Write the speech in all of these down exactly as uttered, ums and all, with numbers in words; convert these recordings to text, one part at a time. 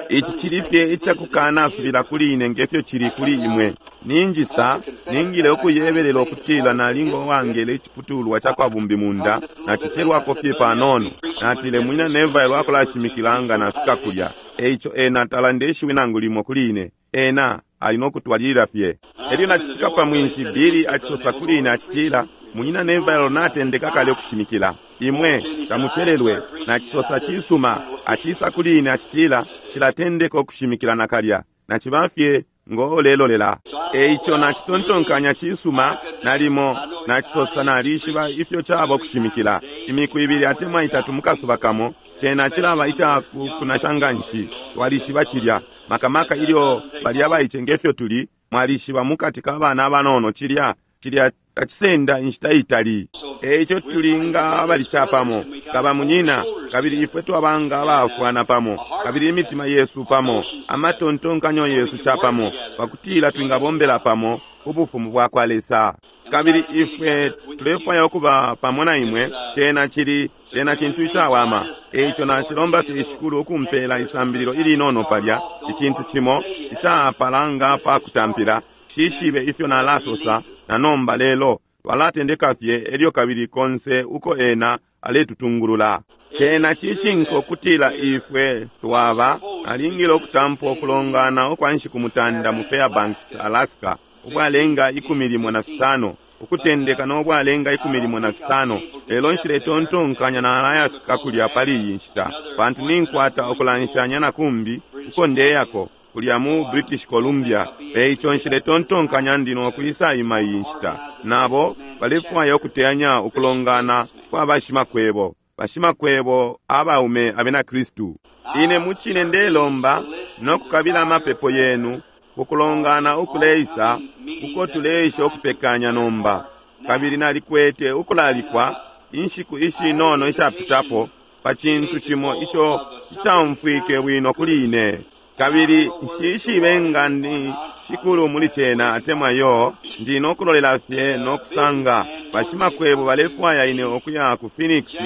Ici cili fye icakukanasubila kuli ine ngefyo cili kuli imwe. Ninjisa ningile ukuyebelela ukutila nalinga uwangele iciputulwa cakwa bumbimunda nacicelwako fye panono. Natile Munyina Neville akulashimikila nga nafika kulya. Eico ena talanda ishiwi nangu limo kuli ine. Ena ali nokutwalilila fye. Elyo nacifika pa mwinshi, Billy acisosa kuli ine acitila, Munyina Neville natendeka kale ukushimikila. Imwe tamucelelwe. Nacisosa cisuma. Acisa kuli ine acitila, Cilatendeka ukushimikila nakalya. Naciba fye ngo ulelolela. Eico nacitontonkanya cisuma, nalimo nacisosa nalishiba ifyo caba ukushimikila. Imiku ibili atemwa itatu mukasuba kamo, cena cilaba ica kunasha nganshi. Twalishiba cilya. Makamaka ilyo bali abaice ngefyo tuli, mwalishiba mukati ka bana abanono cilya, cilya tacisenda inshita itali. Eico tuli nga abali capamo, kaba munyina, kabili ifwe twaba nga abafwana pamo, kabili imitima yesu pamo, amatontonkanyo yesu capamo, pakutila twingabombela pamo ubufumu bwakwa Lesa. Kabili ifwe tulefwaya ukuba pamo na imwe, cena cili, cena cintu icawama. Eico nacilomba fye Shikulu ukumpela isambililo ilinono palya, icintu cimo icapala nga pa kutampila. Shishibe ifyo nalasosa na nomba, lelo twalatendeka fye elyo kabili konse uko ena aletutungulula. Cena cishinka ukutila ifwe twaba alingile ukutampa ukulongana ukwa nshiku mutanda mu Fairbanks, Alaska, ubwalenga ikumi limo na fisano, ukutendeka no bwalenga ikumi limo na fisano. Lelo nshiletontonkanya nalayafika kulya pali iyi nshita, pantu ninkwata ukulanshanya na kumbi uko ndeyako kulya mu British Columbia. Eico nshiletontonkanya ndi nokwisa ima iyi nshita. Nabo balefwaya ukuteyanya ukulongana kwa bashimakwebo, bashimakwebo abaume abena Kristu. Ine mucine ndelomba nokukabila amapepo yenu kukulongana ukuleisa uko tuleisha ukupekanya nomba. Kabili nalikwete ukulalikwa inshiku ishinono ishapitapo pa cintu cimo ico icaumfwike bwino kuli ine. Kabili nshishibe nga ndi shikulu muli cena atemwa yo, ndi nokulolela fye nokusanga. Bashimakwebo balefwaya ine ukuya ku Phoenix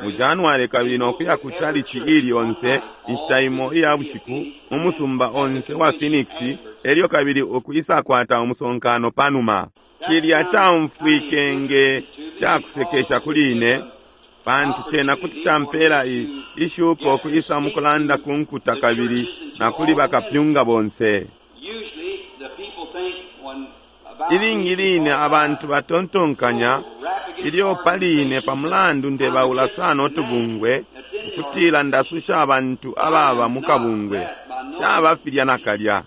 mu January kabili nokuya ku chalichi ili onse inshita imo iya bushiku mu musumba onse wa Phoenix, elyo kabili ukwisakwata umusonkano panuma. Cilya caumfwike nge cakusekesha kuli ine, pantu cena kuti campela ishuko kwisa mukulanda ku nkuta kabili na kuli bakapyunga bonse. Ilingi line abantu batontonkanya ilyo pali ine pamulandu ndebaula sana utubungwe, ukutila ndasusha abantu ababa mukabungwe. Caba filya nakalya,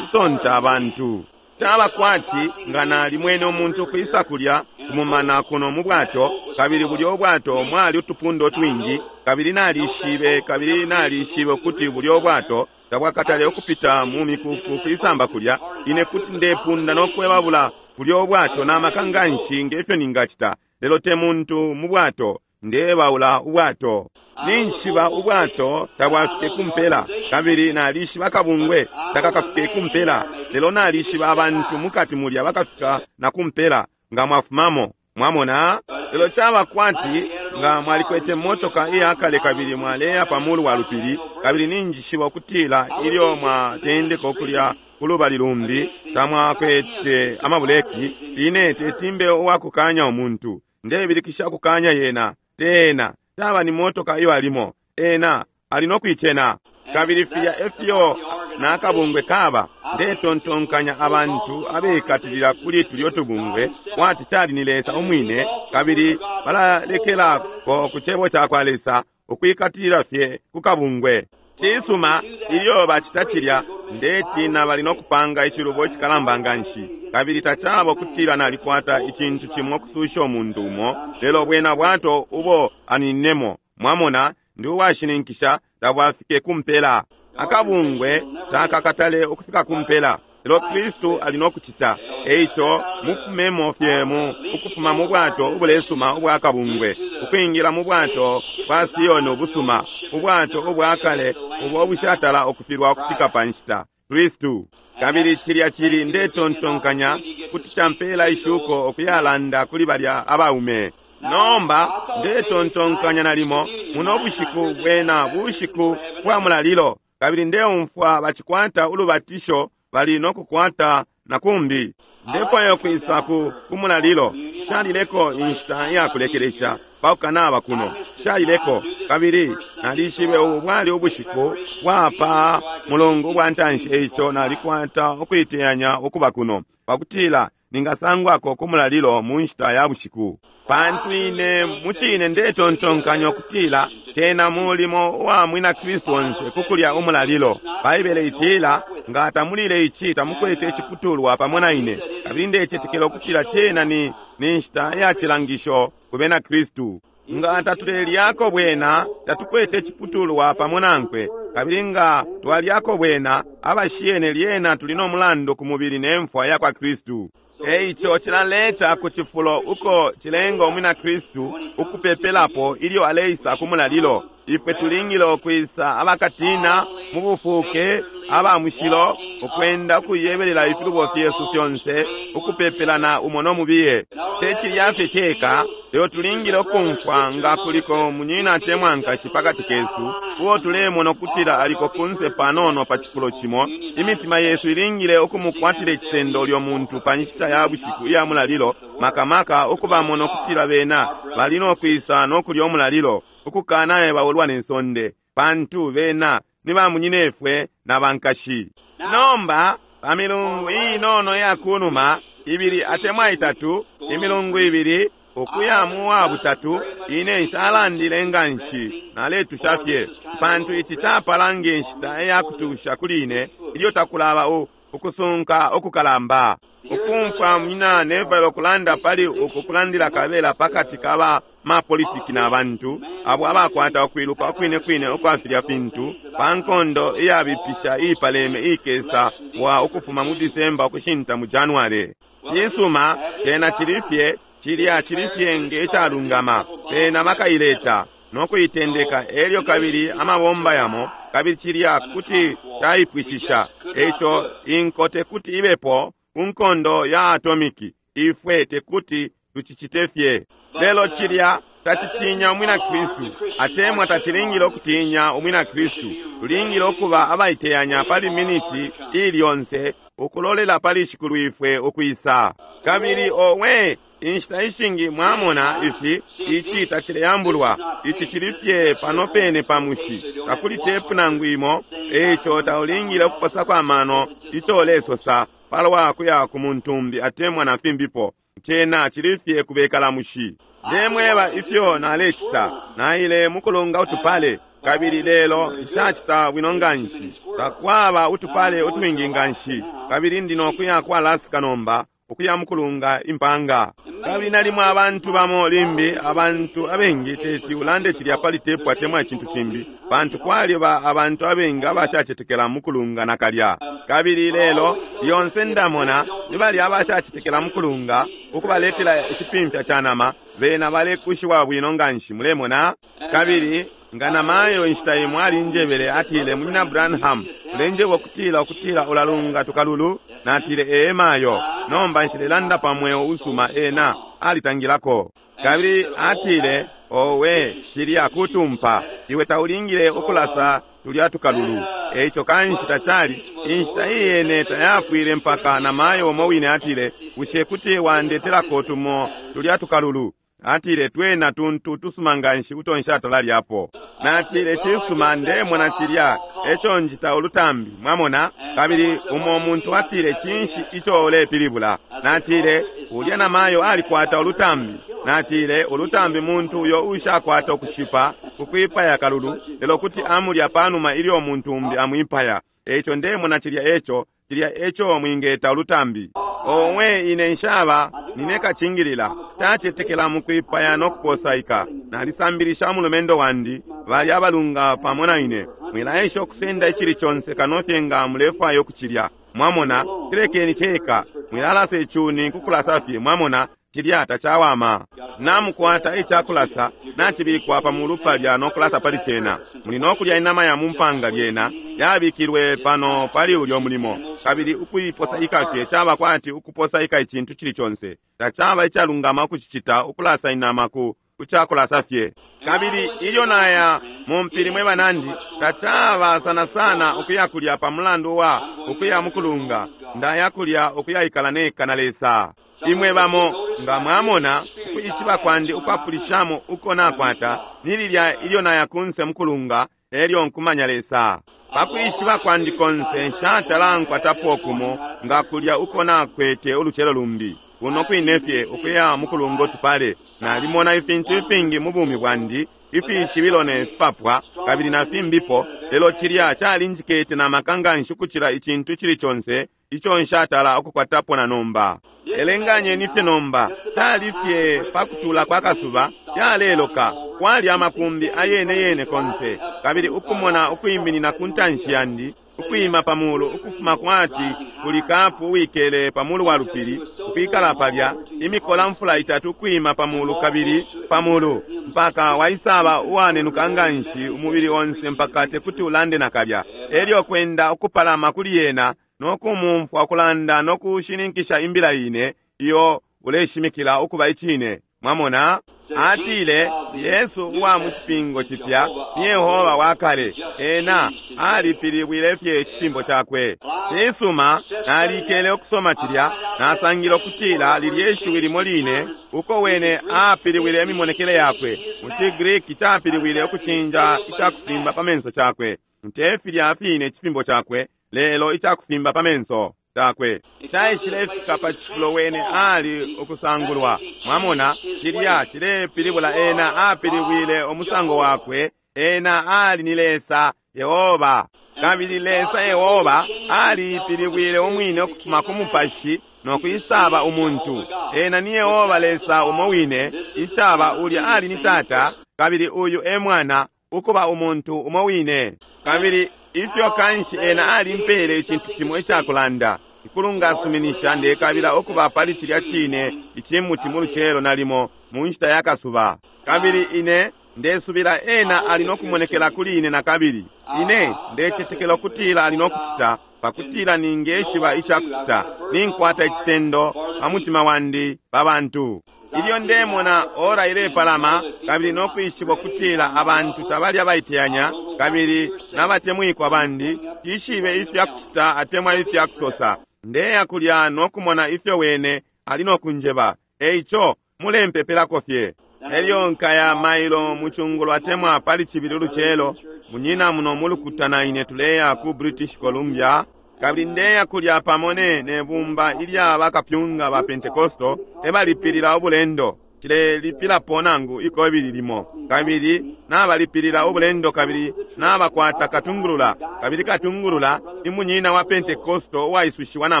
cisonta abantu. Caba kwati nga nalimwene umuntu kwisa kulya kumumana kuno mu bwato, kabili bulya ubwato mwali utupunda twingi, kabili nalishibe, kabili nalishibe ukuti bulya ubwato tabwakatale ukupita mu mikuku kwisamba kulya. Ine kuti ndepunda nokwebabula bulya ubwato na maka nganshi ngefyo ningacita, lelo te muntu mu bwato, ndebaula ubwato. Ninjiba ubwato tabwafike kumpela, kabili nalishiba kabungwe takakafike kumpela, lelo nalishiba abantu mukati mulya bakafika na kumpela nga mwafumamo. Mwamona? Lelo caba kwati nga mwalikwete motoka iyakale kabili mwaleya pamulu wa lupili, kabili ninjishiba ukutila ilyo mwatendeka ukulya kulubali lumbi tamwakwete amabuleki. Ine tetimbe uwakukanya umuntu, ndebilikisha kukanya yena tena taba ni motoka iyo alimo, ena ali nokuicena. Kabili filya efyo nakabungwe kaba. Ndetontonkanya abantu abekatilila kuli tulyo tubungwe kwati cali ni Lesa umwine, kabili balalekelako ku cebo cakwa Lesa ukwikatilila fye ku kabungwe. Cisuma, ilyo bacita cilya, ndetina bali nokupanga icilubo icikalamba nganshi. Kabili tacaba ukutila nalikwata icintu cimo kususha umuntu umo, lelo bwena bwato ubo aninemo. Mwamona, ndi uwashininkisha tabwafike kumpela. Akabungwe takakatale ukufika kumpela, lelo Kristu ali nokucita. Eico mufumemo fye mu ukufuma mu bwato ubulesuma ubwa kabungwe, ukwingila mu bwato bwa Sioni ubusuma, ubwato ubwakale ubo ubushatala ukufilwa ukufika pa nshita, Kristu. Kabili cilya cili ndetontonkanya kuti campela ishuko ukuyalanda kuli balya abaume. Nomba ndetontonkanya nalimo muno bushiku bwena bushiku bwa mulalilo, Kabili ndeumfwa bacikwata ulubatisho bali nokukwata na kumbi. Ndefwaya ukwisa ku kumulalilo. Nshalileko inshita iyakulekelesha pakukanaba kuno. Nshalileko kabili nalishibe ubu bwali ubushiku bwapa mulungu ubwa ntanshi, eico nalikwata ukuiteyanya ukuba kuno pakutila ningasangwako ku mulalilo mu nshita ya bushiku. Pantu ine mucine ndetontonkanya ukutila tena mulimo wa mwina Kristu onse kukulya umulalilo. Baibele itila nga tamulile ici tamukwete iciputulwa pamo na ine. Kabili ndecetekela ukutila cena ni ni nshita ya cilangisho ku bena Kristu. Nga tatulyako bwena tatukwete iciputulwa pamo nankwe. Kabili nga twalyako bwena abashiyene lyena tuli no mulandu ku mubili ne mfwa ya kwa Kristu. Eico cilaleta ku cifulo uko cilenga umwina Kristu ukupepelapo ilyo aleisa ku mulalilo. Ifwe tulingile ukwisa abakatina mu bufuke aba mushilo, ukwenda ukuyebelela ifilubo fyesu fyonse, ukupepelana umo no mubiye. Te cilya fye ceka, lelo tulingile ukumfwa nga kuliko munyina atemwa nkashi pakati kesu uo tulemona ukutila aliko kunse panono pa cifulo cimo. Imitima yesu ilingile ukumukwatila icisendo ulyo muntu pa nshita ya bushiku iya mulalilo, makamaka ukubamona ukutila bena bali nokwisa nokulya umulalilo, ukukanaye baulwa ne nsonde, pantu bena ni bamunyinefwe na bankashi. Nomba pa milungu inono ya kunuma ibili atemwa itatu, imilungu ibili ukuya mu wa butatu, ine nshalandile nga nshi naletusha fye, pantu ici capala nge nshita ya kutusha kuli ine ilyo takulaba ukusunka ukukalamba. Ukumfwa munyina Neville ukulanda pali uku kulandila kabela pakati ka mapolitiki na bantu abo abakwata ukwiluka ukwine kwine ukwa filya fintu pa nkondo iyabipisha iipaleme iikesa wa ukufuma mu Disemba ukushinta mu January. Cisuma cena cili fye cilya cili fye nge calungama, bena bakaileta no kuitendeka elyo kabili amabomba yamo, kabili cilya kuti caipwishisha. Eico inko tekuti ibepo ku nkondo ya atomiki, ifwe tekuti tucicite fye. Lelo cilya tacitinya umwina Kristu, atemwa tacilingile ukutinya umwina Kristu. Tulingile ukuba abaiteyanya pali miniti ili yonse ukulolela pali shikulu ifwe ukwisa. Kabili owe inshita ishingi mwamona ifi ici tacileyambulwa, ici cili fye pano pene pa mushi, takuli tepu nangu imo. Eico taulingile ukuposako amano ico ulesosa palwa kuya ku muntumbi atemwa na fimbipo. Cena cili fye kubekala mushi. Ndemweba ifyo nalecita, naile mukulunga utupale, kabili lelo nshacita bwino nganshi, takwaba utupale utwingi nganshi, kabili ndi nokuya ku Alaska nomba ukuya mukulunga impanga. Kabili nalimo abantu bamo limbi abantu abengi teti ulande cilya pali tepu atemwa icintu cimbi, pantu kwaliba abantu abengi abashacetekela mukulunga nakalya. Kabili lelo lyonse ndamona ni balya abashacetekela mukulunga ukubaletela icipimfya ca nama, bena balekushiwa bwino nganshi, mulemona. Kabili nga namayo inshita imwe alinjebele, atile, Munyina Branham, ulenjeba ukutila ukutila ulalunga tukalulu? Natile, ee mayo, nomba nshilelanda pa mweo usuma, ena alitangilako. Kabili atile, owe cilya kutumpa, iwe taulingile ukulasa tulya tukalulu. Eico kanshi tacali inshita iyene tayapwile mpaka namayo umo wine atile, bushe kuti wandetelako tumo tulya tukalulu? Atile, twena tuntu tusuma nganshi uto nshatalalyapo. Natile, cisuma, ndemona cilya eco njita ulutambi, mwamona. Kabili umo muntu atile, cinshi ico ulepilibula? Natile, ulya namayo alikwata ulutambi. Natile, ulutambi muntu uyo ushakwata ukushipa kukwipaya kalulu, lelo kuti amulya panuma ilyo muntu umbi amwipaya. Eico ndemona cilya eco cilya eco mwingeta ulutambi. Owe ine nshaba nine kacingilila, tacetekela mukwipaya no kuposaika. Nalisambilisha umulumendo wandi bali abalunga pamo na ine, mwilaesha ukusenda icili conse kano fye nga mulefwaya ukucilya, mwamona. Tilekeni ceka, mwilalasa icuni kukulasa fye, mwamona, cilya tacawama. Namukwata icakulasa nacibikwa pa mulu palya no kulasa pali cena. Muli no kulya inama ya mumpanga lyena yabikilwe pano pali ulyo mulimo, kabili ukuiposaika fye caba kwati ukuposaika icintu cili conse. Tacaba icalungama ukucicita ukulasa inama ku kucakulasa fye. Kabili ilyo naya mu mpili mwe banandi, tacaba sana sana ukuya kulya pa mulandu wa ukuya mukulunga, ndaya kulya ukuyaikala neka na Lesa. Imwe bamo nga mwamona ukwishiba kwandi ukwapulishamo uko nakwata ni lilya ilyo naya kunse mukulunga elyo nkumanya Lesa. Pakwishiba kwandi konse nshatala nkwatapo kumo nga kulya uko nakwete ulucelo lumbi. Kuno kwine fye ukuya mukulunga utupale, nalimona ifintu ifingi mu bumi bwandi, ifishibilo ne fipapwa kabili na fimbipo, lelo cilya calinjikete na maka nganshi ukucila icintu cili conse ico nshatala ukukwatapo na nomba. Elenganyeni fye nomba, tali fye pakutula kwa kasuba, yaleloka, kwali amakumbi ayene yene konse, kabili ukumona ukwiminina ku ntanshi yandi, ukwima pamulu ukufuma kwati kuli kapu uwikele pamulu wa lupili, ukwikala palya imikola mfula itatu ukwima pamulu kabili pamulu mpaka waisaba uwanenuka nganshi umubili onse mpaka tekuti ulande nakalya. Elyo kwenda ukupalama kuli yena nokumumfwa ukulanda nokushininkisha imbila ine iyo uleshimikila ukuba icine. Mwamona? Atile Yesu uwa mu cipingo cipya ni Yehova wa kale, ena alipilibwile fye icipimbo cakwe. Cisuma, nalikele ukusoma cilya, nasangile ukutila lilye ishiwi limo line uko wene apilibwile imimonekele yakwe. Mu ciGriki capilibwile ukucinja icakufimba pa menso cakwe, nte filya fine icifimbo cakwe, lelo icakufimba pa menso cakwe caishile fika pa cifulo wene ali ukusangulwa. Mwamona, cilya cilepilibula ena apilibwile umusango wakwe, ena ali ni Lesa Yehova, kabili Lesa Yehova alipilibwile umwine ukufuma ku mupashi no kwisaba umuntu. Ena ni Yehova Lesa umo wine, icaba ulya ali ni Tata, kabili uyu e Mwana, ukuba umuntu umo wine. Kabili ifyo kanshi ena alimpele icintu cimo icakulanda. Ikulunga asuminisha ndekabila ukuba pali cilya cine icimuti mu lucelo nalimo mu nshita ya kasuba. Kabili ine ndesubila ena ali nokumonekela kuli ine nakabili. Ine ndecetekela ukutila ali nokucita pakutila ningeshiba icakucita. Ninkwata icisendo pa mutima wandi pa bantu. Ilyo ndemona ora ilepalama kabili nokwishiba ukutila abantu tabali abaiteyanya kabili n'abatemwikwa bandi, tishibe ifyakucita atemwa ifyakusosa. Ndeya kulya nokumona ifyo wene ali nokunjeba. Eico mulempepelako fye. Elyo nkaya mailo mucungulo atemwa pali cibili ulucelo, munyina muno mulukuta na ine tuleya ku British Columbia, kabili ndeya kulya pamo ne nebumba ilya bakapyunga ba Pentecostal ebalipilila ubulendo. Cilelipilapo nangu ikobili limo, kabili nabalipilila ubulendo kabili nabakwata katungulula, kabili katungulula ni munyina wa Pentecostal uwaisushiwa na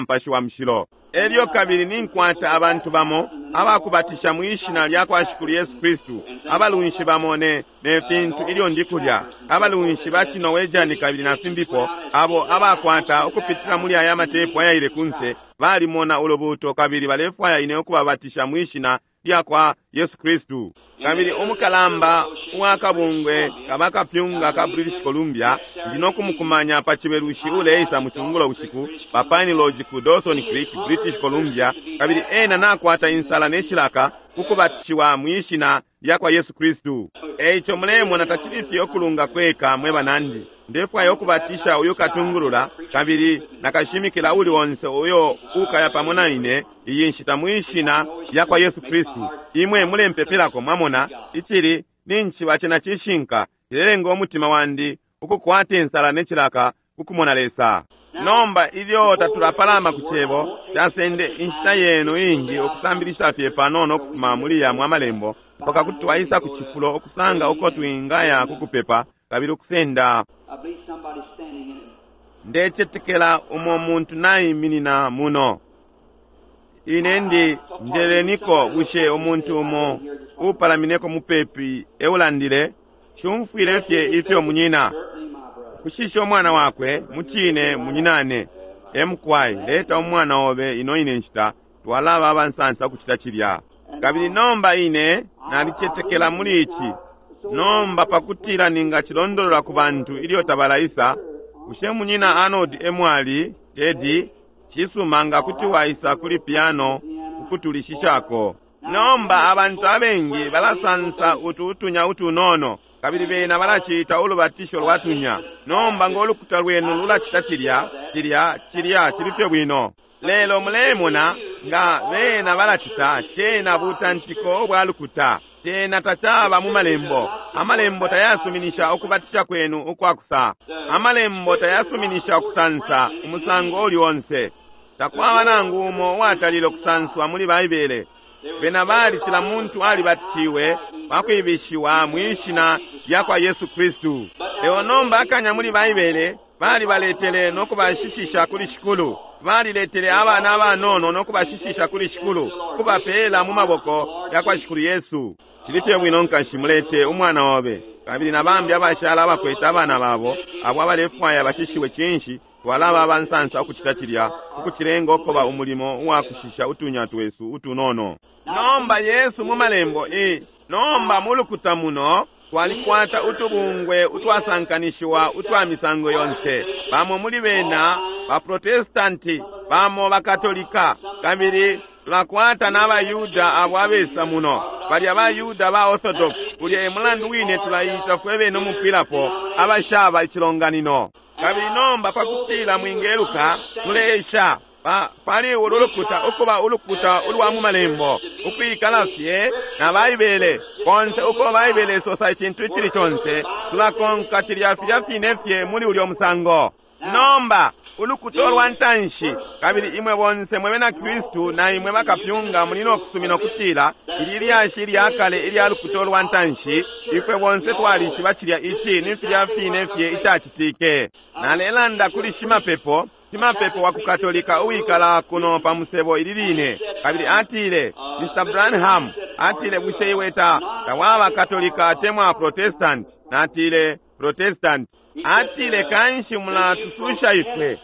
mpashi wa mushilo. Elyo kabili ninkwata abantu bamo abakubatisha mwishina lya kwa Shikulu Yesu Kristu, abalunshi bamo ne, ne fintu ilyo ndi kulya, abalunshi ba Cinowejani kabili na fimbipo, abo abakwata ukupitila muli aya matepu ayaile kunse, balimona ulubuto kabili balefwaya ine ukubabatisha mwishina lya kwa Yesu Kristu. Kabili umukalamba uwakabungwe kabakapyunga ka British Columbia ndi nokumukumanya pa cibelushi uleisa mu cungulo bushiku pa Pine Lodge ku Dawson Creek, British Columbia, kabili ena nakwata insala ne cilaka kukubatishiwa mwishina lya kwa Yesu Kristu. Eico mulemona tacili fye ukulunga kweka mwe banandi. Ndefwaya ukubatisha uyu katungulula kabili nakashimikila uli onse uyo ukaya pamo na ine iyi nshita mwishina lya kwa Yesu Kristu. Imwe mulempepelako, mwamona, icili ninchiba cena cishinka, cilelenga umutima wandi ukukwata insala ne cilaka kukumona Lesa. Nomba ilyo tatulapalama ku cebo, casende inshita yenu ingi ukusambilisha fye panono ukufuma muli yamwe amalembo mpaka kuti twaisa ku cifulo ukusanga uko twingaya kukupepa kabili ukusenda. Ndecetekela umo muntu naiminina muno. Ine ndi njeleniko bushe umuntu umo upalamineko mupepi eulandile, shumfwile fye ifyo munyina kushisha umwana wakwe mucine munyinane. Emukwai leta umwana obe ino ine nshita, twalaba abansansa ukucita cilya. Kabili nomba ine nalicetekela muli ici. Nomba pakutila ningacilondolola ku bantu ilyo tabalaisa, bushe munyina Arnold emwali Teddy, cisuma nga kuti waisa kuli piano ukutulishishako. Nomba abantu abengi balasansa utu utunya utunono, kabili bena balacita ulubatisho lwa tunya. Nomba ngo lukuta lwenu lulacita cilya, cilya, cilya cili fye bwino. Lelo mulemona nga bena balacita cena butantiko bwa lukuta. Cena tacaba mu malembo. Amalembo tayasuminisha ukubatisha kwenu ukwakusa. Amalembo tayasuminisha ukusansa umusango uli onse. Takwaba nangu umo uwatalile ukusanswa muli Baibele. Bena bali cila muntu alibatishiwe pakwibishiwa mwishina lya kwa Yesu Kristu. Lelo nomba akanya muli Baibele balibaletele no kubashishisha kuli Shikulu. Baliletele abana abanono no kubashishisha kuli Shikulu, kubapela mu maboko ya kwa Shikulu Yesu. Cili fye bwino nkashi, mulete umwana obe kabili na bambi abashala abakwete abana babo abo abalefwaya bashishiwe. Cinshi twalaba abansansa ukucita cilya, ukucilenga ukuba umulimo uwakushisha utunya twesu utunono. Nomba Yesu mu malembo e nomba mu lukuta muno twalikwata utubungwe utwasankanishiwa utwa misango yonse. Bamo muli bena baprotestanti, bamo bakatolika, kabili tulakwata n'abayuda abo abesa muno, balya abayuda ba Orthodox. Ulya e mulandu wine tulayita fwe bene umupwilapo abashaba icilonganino. Kabili nomba pakutila mwingeluka, tuleesha pa, pali ulu lukuta ukuba ulukuta ulwa mu malembo, ukwikala fye na Baibele. Konse uko Baibele isosa icintu icili conse, tulakonka cilya filya fine fye muli ulyo musango. Nomba ulukuta lwa ntanshi, kabili imwe bonse mwe bena Kristu na imwe bakapyunga muli no kusumina ukutila ili lyashi lya kale ilya lukuta lwa ntanshi, ifwe bonse twalishiba cilya ici ni filya fine fye icacitike. Nalelanda kuli shimapepo, shimapepo wa kukatolika uwikala kuno pa musebo ili line, kabili atile, Mister Branham, atile, bushe iwe ta tawaba katolika atemwa Protestant? Natile, Protestant. Atile, kanshi mulatususha ifwe.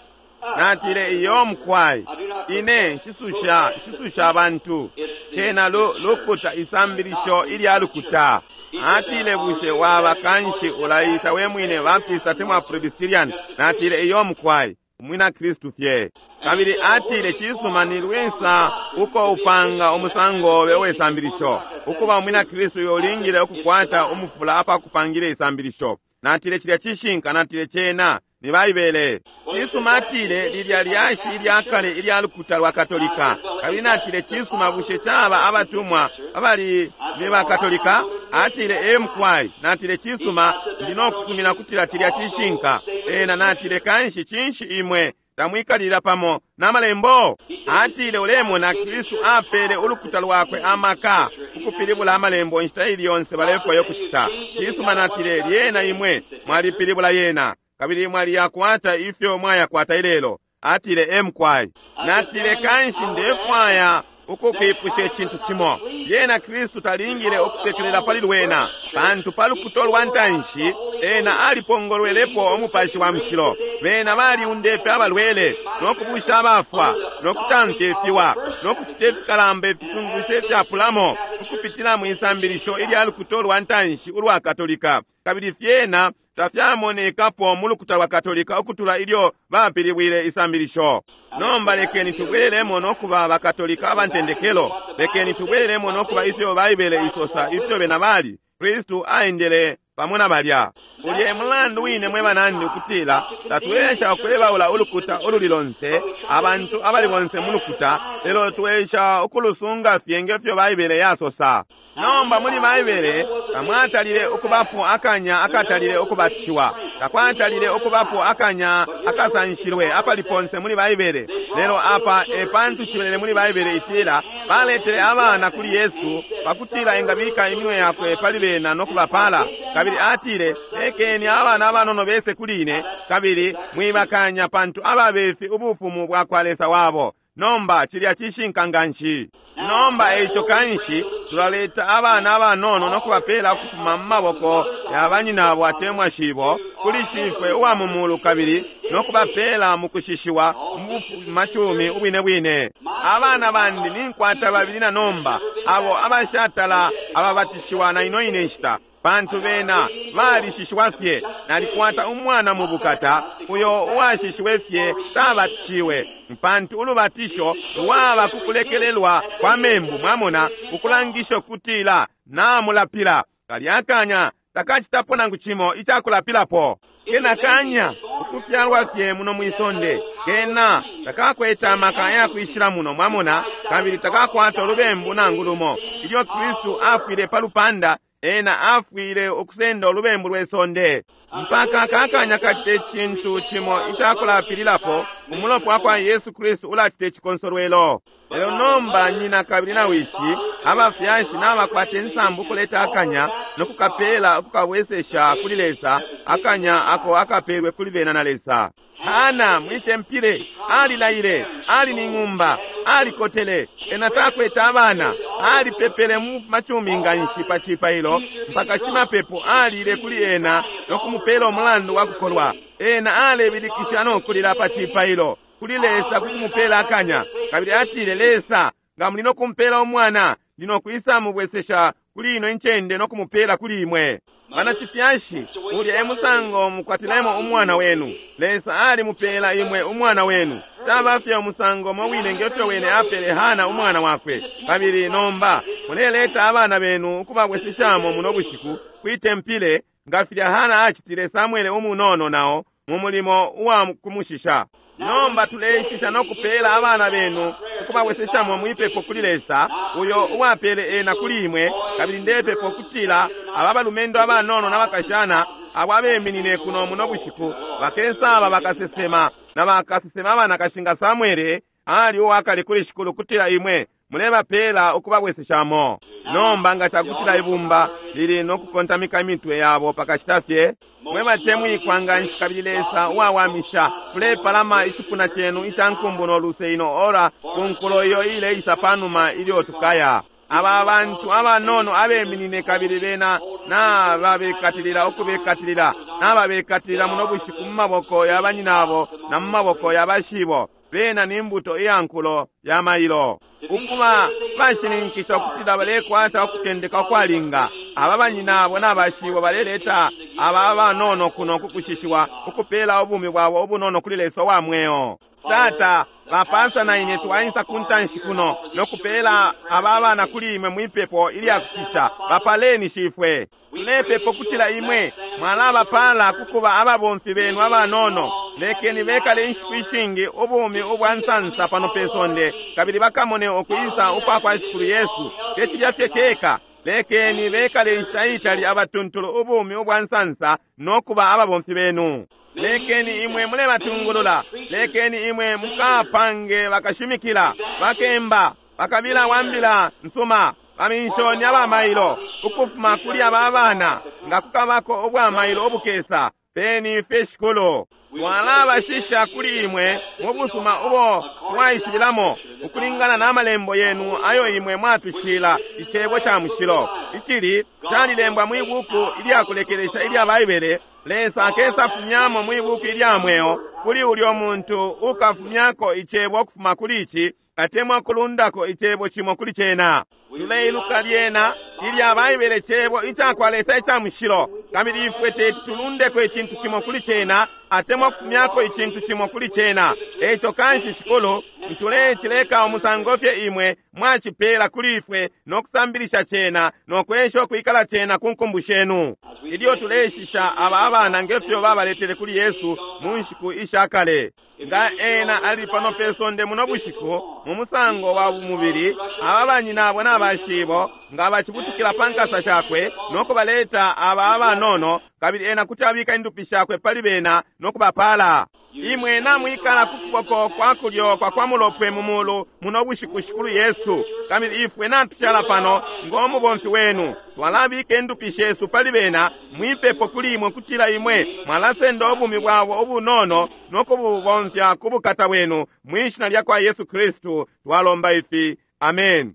Natile, iyo mukwai, ine nshisusha, nshisusha abantu. Cena lu, lukuta isambilisho ilya lukuta. Atile, bushe waba kanshi ulaita we mwine Baptist atemwa Presbyterian? Natile, iyo mukwai, umwina Kristu fye. Kabili atile, cisuma, ni lwisa uko upanga umusango obe uwesambilisho. Ukuba umwina Kristu iwe ulingile ukukwata umufula apakupangile isambilisho. Natile, cilya cishinka. Natile, cena ni Baibele. Cisuma, atile, lilya lyashi ilya kale ilya lukuta lwa Katolika. Kabili natile, cisuma, bushe caba abatumwa abali ni ba Katolika? Atile, e mukwai. Natile, cisuma, ndi no kusumina kutila cilya cishinka. Ena natile, kanshi cinshi imwe tamwikalira pamo na malembo? Atile, ulemona Kristu apele ulukuta lwakwe amaka ukupilibula amalembo inshita ili yonse balefwayo kucita. Cisuma, natile, lyena imwe mwalipilibula yena, kabili mwaliyakwata ifyo mwayakwata ilelo. Atile, e mukwai. Natile, kanshi ndefwaya ukukwipusha icintu cimo. Lyena Kristu talingile ukusekelela pali lwena, pantu pa lukuta lwa ntanshi ena alipongolwelepo umupashi wa mushilo. Bena baliundepe abalwele, no kubusha abafwa, no kutamfya ifiwa, no kucita ifikalamba ifisungusho ifyapulamo, ukupitila mu isambilisho ilya lukuta lwa ntanshi ulwa Katolika. Kabili fyena tafyamonekapo mu lukuta lwa Katolika ukutula ilyo bapilibwile isambilisho. Nomba lekeni tubwelelemo no kuba bakatolika abantendekelo. Lekeni tubwelelemo no kuba ifyo Baibele isosa ifyo bena bali. Kristu aendele pamo na balya. Ulye mulandu wine mwe banandi ukutila tatwesha ukwebaula ulukuta ululi lonse, abantu abali bonse mu lukuta, lelo twesha ukulusunga fye ngefyo Baibele yasosa. Nomba muli Baibele tamwatalile ukubapo akanya akatalile ukubatishiwa, takwatalile ukubapo akanya akasanshilwe apali ponse muli Baibele. Lelo apa e pantu cibelele muli Baibele itila baletele abana kuli Yesu pakutila engabika iminwe yakwe pali bena no kubapala. Kabili atile, lekeni abana abanono bese kuli ine, kabili mwibakanya, pantu ababefi ubufumu bwa kwa Lesa wabo. Nomba cilya cishinka nganshi. Nomba eico kanshi tulaleta abana abanono no kubapela ukufuma mu maboko ya banyinabo atemwa shibo kuli shifwe uwa mu mulu, kabili no kubapela mu kushishiwa mu bufumacumi ubwine bwine. Abana bandi ninkwata babili na nomba, abo abashatala ababatishiwa na ino ine nshita. Pantu bena balishishiwa fye. Nalikwata umwana mu bukata uyo uwashishiwe fye tabatishiwe, pantu ulubatisho lwaba kukulekelelwa kwa membu, mwamona, ukulangisha ukutila namulapila. Kalya kanya takacitapo nangu cimo icakulapilapo. Kena kanya ukufyalwa fye muno mwisonde, kena takakwete amaka yakwishila muno, mwamona, kabili takakwata ulubembu nangu lumo. Ilyo Kristu afwile pa lupanda, ena afwile ukusenda ulubembu lwe sonde. Mpaka kakanya kacite cintu cimo icakulapililapo, umulopa wakwa Yesu Kristu ulacita icikonsolwelo. Lelo nomba nyina kabili na wishi, abafyashi nabakwata insambu kuleta akanya nokukapela ukukabwesesha kuli Lesa, akanya ako akapelwe kuli bena na Lesa. Hana mwitempile alilaile, ali ni ng'umba, alikotele, ena takwete abana, alipepele mu machumi nganshi pa cipailo mpaka shimapepo alile kuli ena nokumupela umulandu wa kukolwa. Ena alebilikisha nokulila pa cipailo kuli Lesa kukumupela akanya, kabili atile, Lesa, nga muli nokumpela umwana, ndi nokwisa mubwesesha kuli ino incende nokumupela kuli imwe. Bana chifyashi, ulya e musango mukwatilemo umwana wenu. Lesa alimupela imwe umwana wenu. Taba fye umusango mo wine ngefyo wene apele Hana umwana wakwe. Kabili nomba muleleta abana benu ukubabweseshamo muno bushiku kwitempile, nga filya Hana acitile Samuele umunono nao mu mulimo uwa kumushisha. Nomba tuleishisha nokupela abana benu ukubabweseshamo mwipepo kuli Lesa uyo uwapele ena kuli imwe. Kabili ndepepo kutila aba balumendo abanono n'abakashana abo abeminine kuno muno bushiku bakesaba bakasesema na bakasesema abanakashinga Samuele ali uwakale kuli shikulu kutila imwe mulebapela ukubabweseshamo. Nomba nga cakutila ibumba lili nokukontamika imitwe yabo pakashita fye, mwe batemwikwa nganshi kabili Lesa uwawamisha, tulepalama icipuna cenu ica nkumbu no luse ino ora ku nkulo iyo ileisa panuma ilyo tukaya. Aba bantu abanono abeminine kabili bena nababekatilila ukubekatilila nababekatilila muno bushiku mu maboko ya banyinabo na mu maboko ya bashibo. Bena ni mbuto iya nkulo ya mailo. Ukuba bashininkisha ukutila balekwata ukutendeka ukwalinga. Aba banyinabo n'abashibo baleleta aba abanono kuno kukushishiwa ukupela ubumi bwabo ubunono kuli Lesa wa mweo. Tata, bapasa na ine twainsa kuntanshi kuno nokupela aba abana kuli imwe mwipepo ilya kushisha. Bapaleni shifwe. Tulepepo kutila imwe mwalabapala kukuba ababomfi benu abanono. Lekeni bekale inshiku ishingi ubumi ubwa nsansa pano pe sonde, kabili bakamone ukwisa ukwa kwa Shikulu Yesu. Tecilya fye ceka, lekeni bekale inshita itali abatuntulu ubumi ubwa nsansa nokuba ababomfi benu. Lekeni imwe mulebatungulula, lekeni imwe mukapange bakashimikila, bakemba, bakabila wambila nsuma, baminshoni abamailo ukufuma kuli aba abana nga kukabako ubwamailo obukesa. Peni fye shikulu. Twalabashisha kuli imwe mu busuma ubo twaishibilamo ukulingana n'amalembo yenu ayo imwe mwatushila icebo ca mushilo icili calilembwa mwi buku ilyakulekelesha ilya Baibele. Lesa akesa fumyamo mwi buku ilya mweo kuli ulyo muntu ukafumyako icebo ukufuma kuli ici atemwa kulundako icebo cimo kuli cena. Tuleiluka lyena ilya Baibele cebo icakwa Lesa ica mushilo, kabili ifwe teti tulundeko icintu cimo kuli cena atemwa kufumyako icintu cimo kuli cena. Eco kanshi shikulu ntulechileka umusango fye imwe mwacipela kuli ifwe nokusambilisha cena nokwesha ukwikala cena ku nkumbu shenu. Ilyo tuleishisha aba abana ngefyo babaletele kuli Yesu mu nshiku ishakale. Nga ena ali pano pe sonde muno bushiku mu musango wa bumubili, aba banyinabo n'abashibo nga bacibutukila pa nkasa shakwe nokubaleta aba abanono, kabili ena kuti abika indupi shakwe pali bena nokubapala. Imwe namwikala ku kuboko kwa kulyo kwa kwa mulopwe mu mulu muno bushiku shikulu Yesu, kabili ifwe natushala pano ng'omubomfi wenu. Twalabika indupi shesu pali bena mwipepo kuli imwe kutila imwe mwalasenda ubumi bwabo ubunono nokububomfya ku bukata bwenu mwishina lya kwa Yesu Kristu twalomba ifi. Amen.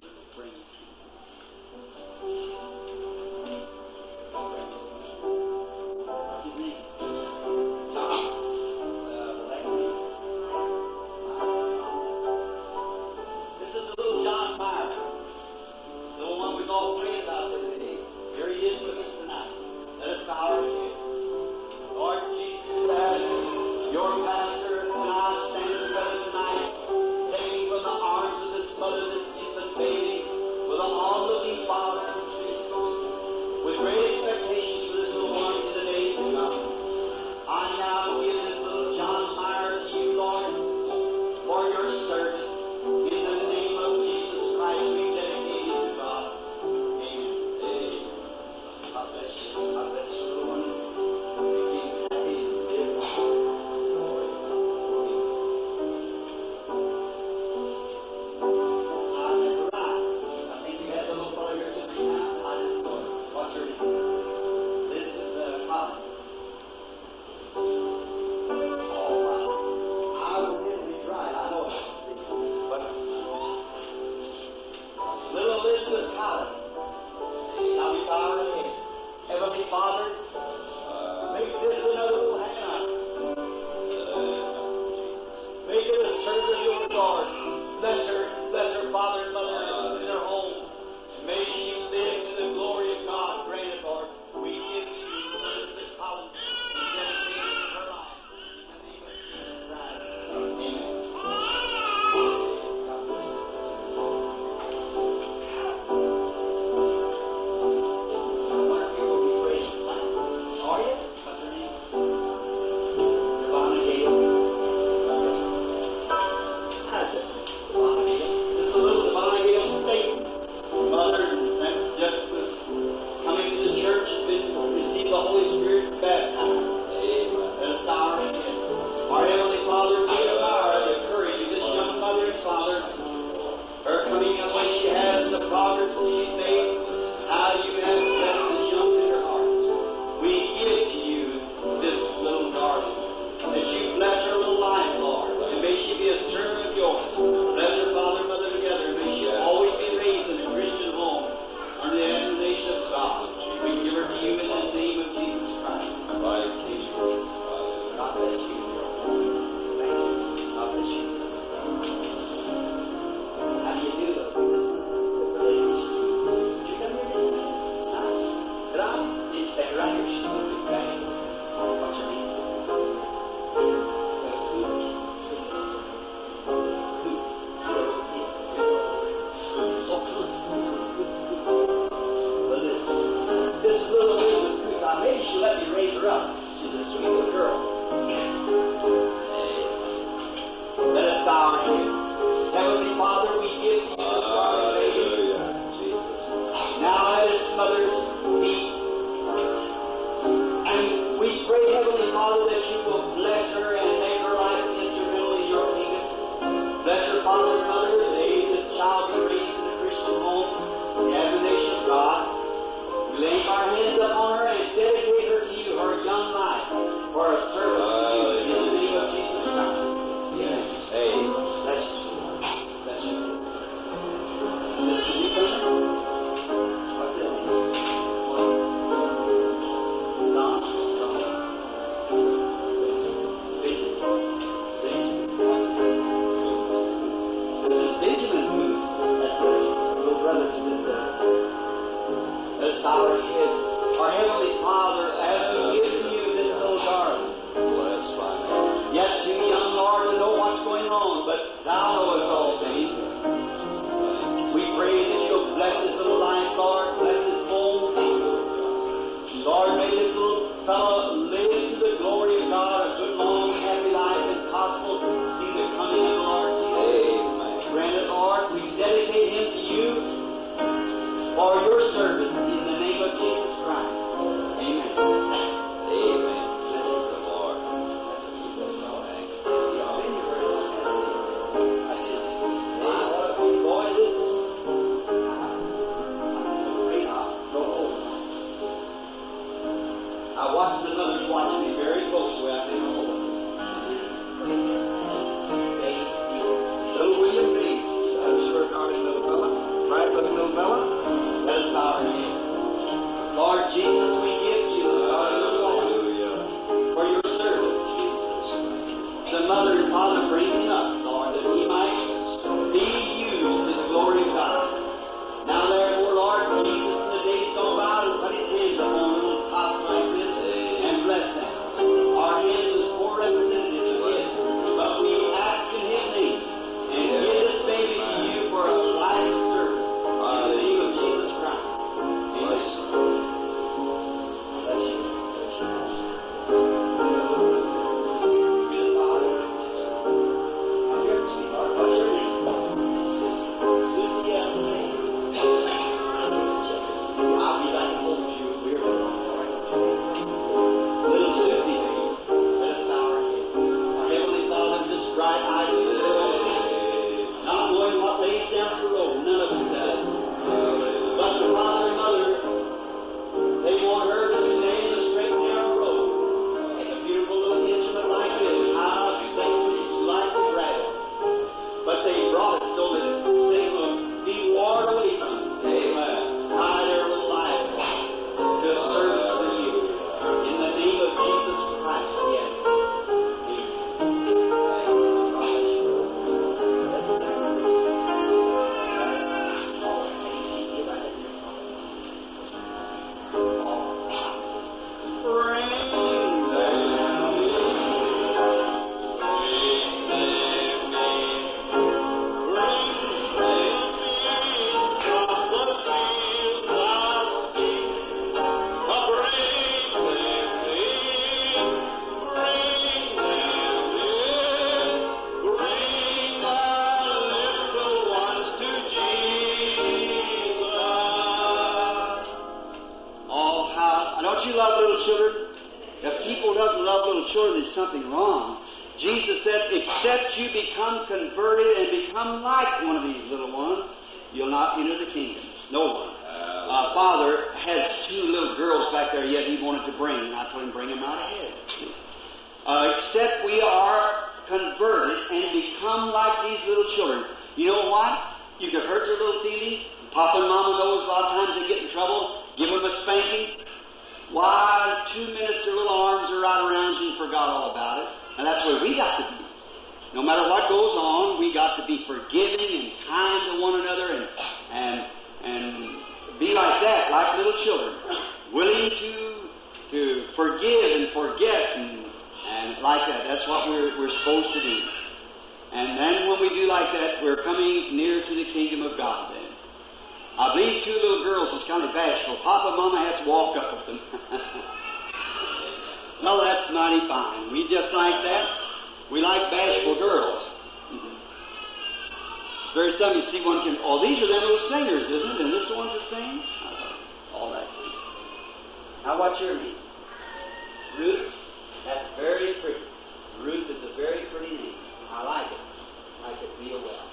This is little John Myers, the one we've all prayed about today. Here he is with us tonight. pastor and I stand together tonight, taking from the arms of this mother this infant baby, with an onlooking father and Jesus, with great expectations for this little one in the days to come. I now give this little John Meyer to you, Lord, for your service. In the name of Jesus Christ, we dedicate him to God. Amen. Amen. God bless you. God bless you, little one. Be happy and live long. Glory to God. Ah, that's right. I think you had the little fellow here just now. I didn't know it. What's her name? This is uh, Colin. All right. I will hit he's right. I know it. But little Elizabeth Collins. Now we bow our heads. Heavenly Father, make this another little Hannah. Make it a servant of your Lord. Bless her, bless her father and mother in her home. May she live to the glory of God. Grant it, Lord. We give you Elizabeth Collins and dedicate her life. In the name of Jesus Christ. Amen. God bless you. I wonder if you will be praying tonight. Are you? What's her name? Devonna Gale. Hi, Devonna Gale. This is a little Devonna Gale State mother and just was coming to the church and been received the Holy Spirit baptized. Let us bow our heads. Our Heavenly Father, we admire the courage of this young mother and father, her coming up when she has, the progress that she's made, how you have blessed this young tender hearts. We give to you this little darling, that you bless her little life, Lord, and may she be a servant of yours. Bless her father and mother together, and may she always be raised in a Christian home under the admonition of God. We give her to you in the name of Jesus Christ. God bless you. Thank you. God bless you. How do you do though? Did you come here just a minute? Huh? Could I? You stand right here. She's going to be back. What's her name? So good. But this, this little Elizabeth Coots, I maybe she let me raise her up. She's a sweet little girl. Let us bow our heads. Heavenly Father, we give you this darling baby. Now at its mother's feet. And we pray, Heavenly Father, that you will bless her and make her life instrumental in your kingdom. Bless her father and mother, and may this child be raised in a Christian home, in the admonition of God. We lay our hands upon her and dedicate her to you, her young life, for a service to you, in the name of Jesus Christ. Amen. Bless you, Lord. Bless you. This is you coming? What's that name? Don? Don? Benjamin. Benjamin. This is Benjamin who, that's her little brother to this uh, Let's bow our heads. Our Heavenly Father, as we give to you this little darling, Bless thy name. yet too young, Lord, to know what's going on, but Thou knowest all things. We pray that You'll bless this little life, Lord, bless his home. Lord, may this little fellow live to the glory of God, a good, long, happy life, and possible see the coming of the Lord Jesus. Amen. Grant it, Lord, we dedicate him to you for your service in the name of Jesus Christ. Amen. Amen. Praise the Lord. I watched the mothers watch me very closely. I think, oh, Little William B. That's your darling little fella. Right, looking little fella. Let us bow our heads. Lord Jesus, we give you the little one Hallelujah. for your service. Jesus. The mother and father bring him up, Lord, that he might be used to the glory of God. Now therefore, Lord Jesus, in the days gone by, to put his hands upon little tots like this and bless them. Our hands as poor representatives of his something wrong. Jesus said, except you become converted and become like one of these little ones, you'll not enter the kingdom. No one. Uh, Father has two little girls back there yet he wanted to bring, and I told him, bring them right ahead. Uh, except we are converted and become like these little children. You know what? You could hurt their little feelings. Papa and Mama knows a lot of times they get in trouble. Give them a spanking. Why, two minutes their little arms are right around you and forgot all about it. And that's where we got to be. No matter what goes on, we got to be forgiving and kind to one another and and and be like that, like little children, willing to to forgive and forget and and like that. That's what we're we're supposed to do. And then when we do like that, we're coming near to the kingdom of God then. I believe two little girls is kind of bashful. Papa and Mama has to walk up with them. Well, that's mighty fine. We just like that. We like bashful girls. It's very seldom you see one can... Oh, these are them little singers, isn't it? And this one's that sing? All that sing. Now, what's your name? Ruth? That's very pretty. Ruth is a very pretty name. I like it. I like it real well.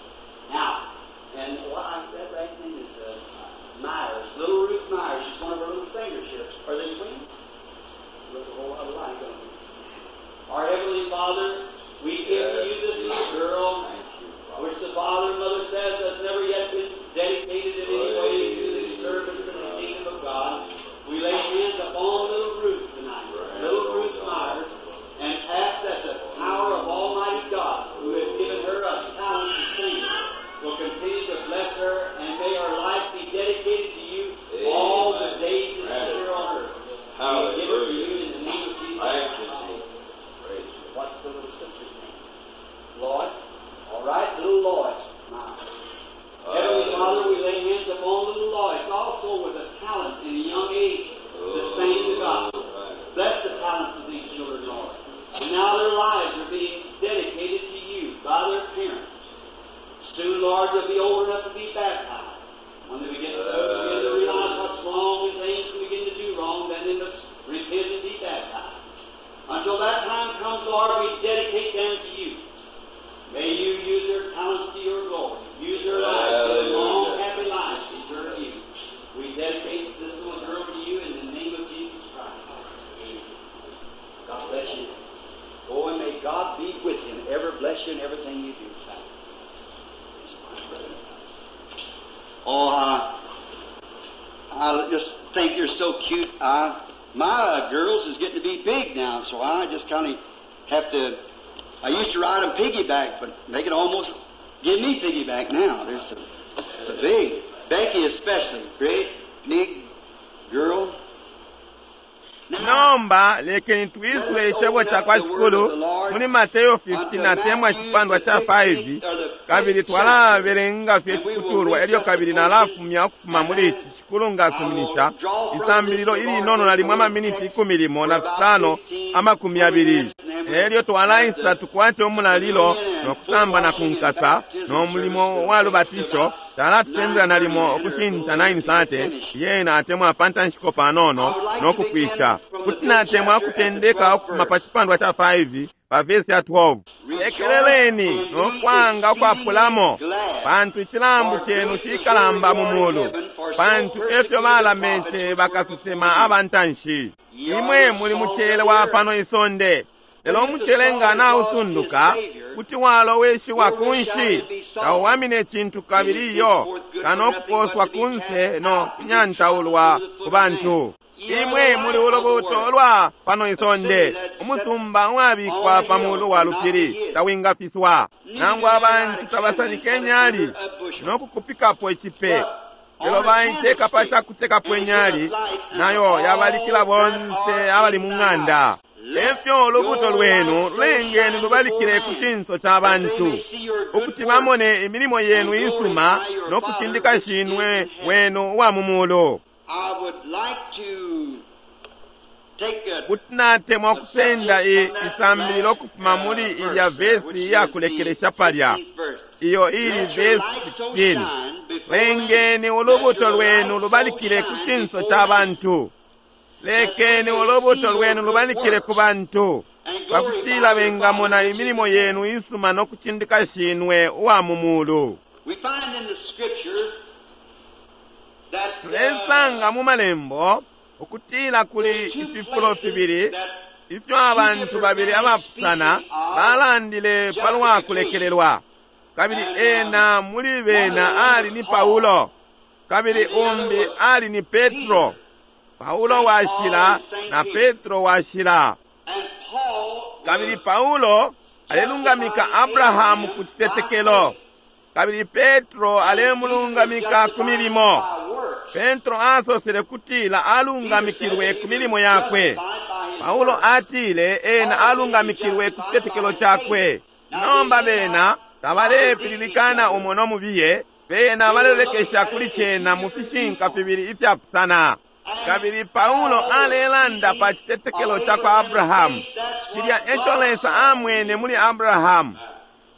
Now, and what I, that last name is uh, Myers. Little Ruth Myers. She's one of our little singers here. Are they twins? Look a whole lot alike, don't they? Our Heavenly Father, we give to you this little girl, which the father and mother says has never yet been dedicated in any way to the service in the kingdom of God. We lay hands upon little Ruth tonight, little Ruth Myers, and ask that the power of Almighty God, who has given her a talent to sing, will continue to bless her, and may her life be dedicated to you all the days that she's here on earth. We give it to you in the name of Jesus. Thank you, Jesus. Praise you. What's the little sister's name? Lois. All right, little Lois. Myers. Heavenly Father, we lay hands upon little Lois, also with a talent in a young age to sing the gospel. Bless the talents of these children, Lord. And now their lives are being dedicated to you by their parents. Soon, Lord, they'll be old enough to be baptized. When they begin to, begin to realize what's wrong and things and begin to do wrong, then they must repent and be baptized. Until that time comes, Lord, we dedicate them to you. May you use their talents to your glory. Use their lives, their long, happy lives to serve you. We dedicate this little girl to you in the name of Jesus Christ. Amen. God bless you. Go and may God be with you and ever bless you in everything you do. Oh, I, I just think you're so cute. I, my uh, girls is getting to be big now, so I just kind of have to. I used to ride them piggyback, but they can almost give me piggyback now. They're so, so big. Becky especially, great big girl. Nomba lekeni twisule icebo ca kwa shikulu muli Mateyo fifteen atemwa icipandwa ca five kabili twalabelenga fye iciputulwa elyo kabili nalafumya ukufuma muli ici shikulu ngasuminisha isambililo ilinono nalimwe amaminiti ikumi limo na fisano amakumi yabili elyo twalaisa tukwate umulalilo nokusamba na kunkasa nomulimo wa lubatisho talatutendela nalimo ukushinta nine thirty yena atemwa pantanshiko panono nokupwisha kuti natemwa akutendeka ukufuma pa chipandwa cha five pa vesi ya twelve lekeleleni nokwanga ukwapulamo pantu icilambu chenu cikalamba mu mulu pantu efyo balamece bakasesema abantanshi imwe muli mucele wa pano isonde lelo umucele nga nausunduka kuti waloweshiwa kunshi tauwamine cintu kabili iyo kano kuposwa kunse no kunyantaulwa ku bantu imwe muli ulubuto lwa pano isonde umusumba uwabikwa pa mulu wa lupili tawingafiswa nangu abantu tabasanike enyali nokukupikapo icipe lelo baiteka pa cakutekapo enyali nayo yabalikila bonse abali mu ng'anda efyo ulubuto lwenu lulengeni lubalikile ku cinso ca bantu ukuti bamone imilimo yenu isuma nokucindika shinwe wenu uwa mu mulu I would like to take a kuti natemwa kusenda i isambililo ukufuma muli ilya vesi iyakulekelesha palya iyo ili vesi sixteen lengeni ulubuto lwenu lubalikile ku cinso ca bantu lekeni ulubuto lwenu lubalikile ku bantu Pakutila bengamona imilimo yenu isuma no kucindika Shinwe uwa mu mulu. We find in the scripture that uh, Tulesanga mu malembo ukutila kuli ififulo fibili ifyo abantu babili abapusana balandile palwa kulekelelwa. Kabili ena muli bena ali ni Paulo, kabili umbi ali ni Petro. Paulo washila na Petro washila. and Paul Kabili Paulo alelungamika Abrahamu ku citetekelo, kabili Petro alemulungamika ku milimo. by works. Petro asosele kutila alungamikilwe ku milimo yakwe. Paulo atile ena alungamikilwe ku citetekelo cakwe. Nomba bena tabalepililikana umo no mubiye, bena balelekesha kuli cena mu fishinka fibili ifyapusana. Kabili Paulo alelanda pa citetekelo ca kwa Abrahamu, cilya eco Lesa amwene muli Abrahamu.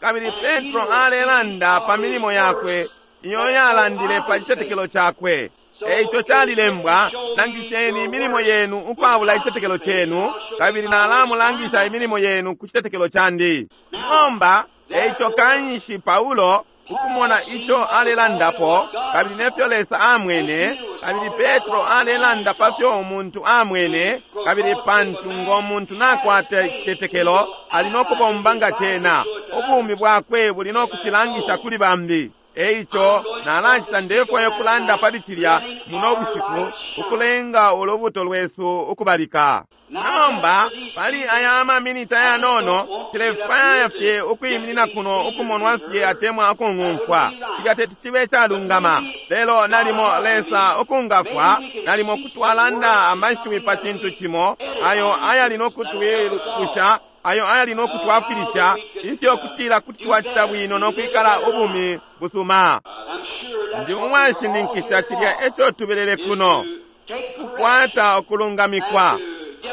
Kabili Petro alelanda pa milimo yakwe iyo yalandile pa citetekelo cakwe. Eico calilembwa, langisheni imilimo yenu ukwabula icitetekelo cenu, kabili nalamulangisha imilimo yenu ku citetekelo candi. Nomba, eico kanshi Paulo ukumona ico alelandapo, kabili nefyo Lesa amwene, kabili Petro alelanda pa fyo umuntu amwene, kabili pantu ngo muntu nakwata icitetekelo, ali no kubomba nga cena, ubumi bwakwe buli no kucilangisha kuli bambi. Eico nalacita ndefwayo kulanda pali cilya muno bushiku ukulenga ulubuto lwesu ukubalika. Nomba pali aya amaminiti ayanono tilefwaya fye ukwiminina kuno ukumonwa fye atemwa ukung'umfwa. Cilya teti cibe calungama, lelo nalimo Lesa ukungafwa, nalimo kutwalanda amashiwi pa cintu cimo ayo ayali no kutwilukusha ayo ayali no kutwafwilisha ifyo kutila kuti twacita bwino no kwikala ubumi busuma. I'm sure that's Ndi what uwashininkisha cilya eco tubelele kuno, take kukwata ukulungamikwa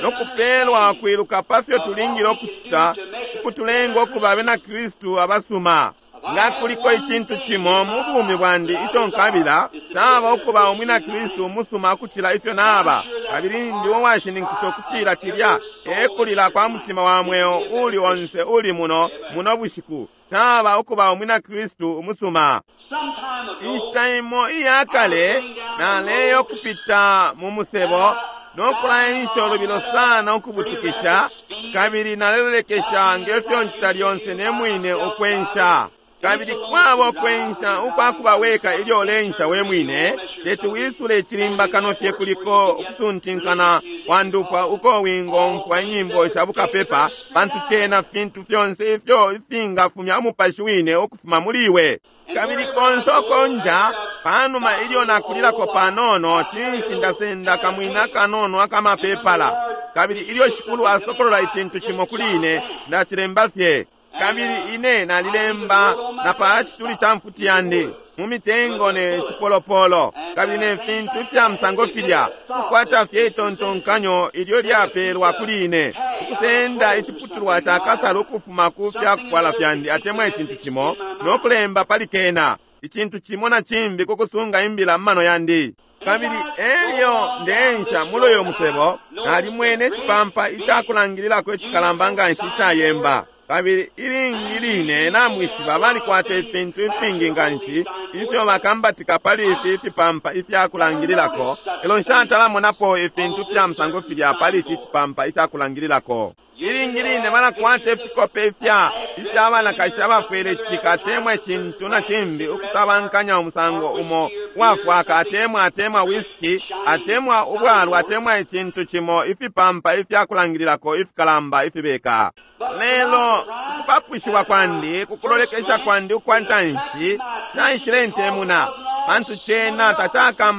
no kupelwa kwiluka pa fyo tulingile ukucita ukutulenga ukuba abena Kristu abasuma. Nga kuliko icintu cimo mu bumi bwandi ico nkabila, caba ukuba umwina Kristu umusuma ukucila ifyo naba, kabili ndi uwashininkisha ukutila cilya e kulila kwa mutima wa mweo uli onse uli muno muno bushiku, caba ukuba umwina Kristu umusuma. Some time ago, Inshita imo iya kale naleyo kupita mu musebo no kulaensha ulubilo sana ukubutukisha, kabili nalelolekesha ngefyo ncita lyonse ne mwine ukwensha. Kabili kwaba ukwensha ukwakuba weka ilyo ulensha we mwine, teti wisule icilimba kano fye kuliko ukusuntinkana kwa ndupwa uko wingomfwa inyimbo sha bukapepa, pantu cena fintu fyonse ifyo ifingafumya umupashi wine ukufuma muli iwe. Kabili konse ukonja panuma ilyo nakulilako panono, cinshi ndasenda kamwina kanono akamapepala, kabili ilyo Shikulu asokolola icintu cimo kuli ine, ndacilemba fye. Kabili ine nalilemba na pa cituli ca mfuti yandi mu mitengo ne cipolopolo, kabili ne fintu ifya musango filya, kukwata fye itontonkanyo ilyo lyapelwa kuli ine, ukusenda iciputulwa ca kasala ukufuma ku fyakufwala fyandi atemwa icintu cimo, no kulemba pali kena icintu cimo na cimbi ku kusunga imbila mu mano yandi. Kabili elyo ndeensha muloyo musebo, nalimwene icipampa icakulangililako icikalamba nganshi icayemba. Kabili ilingi line namwishiba balikwata ifintu ifingi nganshi ifyo bakambatika pali ifi ifipampa ifyakulangililako, elo nshatalamonapo ifintu fya musango filya pali ici cipampa icakulangililako. Ilingi line balakwata ifikope ifya ifya banakashi abafwele icitika atemwa icintu na cimbi ukusabankanya umusango umo uwafwaka atemwa atemwa whisky atemwa ubwalwa atemwa icintu cimo, ifipampa ifyakulangililako ifikalamba ifibeka. Lelo ukupapushiwa kwandi kukulolekesha kwandi ukwa ntanshi caishile ntemuna, pantu cena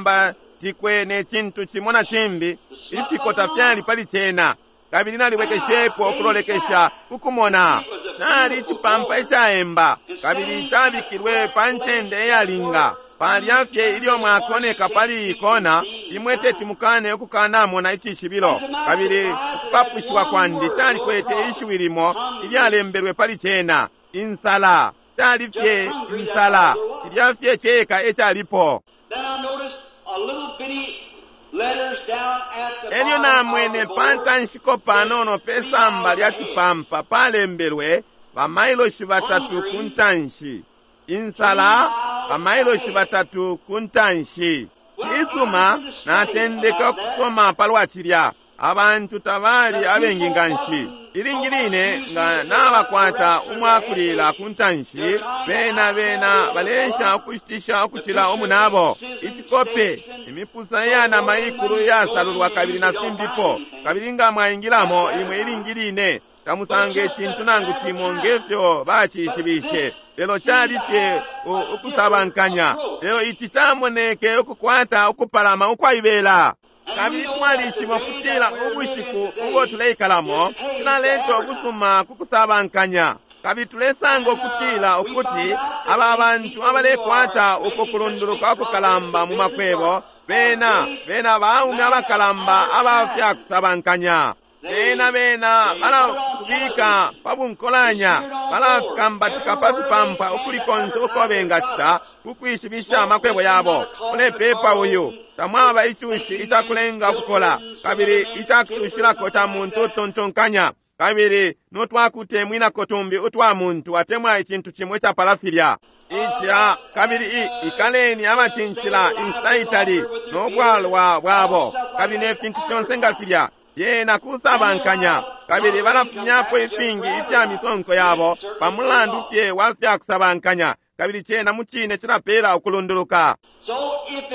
tacakambatikwe ne cintu cimo na cimbi, ifikota fyali pali cena. Kabili nalibwekeshepo ukulolekesha kukumona nali icipampa icaemba, kabili cabikilwe pa ncende iyalinga. Palya fye ilyo mwakoneka pali ikona, imwe teti mukane ukukanamona icishibilo. Kabili ukupapushiwa kwandi calikwete ishiwi limo ilyalembelwe pali cena, insala. Cali fye insala, cilya fye ceka ecalipo. Then I noticed a little bitty Elyo namwene pa ntanshiko panono pe samba lya cipampa palembelwe bamailoshi batatu ku ntanshi. Insala bamailoshi batatu ku ntanshi. Cisuma, natendeka ukusoma palwa cilya. Abantu tabali abengi nganshi. Ilingi line nga nabakwata umwakulila ku ntanshi, bena bena balesha ukushitisha ukucila umunabo. Icikope, imipusa iyanama ikulu iyasalulwa kabili na fimbipo, kabili nga mwaingilamo imwe ilingi line tamusanga icintu nangu cimo ngefyo bacishibishe. Lelo cali fye ukusabankanya. Lelo ici camoneke ukukwata ukupalama ukwaibela. Kabili twalishiba ukutila ubushiku ubo tuleikalamo cilaleta ubusuma ku kusabankanya. Kabili tulesanga ukutila ukuti aba bantu abalekwata uko kulunduluka ukukalamba mu makwebo, bena bena baume abakalamba aba fya kusabankanya. Bena bena balakubika pa bunkolanya, balafikambatika pa fipampa ukuli konse uko bengacita ku kwishibisha amakwebo yabo. Ulepepa uyu tamwaba icushi icakulenga ukukola, kabili icakusushilako ca muntu utontonkanya, kabili notwakutemwinako tumbi utwa muntu atemwa icintu cimo icapala filya. Ica kabili ikaleni abacincila inshita itali nobwalwa bwabo, kabili ne fintu fyonse nga filya. Yena kusabankanya, kabili balafumyapo ifingi ifya misonko yabo pamulandu fye wa fya kusabankanya, kabili cena mucine cilapela ukulunduluka.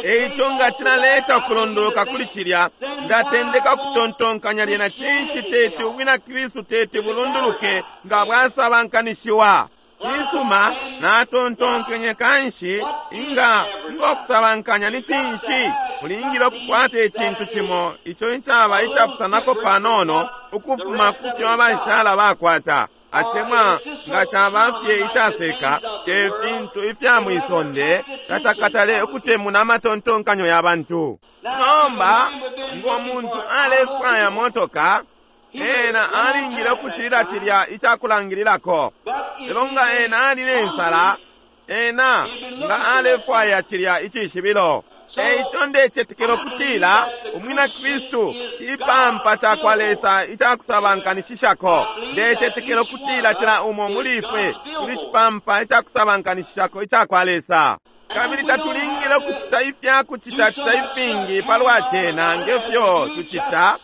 Eico nga cilaleta ukulunduluka kuli cilya, ndatendeka ukutontonkanya lyena cinshi teti ubwina Kristu teti bulunduluke nga bwasabankanishiwa. Cisuma, natontonkenye kanshi inga ngokusabankanya ni cinshi mulingile ukukwata icintu cimo ico icaba icapusanako panono ukufuma kufyo abashala bakwata, atemwa nga caba fye icaseka te fintu ifya mwisonde tacakatale ukutemuna amatontonkanyo ya bantu. Nomba ngo muntu alefwaya motoka, ena alingile ukucilila cilya icakulangililako. Lelo nga ena ali ne nsala, ena nga alefwaya cilya icishibilo. Eico ndecetekela ukutila umwina Kristu ipampa cakwa Lesa icakusabankanishishako. Ndecetekela ukutila cila umo muli ifwe tuli cipampa icakusabankanishishako icakwa Lesa. Kabili tatulingile ukucita ifya kucitacita ifingi palwa cena ngefyo tucita.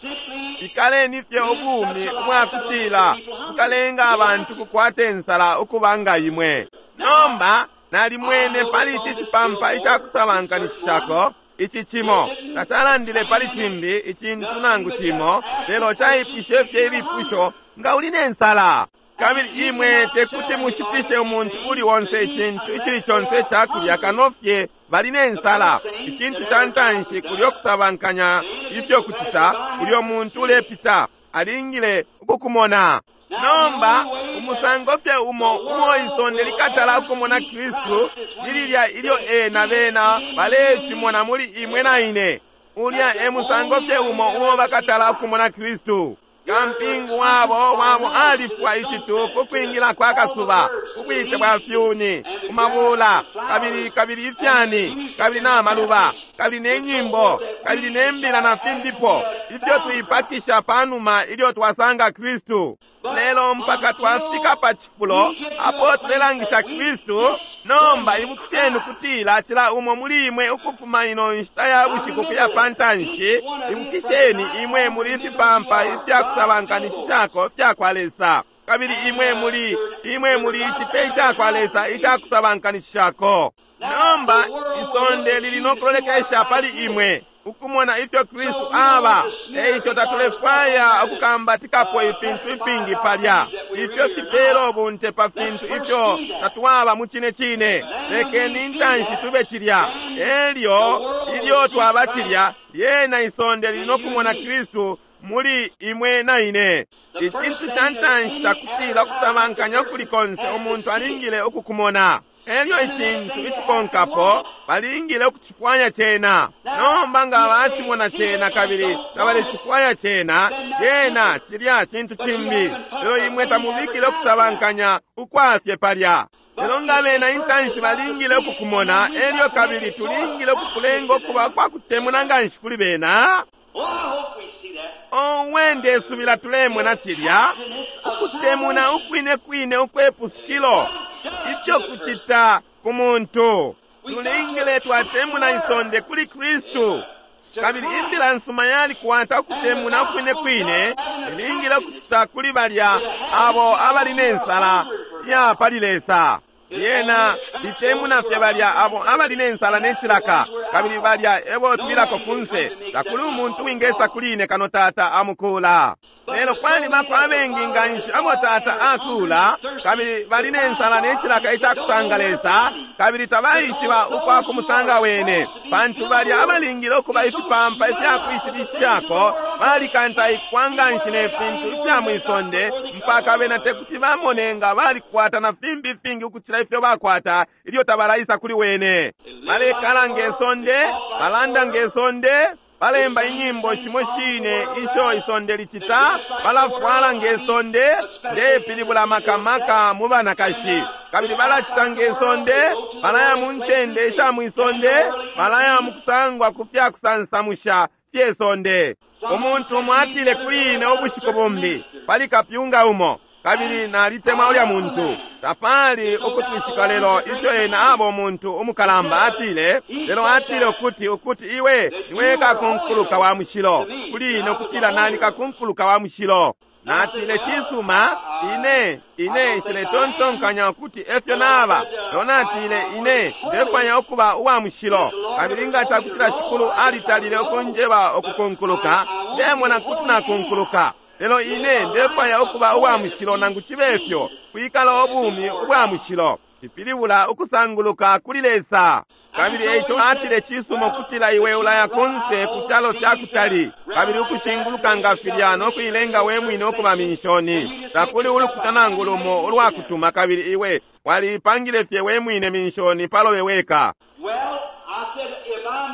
Ikaleni fye ubumi ubwakutila bukalenga abantu kukwata insala ukuba nga imwe. Nomba nalimwene pali ici cipampa icakusabankanishishako ici cimo, tacalandile pali cimbi icintu nangu cimo, lelo caipwishe fye ilipusho nga uli ne nsala. Kabili imwe tekuti mushitishe umuntu uli onse icintu icili conse icakulya kano fye bali ne nsala. Icintu ca ntanshi kulyo kusabankanya ifyo kucita, ulyo muntu ulepita alingile ukukumona. Nomba umusango fye umo umo isonde likatala ukumona Kristu lililya ilyo ena bena balecimona muli imwe na ine. Ulya e musango fye umo umo bakatala ukumona Kristu. Kampingu wabo wabo alifwa icitu kukwingila kwa kasuba, kubwite bwa fyuni, kumabula, kabili kabili ifyani, kabili na maluba, kabili ne nyimbo, kabili ne mbila na fimbipo ifyo tuipakisha panuma ilyo twasanga Kristu. Lelo mpaka twafika pa cifulo apo tulelangisha Kristu. Nomba ibukisheni kutila cila umo muli imwe ukufuma ino nshita ya bushiku kuya pa ntanshi, ibukisheni imwe muli fipampa ifya kusabankanishishako fya kwa Lesa, kabili imwe muli imwe muli icipe ica kwa Lesa ica kusabankanishishako. Nomba isonde lili no kulolekesha pali imwe ukumona ifyo Kristu aba. Eico tatulefwaya ukukambatikapo ifintu ifingi palya ifyo fipela ubunte pa fintu ifyo tatwaba mu cine cine. Lekeni intanshi tube cilya, elyo ilyo twaba cilya, lyena isonde lili no kumona Kristu muli imwe na ine. Icintu ca ntanshi cakutila ukusabankanya kuli konse umuntu alingile ukukumona. Elyo icintu icikonkapo balingile ukucifwaya cena. Nomba nga bacimona cena kabili tabalecifwaya cena, cena cilya cintu cimbi. Lelo imwe tamubikile ukusabankanya ukwafye palya. Lelo nga bena intanshi balingile ukukumona, elyo kabili tulingile ukukulenga ukuba kwa kutemuna nganshi kuli bena. Owe, ndesubila tulemona cilya ukutemuna ukwine kwine ukwepusukilo, ifyo kucita ku muntu. Tulingile twatemuna isonde kuli Kristu. Kabili imbila nsuma yalikwata ukutemuna ukwine kwine, ilingile ukucita kuli balya abo abali ne nsala ya pali Lesa. Yena itemuna fye balya abo abali ne nsala ne cilaka, kabili balya ebo twilako kunse. Takuli umuntu wingesa kuli ine kano Tata amukula. Lelo kwalibako abengi nganshi abo Tata akula, kabili bali ne nsala ne cilaka icakusanga Lesa, kabili tabaishiba ukwa kumusanga wene, pantu balya abalingile ukuba ifipampa ifyakwishibishako balikantaikwa nganshi ne fintu ifya mwisonde, mpaka bena tekuti bamone nga balikwata na fimbi ifingi ukucila ifyo bakwata ilyo tabalaisa kuli wene. Balekala nge sonde, balanda nge sonde, balemba inyimbo shimo shine isho isonde licita, balafwala nge sonde, ndepilibula makamaka mu banakashi, kabili balacita nge sonde, balaya mu ncende isha mwisonde, balaya mu kusangwa ku fyakusansamusha fye sonde. Umuntu umo atile kuli ine ubushiku bumbi pali kapyunga umo, kabili nalitemwa ulya muntu, tapali ukutwishika lelo ifyo ena aba umuntu umukalamba. Atile, lelo atile ukuti ukuti iwe niwe kakunkuluka wa mushilo kuli ine, ukutila nali kakunkuluka wa mushilo. Natile, cisuma, ine ine nshiletontonkanya ukuti efyo naba. Lelo natile, ine ndefwaya ukuba uwa mushilo, kabili nga cakutila Shikulu alitalile ukunjeba ukukunkuluka, ndemona kuti nakunkuluka. Lelo ine ndefwaya ukuba uwa mushilo nangu cibe fyo, kwikala ubumi ubwa mushilo cipilibula ukusanguluka kuli Lesa. Kabili eico atile, cisuma ukutila iwe ulaya kunse ku calo ca kutali, kabili ukushinguluka nga filya no kuilenga we mwine ukuba minshoni. Takuli ulukuta nangu lumo ulwakutuma, kabili iwe waliipangile fye we mwine minshoni palobe weka.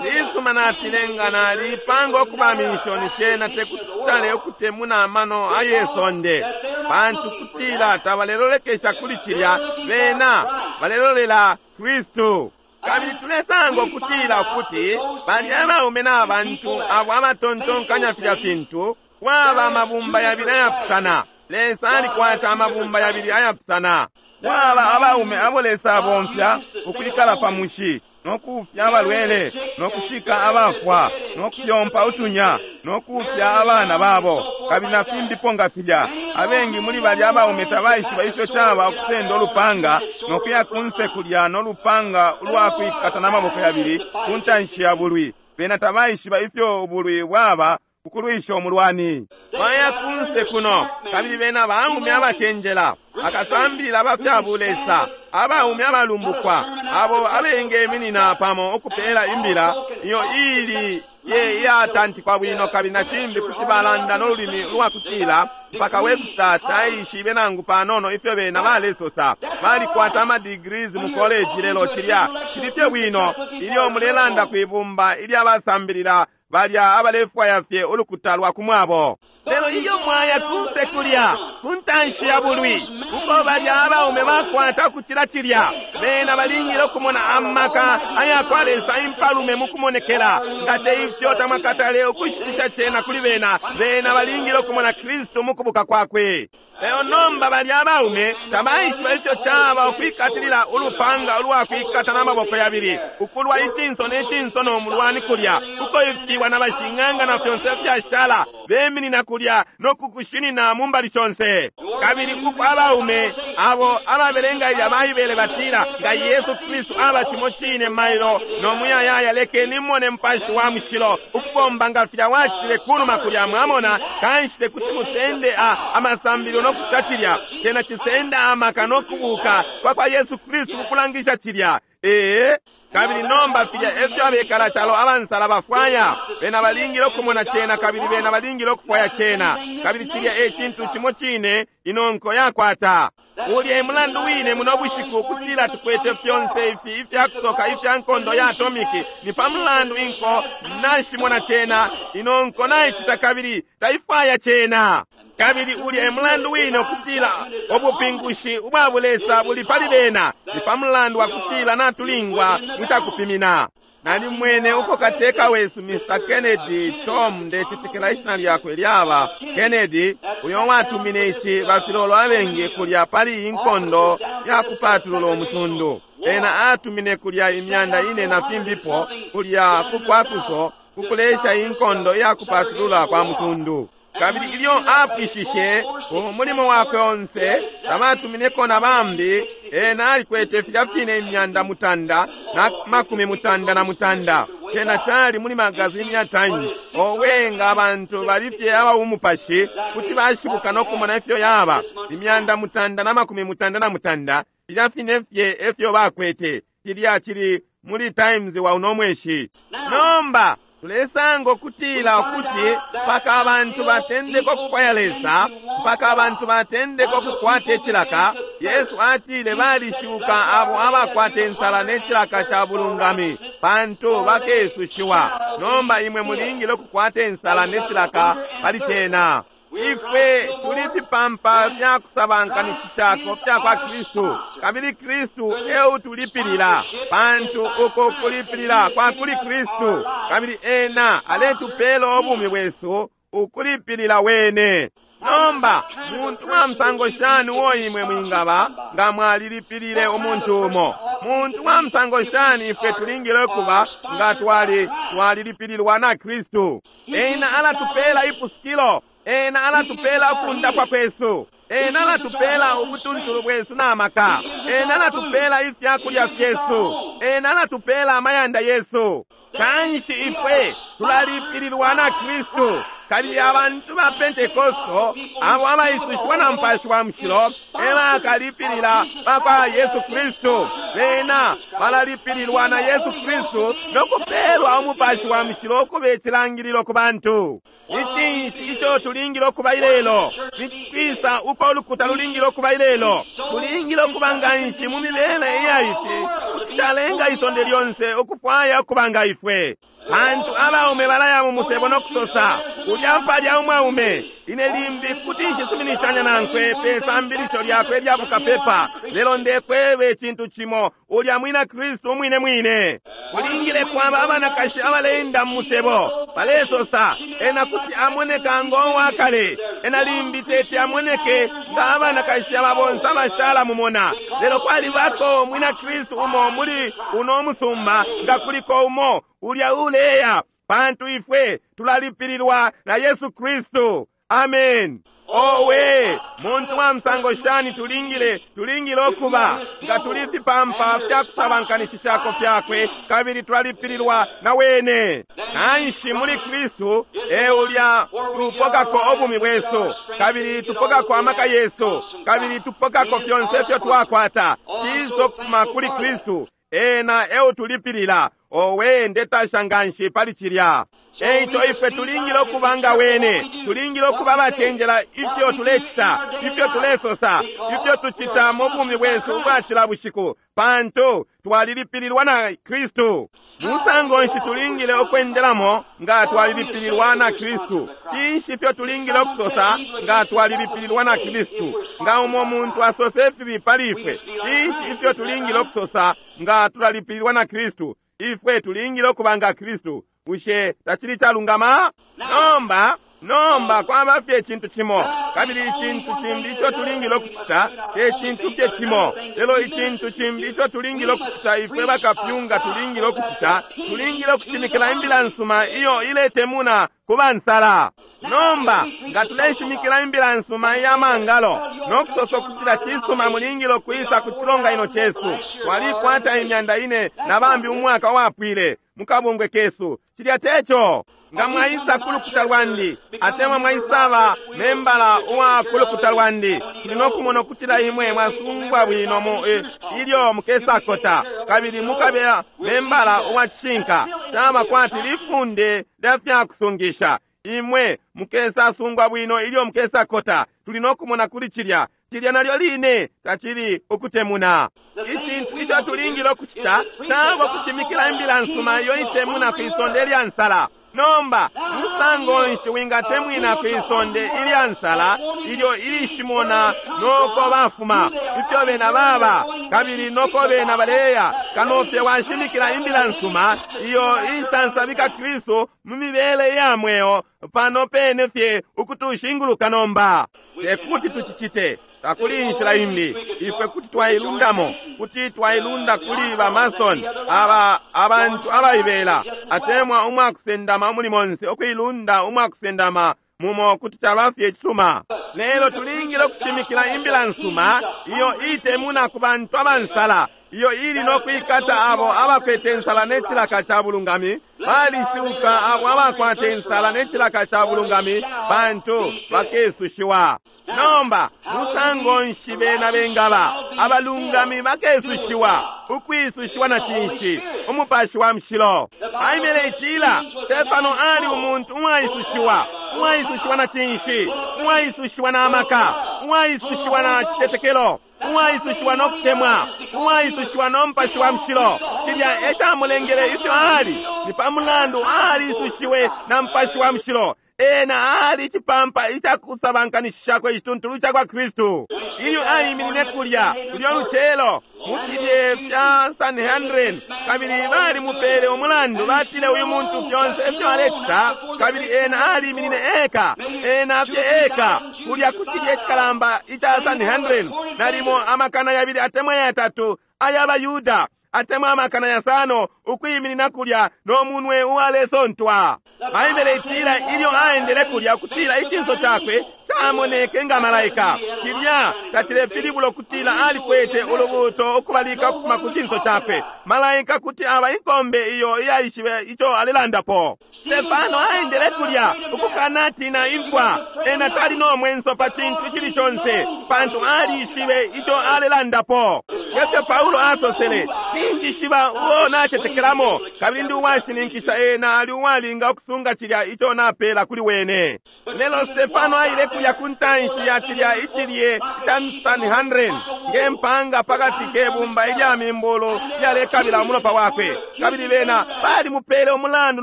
Cisuma, natile, nga naliipanga ukuba minshoni, cena tekuti citale ukutemuna amano aye sonde, pantu kutila tabalelolekesha kuli cilya, bena balelolela Kristu. Kabili tulesanga ukutila ukuti balya abaume na bantu abo abatontonkanya filya fintu, kwaba amabumba yabili ayapusana. Lesa alikwata amabumba yabili ayapusana. Kwaba abaume abo Lesa abomfya ukwikala pa mushi, nokufya abalwele, nokushika abafwa, nokuyompa utunya, nokufya abana babo, kabili na fimbipo nga filya. Abengi muli balya abaume tabaishiba ifyo caba ukusenda ulupanga nokuya kunse kulya nolupanga ulwakwikata n'amaboko yabili ku ntanshi ya bulwi. Bena tabaishiba ifyo ubulwi bwaba ukulwisha umulwani. Baya kunse kuno, kabili bena baume abacenjela, bakasambilila abafya bulesa, abaume abalumbukwa, abo abengeminina pamo ukupela imbila iyo ili ye iyatantikwa bwino, kabili na cimbi kuti balanda n'olulimi lwakutila mpaka Webster taishibe nangu panono ifyo bena balesosa. Balikwata amadegrees mu college, lelo cilya cili fye bwino ilyo mulelanda kwibumba ilya basambilila balya abalefwaya fye ulukuta lwa kumwabo. Lelo ilyo mwaya kunse kulya ku ntanshi ya bulwi, uko balya abaume bakwata ukucila cilya, bena balingile ukumona amaka ayakwa Lesa impalume mu kumonekela. Nga te ifyo tamwakatale ukushitisha cena kuli bena. Bena balingile ukumona Kristu mu kubuka kwakwe. Lelo nomba balya abaume tabaishiba ifyo caba ukwikatilila ulupanga ulwakwikata n'amaboko yabili, ukulwa icinso ne cinso no mulwani kulya, uko ifiwa na bashing'anga na fyonse fyashala beminina kulya no kukushinina mu mbali shonse. Kabili uko abaume abo ababelenga ilya Baibele batila, nga Yesu Kristu aba cimo cine mailo no muyayaya, lekeni mone Mupashi wa Mushilo ukubomba nga filya wacitile kunuma kulya. Mwamona, kanshi tekuti musende a amasambililo no kucita cilya. Cena cisenda amaka no kubuka kwa kwa Yesu Kristu kukulangisha cilya. Ee, kabili nomba filya efyo abekala calo abansala bafwaya. Bena balingile ukumona cena, kabili bena balingile ukufwaya cena, kabili cilya e cintu cimo cine inonko yakwata. Ulya e mulandu wine muno bushiku ukutila tukwete fyonse ifi ifyakusoka ifya nkondo ya atomiki. Ni pa mulandu inko nashimona cena, inonko naicita kabili taifwaya cena. Kabili ulya e mulandu wine ukutila ubupingushi ubwa bulesa buli pali bena, ni pa mulandu wa kutila natulingwa mucakupimina. Nalimwene uko kateka wesu Mister Kennedy Tom, ndecitikila ishina lyakwe lyaba Kennedy, uyo watumine ici bafilolo abengi kulya pali inkondo ya kupatulula umutundu. Ena atumine kulya imyanda ine na fimbipo kulya kukwakuso kukulesha inkondo ya kupatulula kwa mutundu. Kabili ilyo apwishishe umulimo wakwe onse, tabatumineko na bambi, ena alikwete filya fine imyanda mutanda na makumi mutanda na mutanda. Cena cali muli magazini ya Times. Owe, nga abantu bali fye abaumupashi kuti bashibuka no kumona ifyo yaba imyanda mutanda na makumi mutanda na mutanda, filya fine fye efyo bakwete. Cilya cili muli Times wa uno mweshi. Nomba tulesanga ukutila ukuti mpaka abantu batendeka ukufwaya Lesa, mpaka abantu batendeka ukukwata icilaka. Yesu atile balishuka abo abakwata insala ne cilaka ca bulungami, pantu bakesushiwa. Nomba imwe mulingile ukukwata insala ne cilaka pali cena. Ifwe tuli fipampa fya kusabankanishishako fya kwa Kristu, kabili Kristu eutulipilila, pantu uko kulipilila kwa kuli Kristu, kabili ena aletupela ubumi bwesu ukulipilila wene. Nomba muntu wa musango shani uo imwe mwingaba nga mwalilipilile umuntu umo? Muntu wa musango shani ifwe tulingile kuba nga twali twalilipililwa na Kristu? Ena alatupela ipusukilo, ena alatupela ukundapwa kwesu, ena alatupela ubutuntulu bwesu na maka, ena alatupela ifyakulya fyesu, ena alatupela amayanda yesu. Kanshi ifwe tulalipililwa na Kristu. Kabili abantu ba Pentekosto abo abaisushiwa na Mupashi wa Mushilo ebakalipilila bakwa Yesu Kristu. Bena balalipililwa na Yesu Kristu no kupelwa Umupashi wa Mushilo ukuba icilangililo ku bantu. Ni cinshi ico tulingile ukuba ilelo? Ni kwisa uko ulukuta lulingile ukuba ilelo? Tulingile ukuba nganshi mu mibele iya ifi kuti calenga isonde lyonse ukufwaya ukuba nga ifwe. Pantu abaume balaya mu musebo no kusosa, ulya mpalya umwaume, ine limbi kuti nshisuminishanya nankwe pe sambilisho lyakwe lya bukapepa, lelo ndekweba icintu cimo, ulya mwina Kristu umwine mwine. Kulingile kwaba abanakashi abaleenda mu musebo balesosa, ena kuti amoneka ngo wakale, ena limbi teti amoneke nga abanakashi aba bonse abashala mumona, lelo kwalibako mwina Kristu umo muli uno musumba, nga kuliko umo ulya uleya, pantu ifwe tulalipililwa na Yesu Kristu. Amen. Owe, muntu wa musango shani tulingile tulingile okuba nga tuli fipampa fya kusabankanishishako fyakwe, kabili tulalipililwa na wene. Nanshi muli Kristu e ulya tupokako obumi bwesu, kabili tupokako amaka yesu, kabili tupokako fyonse ifyo twakwata. Ciso kufuma kuli Kristu, ena eutulipilila. Owe, ndetasha nganshi pali cilya. Eico ifwe tulingile okuba nga wene, tulingile okuba abacenjela ifyo tulecita, ifyo tulesosa, ifyo tucita mu bumi bwesu ubwa cila bushiku, pantu twalilipililwa na Kristu. Musango nshi tulingile okwendelamo nga twalilipililwa na Kristu? Cinshi ifyo tulingile okusosa nga twalilipililwa na Kristu? Nga umo muntu asose ifibi pali ifwe, cinshi ifyo tulingile okusosa nga tulalipililwa na Kristu? Ifwe tulingile okuba nga Kristu. Bushe tacili calungama? Nomba nomba kwaba fye icintu cimo, kabili icintu cimbi ico tulingile okucita te cintu fye cimo, lelo icintu cimbi ico tulingile okucita ifwe bakapyunga tulingile okucita, tulingile okushimikila imbila nsuma iyo iletemuna ku bansala. Nomba nga tuleshimikila imbila nsuma iya mangalo no kusosa ukutila cisuma mulingile okwisa ku cilonganino cesu, twalikwata imyanda ine na bambi umwaka wapwile mukabungwe kesu, cilya teco. Nga mwaisa ku lukuta lwandi, atemwa mwaisaba membala uwa ku lukuta lwandi, tuli no kumona ukutila imwe mwasungwa bwino mu eh, ilyo mukesakota, kabili mukabela membala uwa cishinka. Caba kwati lifunde lya fyakusungisha. Imwe mukesasungwa bwino ilyo mukesakota. Tuli no kumona kuli cilya. Cilya nalyo line tacili ukutemuna. Icintu ico tulingile okucita caba kushimikila imbila nsuma iyo itemuna kwisonde lya nsala. Nomba musango nshi wingatemwina kwisonde ilya nsala ilyo ilishimona noko bafuma ifyo bena baba kabili noko bena baleya kanofye washimikila imbila nsuma iyo isansabika Kristu mu mibele ya mweo pano pene fye ukutushinguluka nomba. Tekuti tuchichite takuli inshila imbi ifwe kuti twailundamo kuti twailunda kuli ba Mason aba abantu abaibela atemwa umwakusendama umuli monse okuilunda umwakusendama mumo kuti caba fye cisuma. Lelo tulingile okushimikila imbila nsuma iyo itemuna ku bantu abansala iyo ili nokwikata abo abakwete nsala n'ecilaka ca bulungami balishuka abo abakwate nsala n'ecilaka ca bulungami bantu bakesushiwa. Nomba musango nshi bena bengaba abalungami bakesushiwa ukwisushiwa na cinshi umupashi wa mushilo. Baibele itila Stefano ali umuntu uwaisushiwa uwaisushiwa na cinshi uwaisushiwa na amaka uwaisushiwa na citetekelo uwaisushiwa nokutemwa uwaisushiwa nomupashi wa mushilo. Cilya ecamulengele ifyo ali ni pamulandu aliisushiwe na mupashi wa mushilo. Ena ali icipampa icakusabankanishishako icituntulu ca kwa Kristu. Ilyo aiminine kulya kulya lucelo mu filye fya Sanhedrin kabili balimupele umulandu batile uyu muntu fyonse ifyo alecita kabili ena aliminine eka ena fye eka kulya ku cilye cikalamba ica Sanhedrin nalimo amakana yabili atemwa yatatu ay'abayuda atemwa amakana yasano ukwiminina kulya n'omunwe uwalesontwa. Baibele itila ilyo aendele kulya kutila icinso cakwe camoneke nga malaika. Cilya tacilepilibula ukutila alikwete ulubuto ukubalika ukufuma ku cinso cakwe. Malaika kuti aba inkombe iyo iyaishibe ico alelandapo. Stefano aendele kulya ukukanatina imfwa. Ena tali n'omwenso pa cintu icili conse pantu alishibe ico alelandapo. Ngefyo Paulo asosele, ninjishiba uo nacetekelamo kabili ndi uwashininkisha ena ali uwalinga ukusunga cilya ico napela kuli wene. Lelo Stefano aile kulya ku ntanshi ya cilya icilye ica Sanhedrin ngempanga pakati kebumba ilya mimbulu lyalekabila umulopa wakwe kabili bena balimupele umulandu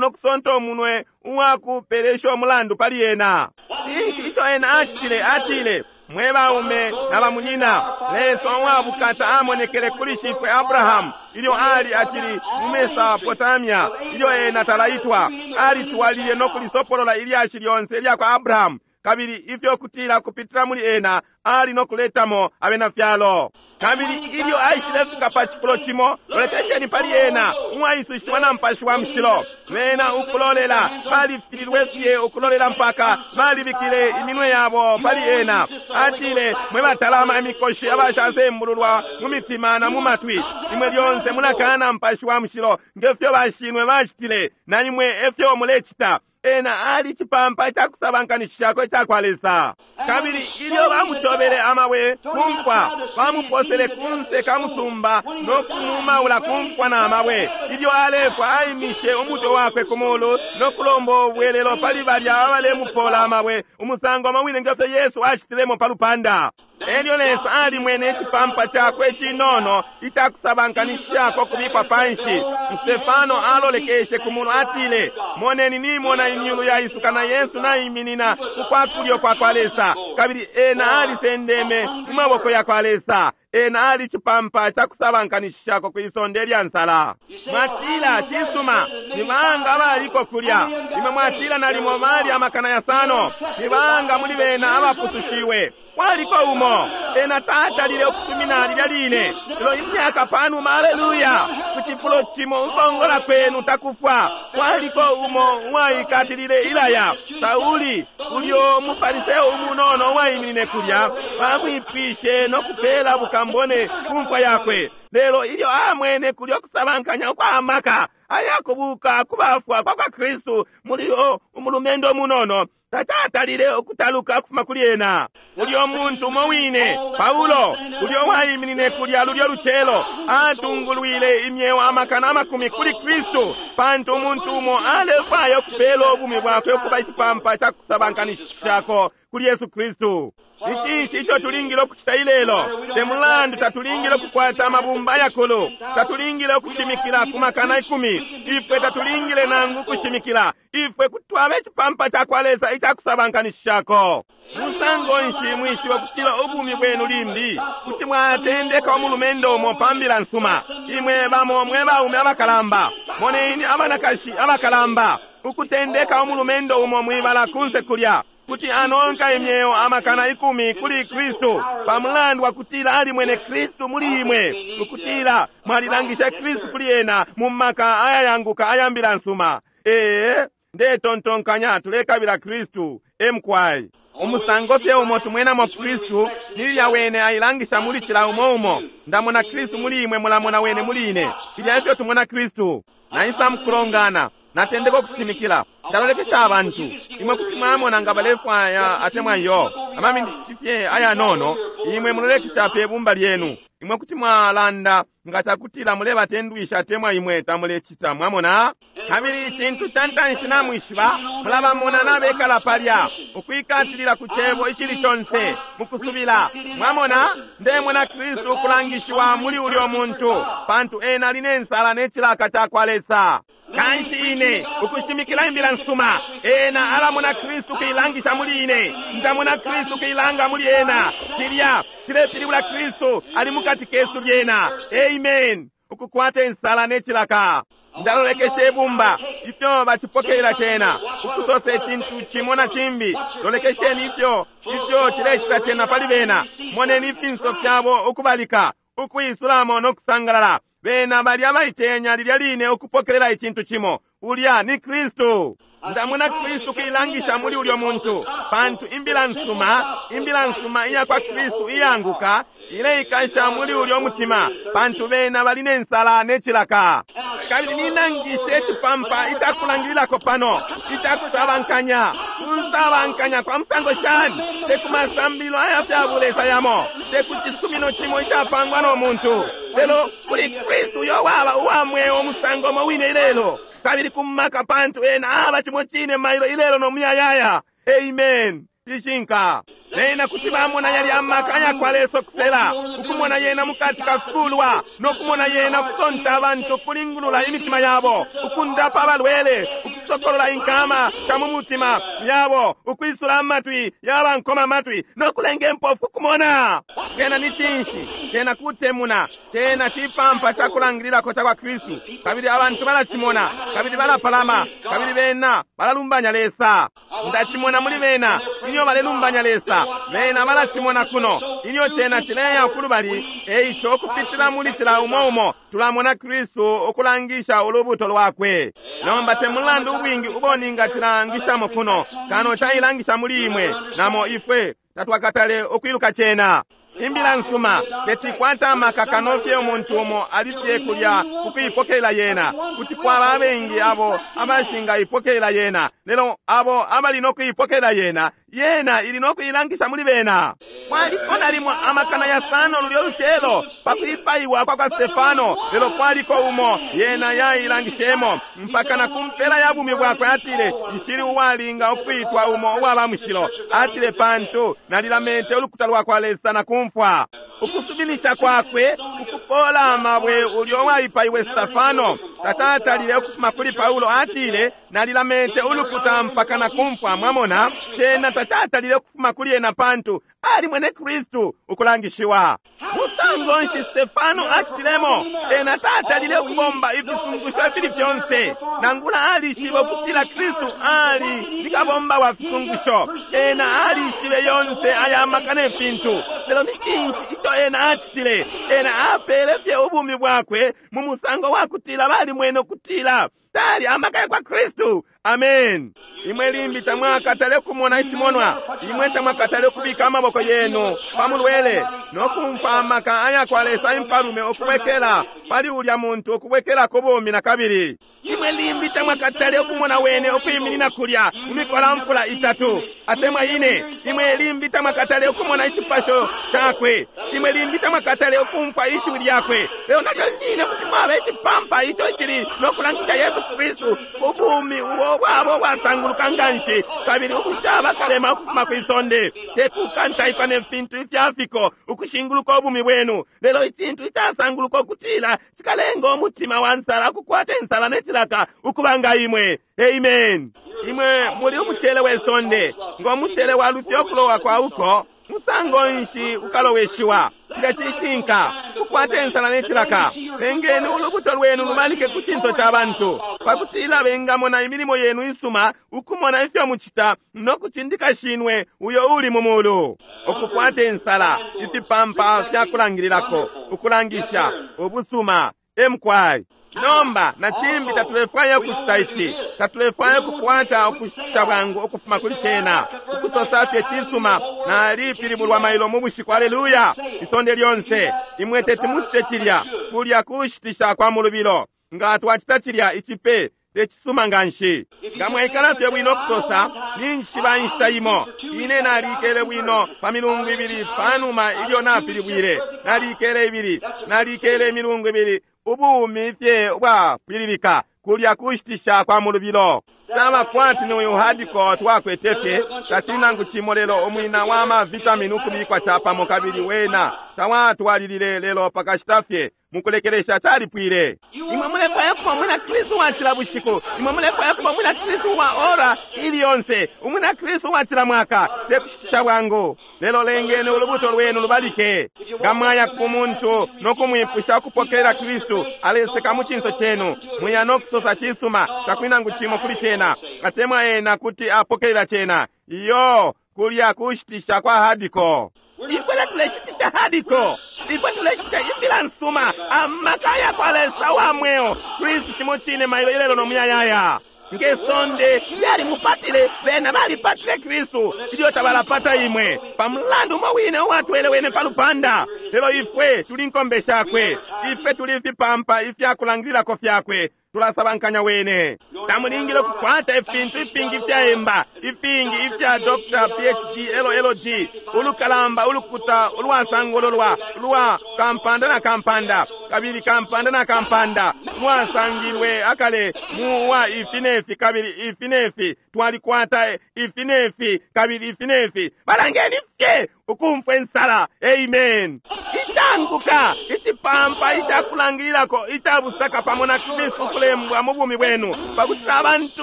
nokusonta umunwe uwakupelesha umulandu pali ena. Cinshi ico ena acitile? Atile, mwe baume na bamunyina, Lesa uwabukata amonekele kuli shifwe Abrahamu ilyo ali acili mu Mesopotamia ilyo ena talaitwa. Alitwalile nokulisopolola ilyashi lyonse ilya kwa Abrahamu kabili ifyo kutila kupitila muli ena ali nokuletamo abena fyalo. Kabili ilyo aishilefika pa cifulo cimo loletesheni pali ena uwaisushiwa na mupashi wa mushilo. Bena ukulolela balifililwe fye ukulolela mpaka balibikile iminwe yabo pali ena. Atile, mwe batalama imikoshi abashasembululwa mu mitima na mu matwi, imwe lyonse mulakana mupashi wa mushilo ngefyo bashinwe bacitile na imwe efyo mulecita. Ena ali icipampa icakusabankanishishako ica kwa Lesa. Kabili ilyo bamutobele amabwe kumfwa bamuposele kunse ka musumba nokumumaula kumfwa na amabwe. Ilyo alefwa aimishe umutwe wakwe ku mulu nokulomba ubwelelo pali balya abalemupola amabwe umusango mawine ngefyo Yesu acitilemo pa lupanda. Elyo Lesa alimwene icipampa cakwe cinono icakusabankanishishako kubikwa panshi. Stefano alolekeshe ku mulu atile, moneni nimona imyulu yaisuka na Yesu naiminina kukwakulyo kwa kwa Lesa kabili ena alisendeme mu maboko ya kwa Lesa. Ena ali icipampa cakusabankanishishako kwisonde lya nsala. Mwatila cisuma ni banga abaliko kulya? Imwe mwatila nalimo bali amakana yasano. Ni banga muli bena abapusushiwe? Kwaliko umo ena tatalile ukusumina lilya line. Lelo imyaka panuma, aleluya, ku cifulo cimo ukongola kwenu takufwa. Kwaliko umo uwaikatilile ilaya Sauli ulyo mufariseo umunono uwaiminine kulya bamwipishe nokupela bukambone kumfwa yakwe. Lelo ilyo amwene kulya okusabankanya ukwamaka ayakubuka kubafwa kwa kwa Kristu mulio umulumendo munono tatatalile okutaluka okufuma kuli ena. Ulyo muntu umo wine Paulo ulyo waiminine kulya lulyo lucelo atungulwile imyeo amakana amakumi kuli Kristu pantu umuntu umo alefwaya okupela obumi bwakwe okuba icipampa cakusabankanishishako kuli Yesu Kristu. Icinshi ico tulingile ukucita ilelo? Te mulandu tatulingile ukukwata amabumba ayakulu, tatulingile ukushimikila ku makana ikumi, ifwe tatulingile nangu ukushimikila, ifwe kuti twaba icipampa cakwa Lesa icakusabankanishishako. Musango nshi mwishiba kutila ubumi bwenu limbi kuti mwatendeka umulumendo umo pa mbila nsuma? Imwe bamo mwe baume abakalamba, moneni abanakashi abakalamba ukutendeka umulumendo umo mwibala kunse kulya kuti anonka imyeo amakana ikumi kuli Kristu pamulandu wa kutila alimwene Kristu muli imwe, ukutila mwalilangisha Kristu kuli ena mu maka ayayanguka aya mbila nsuma. Ee, ndetontonkanya tulekabila Kristu emkwai. Umusango fye umo tumwenamo Kristu nilya wene ailangisha muli cila umo umo. Ndamona Kristu muli imwe, mulamona wene muli ine. Filya efyo tumona Kristu. Naisa mukulongana, natendeka ukushimikila, ndalolekesha abantu. Imwe kuti mwamona nga balefwaya atemwa iyo. Amaminiti fye ayanono, imwe mulolekesha pe bumba lyenu. Imwe kuti mwalanda nga cakutila mulebatendwisha atemwa imwe tamulecita, mwamona? Kabili icintu ca ntanshi namwishiba, mulabamona nabekala palya, ukwikatilila ku cebo icili conse, mukusubila. Mwamona, ndemona Kristu ukulangishiwa muli ulyo muntu, pantu ena ali ne nsala ne cilaka cakwa Lesa. Kanshi ine ukushimikila imbila nsuma, ena alamona Kristu kuilangisha muli ine, ndamona Kristu kuilanga muli ena. Cilya cilepilibula Kristu ali mukati kesu lyena. Amen. Ukukwata insala ne cilaka. Ndalolekesha ibumba ifyo bacipokelela cena, ukusosa icintu cimo na cimbi. Lolekesheni ifyo ifyo cilecita cena pali bena. Moneni ifinso fyabo ukubalika, ukuisulamo no kusangalala. Bena bali abaitenya lilya line ukupokelela icintu cimo. Ulya ni Kristu. Ndamona Kristu kuilangisha muli ulyo muntu, pantu imbila nsuma, imbila nsuma iya kwa Kristu iyanguka ileikasha muli ulyo mutima, pantu bena bali ne nsala ne cilaka. Kabili ninangishe icipampa icakulangililako pano, icakusabankanya. Kusabankanya kwa musango shani? Te ku masambilo aya fya bulesa yamo, te ku cisumino cimo icapangwa no muntu, lelo kuli Kristu uyo waba uwa mweo umusango umo wine ilelo, kabili kumaka, pantu ena aba cimo cine mailo ilelo no muyayaya. Amen. Cishinka. Bena kuti bamona yali amaka ayakwa Lesa kusela, ukumona yena mukati kafikulwa, nokumona yena kusonta abantu ukulingulula imitima yabo, ukundapa abalwele, ukusokolola inkama sha mu mutima yabo, ukwisula amatwi yabankoma amatwi, nokulenga impofu kumona. Cena ni cinshi? Cena kutemuna. Cena cipampa cakulangililako cakwa Kristu. Kabili abantu balacimona, kabili balapalama, kabili bena balalumbanya Lesa. Ndacimona muli bena ilyo balelumbanya Lesa. Bena balacimona kuno ilyo cena cileya kulubali. Eico ukupitila muli cila umo umo tulamona Kristu ukulangisha ulubuto lwakwe. Nomba te mulandu ubwingi ubo ningacilangishamo kuno, kano cailangisha muli imwe namo ifwe tatwakatale ukwiluka cena. Imbila nsuma tetikwata amaka kano fye umuntu umo alifye kulya ukuipokelela yena. Kuti kwaba abengi abo abashingaipokelela yena, lelo abo abali no kuipokelela yena, yena ili no kuilangisha muli bena. Kwaliko nalimo amakana yasano lulyo lucelo pakuipaiwa kwa kwa Stefano, lelo kwaliko umo yena yailangishemo mpaka na kumpela ya bumi bwakwe. Atile, nshili uwalinga ukwitwa umo uwaba mushilo. Atile, pantu nalilamete ulukuta lwa kwa Lesa na kumfwa. Ukusubilisha kwakwe ukupola amabwe ulyo waipaiwe Stefano tatatalile ukufuma kuli Paulo. Atile, nalilamete ulukuta mpaka na kumfwa. Mwamona, cena tatatalile ukufuma kuli ena pantu ali mwene Kristu ukulangishiwa. Musango nshi Stefano acitilemo? Ena tatalile ukubomba ifisungusho ifili fyonse, nangula alishibe ukutila Kristu ali ni kabomba wa fisungusho. Ena alishibe yonse aya maka ne fintu, lelo ni cinshi ico ena acitile? Ena apele fye ubumi bwakwe mu musango wa kutila balimwene ukutila tali amaka ya kwa Kristu. Amen. Imwe limbi tamwakatale kumona icimonwa, imwe tamwakatale kubika amaboko yenu pamulwele nokumfa amaka aya kwa Lesa impalume ukubwekela pali ulya muntu ukubwekela ku bumi na kabili. Imwe limbi tamwakatale ukumona wene ukwiminina kulya mu mikola itatu atemwa ine. Imwe limbi tamwakatale ukumona icipasho cakwe. Imwe limbi tamwakatale ukumfa ishiwi lyakwe, lelo nalyo line kuti mwaba icipampa ico icili nokulangisha Yesu Yesu Kristu ubumi ubo bwabo bwasanguluka nganshi kabili ubushaba kalema ukufuma kwi sonde, tekukantaikwa ne fintu ifyafiko ukushinguluka ubumi bwenu, lelo icintu icasanguluka ukutila cikalenga umutima wa nsala ukukwata insala ne cilaka ukuba nga imwe. Amen. Imwe muli umucele we sonde, ngo mucele wa lufya ukulowa kwa uko musango nshi ukaloweshiwa. Cilya cishinka, kukwata insala ne cilaka. Lengeni ulubuto lwenu lubalike ku cinso ca bantu, pakutila bengamona imilimo yenu isuma, ukumona ifyo mucita no kucindika shinwe uyo uli mu mulu. Ukukwata insala, ifipampa fya kulangililako, ukulangisha ubusuma. Emkwai nomba na cimbi tatulefwaya ukucita ici, tatulefwaya ukukwata ukushita bwangu ukufuma kuli cena, ukusosa fye cisuma nalipilibulwa mailo mu bushiku. Aleluya! Isonde lyonse imwe teti mucite cilya, kulya kushitisha kwa mulubilo. Nga twacita cilya icipe tecisuma nganshi. Nga mwaikala fye bwino kusosa ninjishiba inshita imo ine nalikele bwino pa milungu ibili panuma ilyo napilibwile, nalikele ibili, nalikele imilungu ibili, ubumi fye ubwapwililika, kulya kushitisha kwa mulubilo. Caba kwati ni uyu hadiko twakwete fye tacili nangu cimo, lelo umwina wa mavitamini ukubikwa capamo, kabili wena tawatwalilile lelo pakashita fye mukulekelesha calipwile. Imwe mulefwaya kuba umwina Kristu wa cila bushiku, imwe mulefwaya kuba umwina Kristu wa ora ili yonse, umwina Kristu wa cila mwaka, tekushitisha bwangu. Lelo lengeni ulubuto lwenu lubalike. Nga mwaya ku muntu no kumwipusha ukupokelela Kristu, aleseka mu cinso cenu, muya no kusosa cisuma, takuli nangu cimo kuli cena, atemwa ena kuti apokelela cena. Iyo, kulya kushitisha kwa hadiko. Ifwe tatuleshitisha hadiko, ifwe tuleshitisha imbila nsuma, amaka ya kwa Lesa wa mweo, Kristu cimo cine mailo ilelo no muyayaya. Nge sonde lyalimupatile, bena balipatile Kristu ilyo tabalapata imwe, pamulandu umo wine uwatwele wene pa lupanda. Lelo ifwe tuli nkombe shakwe, ifwe tuli fipampa ifyakulangililako fyakwe, tulasabankanya wene. Tamulingile kukwata ifintu ifingi ifyaemba, ifingi ifya Doctor P H D L L D, ulukalamba ulukuta ulwasangololwa lwa kampanda na kampanda, kabili kampanda na kampanda, lwasangilwe akale mu wa ifi nefi kabili ifi nefi, twalikwata ifi nefi kabili ifi nefi. Balangeni fye ukumfwa insala. Amen. Icanguka icipampa icakulangililako icabusaka pamo na Kristu kulembwa mu bumi bwenu, pakuti abantu